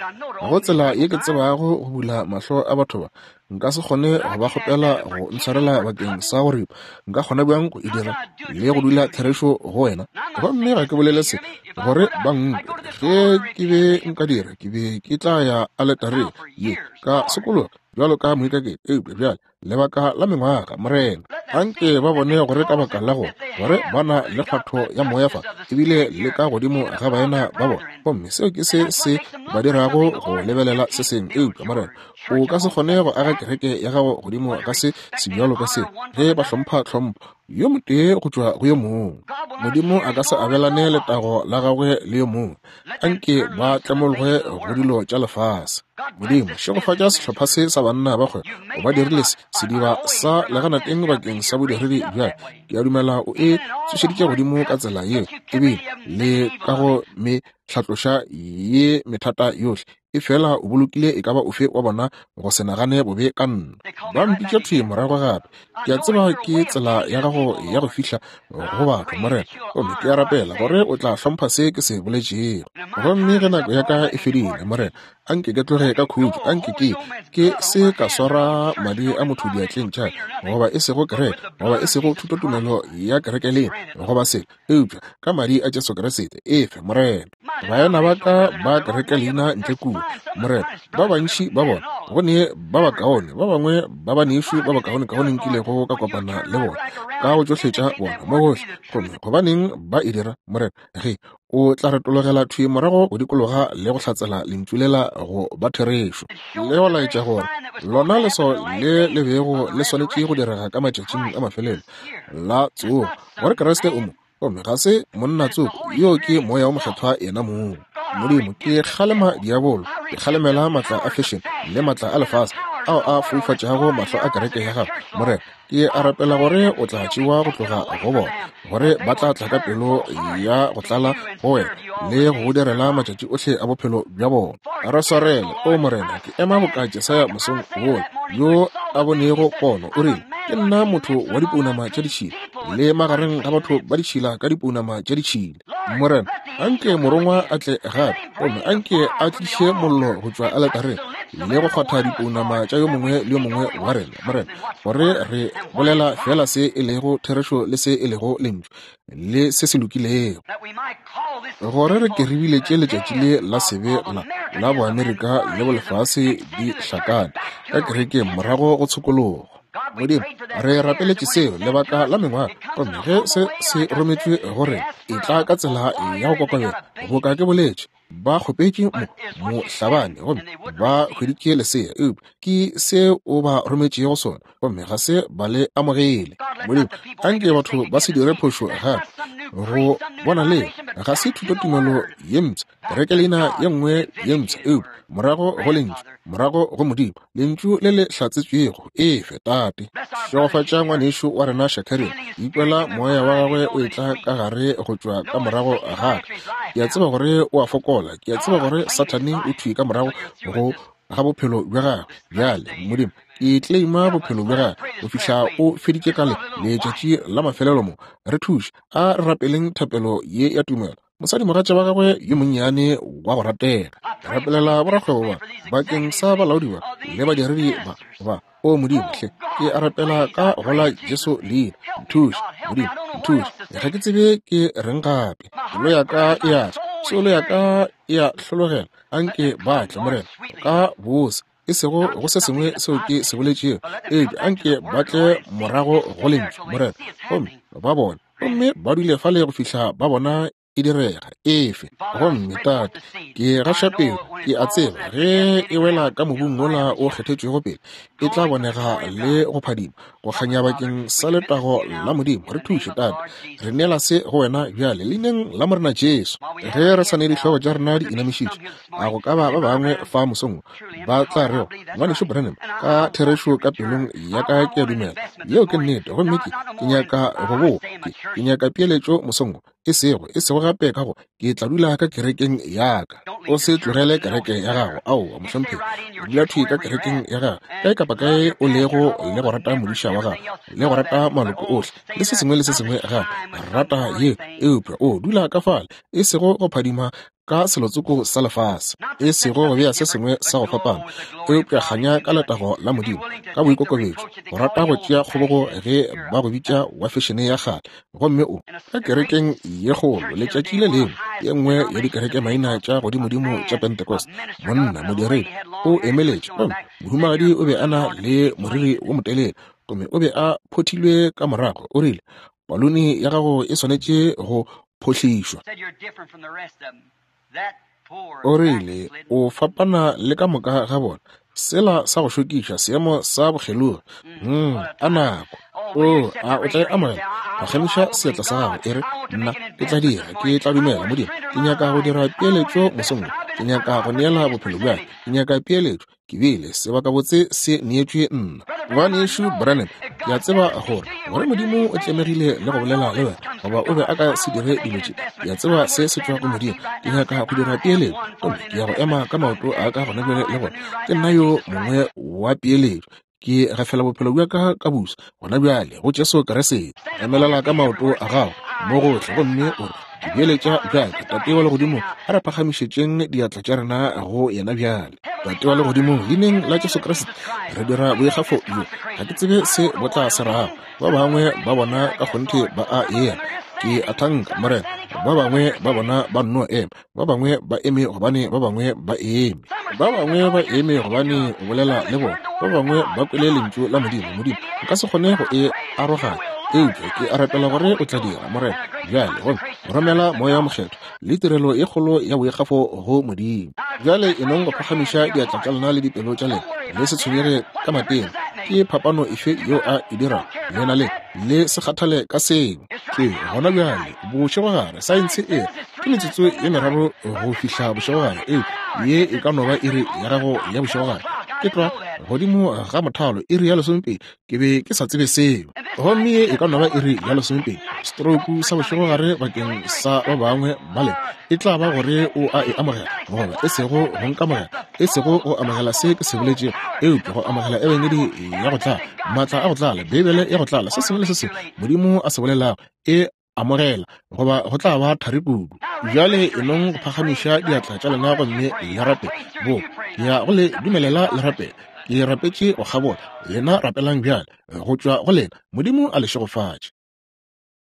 go tsela ye ke tsebago go bula mahlo a batho ba, nka se kgone go ba kgopela go ntshwarela bakeng sa go ripa. Nka kgona bjang go e dira le go dula therešo go wena? Gomme ga ke bolele se gore ba nkwe. Ge ke be nka dira, ke be ke tla ya aletareng ye ka sokologa bjalo ka moikaketši. Eupša bjale lebaka la mengwaga, Morena, anke ba bone gore ka baka la go gore ba na le kgwatho ya moya fa, ebile le ka godimo ga baena ba bona, gomme seo ke se se ba dirago go lebelela se sengwe. Eupša Morena, o ka se kgone go aga kereke ya gago godimo ga se sebjalo ka se, ge ba hlompha tlhompho yo motee go tšwa go yo mongwe. Modimo a ka se abelane letago la gagwe le yo mongwe. Anke ba tlemologwe go dilo tša lefase. Modimo, šegofatša sehlopha se sa banna ba kgwebo, o ba dirile se sediba sa leganateng bakeng sa bodiredi bjale. Ke a dumela o e tsošeditše godimo ka tsela yeo, ebile le ka go me hlatloša ye methata yohle, efela o bolokile e ka ba ofe wa bona go se nagane bobe ka nna. Ba mpitša thwi morago gape. Ke a tseba ke tsela ya gago ya go fihla go batho, Morena, gomme ke a rapela gore o tla hlompha se ke se boletšego. Gomme ge nako ya ka e fedile, Morena, anke ke tloge ka khutšo, anke ke ke se ka swara madi a motho diatleng tša ka, goba e sego kereke, goba e sego thutotumelo ya kereke lena, goba se, eupša ka madi a Jesu Kriste. Efe, Morena. Baena ba ka ba kereke leina ntle kua, Morena, ba bantši ba bona, go ne ba bakaone, ba bangwe ba banešu ba bakaonekaone nkilego ka kopana le bona, ka go tšohle tša bona mo gohle. Gomme gobaneng ba e dira, Morena, ge o tla retologela thwi morago go dikologa le go hlatsela lentšu lela go ba therešo, le go laetša gore lona leswao le le bego le swanetše go direga ka matšatšing a mafelelo la tsogo, gore Kriste o mo, gomme ga se monna tsoko, yo ke Moya wo Mokgethwa yena mong. Modimo, ke kgalema diabolo, ke kgalemela maatla a fashion le maatla a lefase ao a foufatšago mahlo a kereke ya gago. Morena, ke a rapela gore o tla tšewa go tloga go bona, gore ba tla tla ka pelo ya go tlala go wena le go go direla matšatši ohle a bophelo bja bona. Re swarele, o Morena, ke ema boka Jesaya mosong wola, yo a bonego pono, o rile, ke nna motho wa dipounama tša ditšhila, le magareng ga batho ba ditšhila ka dipounama tša ditšhila. Morena, anke morongwa a tle gape, gomme anke a tliše mollo go tšwa aletareng le go kgwatha dipounama tša yo mongwe le yo mongwe wa rena, Morena, gore re bolela fela se e lego therešo le se e lego lentšu le se se lokilego, gore re ke re biletše letšatši le la sebe la la boAmerika le bolefase di hlakane ka kerekeng morago go tshokologo. Modimo, re rapeletše seo lebaka la mengwaga, gomme ge se se rometšwe gore e tla ka tsela ya go kokobela, boka ke boletše, ba kgopetše mo mohlabani gomme ba hweditše lesea, eupša ke se o ba rometšego sona, gomme ga se ba le amogele. Modimo, anke batho ba se dire phošo gape go bona le ga se thutotumelo ye mpsha, kereke leina ye nngwe ye mpsha, eupša morago go lentšu, morago go Modimo, lentšu le le hlatsetšwego. Efe, Tate, šegofatša ngwanešu wa rena Shakarian, ikwela moya wa gagwe o etla ka gare go tšwa ka morago ga ka. Ke a tseba gore o a fokola, ke a tseba gore Sathane o thwi ka morago go ga bophelo bja gagwe. Bjale, Modimo, ke claima bophelo bja gagwe go fihla o feditše ka le letšatši la mafelelo mo. Re thuše, a re rapeleng thapelo ye ya tumelo. Mosadimogatša wa gagwe yo monnyane wa go ratega, rapelela borakgwebo ba bakeng sa balaodi ba le badiredi ba ba. O Modimo, hle, ke a rapela ka go la Jesu leina. Nthuše, Modimo, nthuše. Ga ke tsebe ke reng gape. Pelo ya ka e a tla, soulo ya ka e a hlologela. Anke ba tle, Morena, ka bose, e sego go se sengwe seo ke se boletšego, eupša anke ba tle morago go lentšu, Morena, gomme ba bone, gomme ba dule fale go fihla ba bona e direga. Efe, gomme Tate, ke gaša peo, ke a tseba ge e wela ka mobung wola o kgethetšwego pele, e tla bonega le go phadima, go kganya bakeng sa letago la Modimo. Re thuše, Tate, re neela se go wena bjale, leineng la Morena Jesu. Ge re sa ne dihlogo tša rena di inamišitše, a go ka ba ba bangwe fa mosong ba tla rego, ngwanešu Branham, ka therešo ka pelong ya ka ke a dumela yeo ke nnete, gomme ke ke nyaka go boa, ke ke nyaka peeletšo mosong, e sego e sego gape ka go ke tla dula ka kerekeng ya ka. O se tlogele kereke ya gago, aowa mohlomphegi, dula thwi ka kerekeng ya gago, kae kapa kae o lego, le go rata modiša wa gago, le go rata maloko ohle, le se sengwe le se sengwe gape, rata ye, eupša o dula ka fale, e sego go phadima ka selotsoko sa lefase, e sego go bea se sengwe sa go fapana, eupša kganya ka letago la Modimo, ka boikokobetšo, go rata go tšea kgobogo ge ba go bitša wa fešene ya kgale, gomme o ka kerekeng ye kgolo letšatši le lengwe, ye nngwe ya dikereke maina tša godimodimo tša Pentecost, monna modiredi o emeletše, gomme mohumagadi o be a na le moriri wo motelele, gomme o be a phothilwe ka morago, o rile, paluni ya gago e swanetše go phohlišwa. O rile, o fapana le ka moka ga bona, sela sa go šokiša, seemo sa bokgelogi. Mm, a nako. O, a o tla e amogela? Phagamiša seatla sa gago, e re, nna ke tla dira, ke tla dumela, Modimo, ke nyaka go dira peeletšo mosong, ke nyaka go neela bophelo bja ka, ke nyaka peeletšo, ke bile sebakabotse se neetšwe nna. Ngwanešu Branham, ke a tseba gore gore Modimo o tlemegile le go bolela le wena, goba o be a ka se dire dilo tše. Ke a tseba se se tšwa go Modimo, ke nyaka go dira peeletšo, gomme ke ya go ema ka maoto a ka gona bjale le gore ke nna yo mongwe wa peeletšo. Ke gafela bophelo bja ka ka busa gona bjale go Jesu Kriste. Emelela ka maoto a gago mo gohle, gomme o re, ke beeletša bjaka. Tate wa legodimo, a re phagamišetšeng diatla tša rena go yena bjale. Tate wa legodimo, leineng la Jesu Kriste, re dira boikgafo bjo. Ga ke tsebe se bo tla se rago. Ba bangwe ba bona ka kgonthe ba a ea. Ke a thanka, Morena, Ba bangwe ba bona ba nno ema, ba bangwe ba eme gobane ba bangwe ba eme. Ba bangwe ba eme gobane o bolela le bona. Ba bangwe ba kwele lentšu la Modimo. Modimo, nka se kgone go e aroganya, eupša ke a rapela gore o tla dira, Morena, bjale, gomme romela Moya wo Mokgethwa le tirelo ye kgolo ya boikgafo go Modimo. Bjale e nong go phagamiša diatla tša lena le dipelo tša lena, le se tshwenyege ka matena. Ke phapano efe yeo a e dirago? Lena le le se kgathale ka seo. Ke gona bjale bošegogare, saense e re ke metsotso ye meraro go fihla bošegogare, eupša ye e ka no ba iri ya gago ya bošegogare. Ke tlwa godimo ga mothalo iri ya lesomepedi, ke be ke sa tsebe seo. Gomme ye e ka no ba iri ya lesomepedi, stroke sa bošegogare bakeng sa ba bangwe ba lena e tla ba gore o a e amogela, goba e sego go nkamogela, e sego go amogela se ke se boletšego, eupša go amogela ebangedi ya go tlala, maatla a go tlala, Beibele ya go tlala, se sengwe le se sengwe Modimo a se bolelago, e amogela, goba go tla ba thari kudu. Bjale e nong go phagamiša diatla tša lena gomme le rapele. Bo, ke ya go le dumelela le rapele. Ke rapetše go kgabola. Lena rapelang bjale, go tšwa go lena. Modimo a le šegofatše.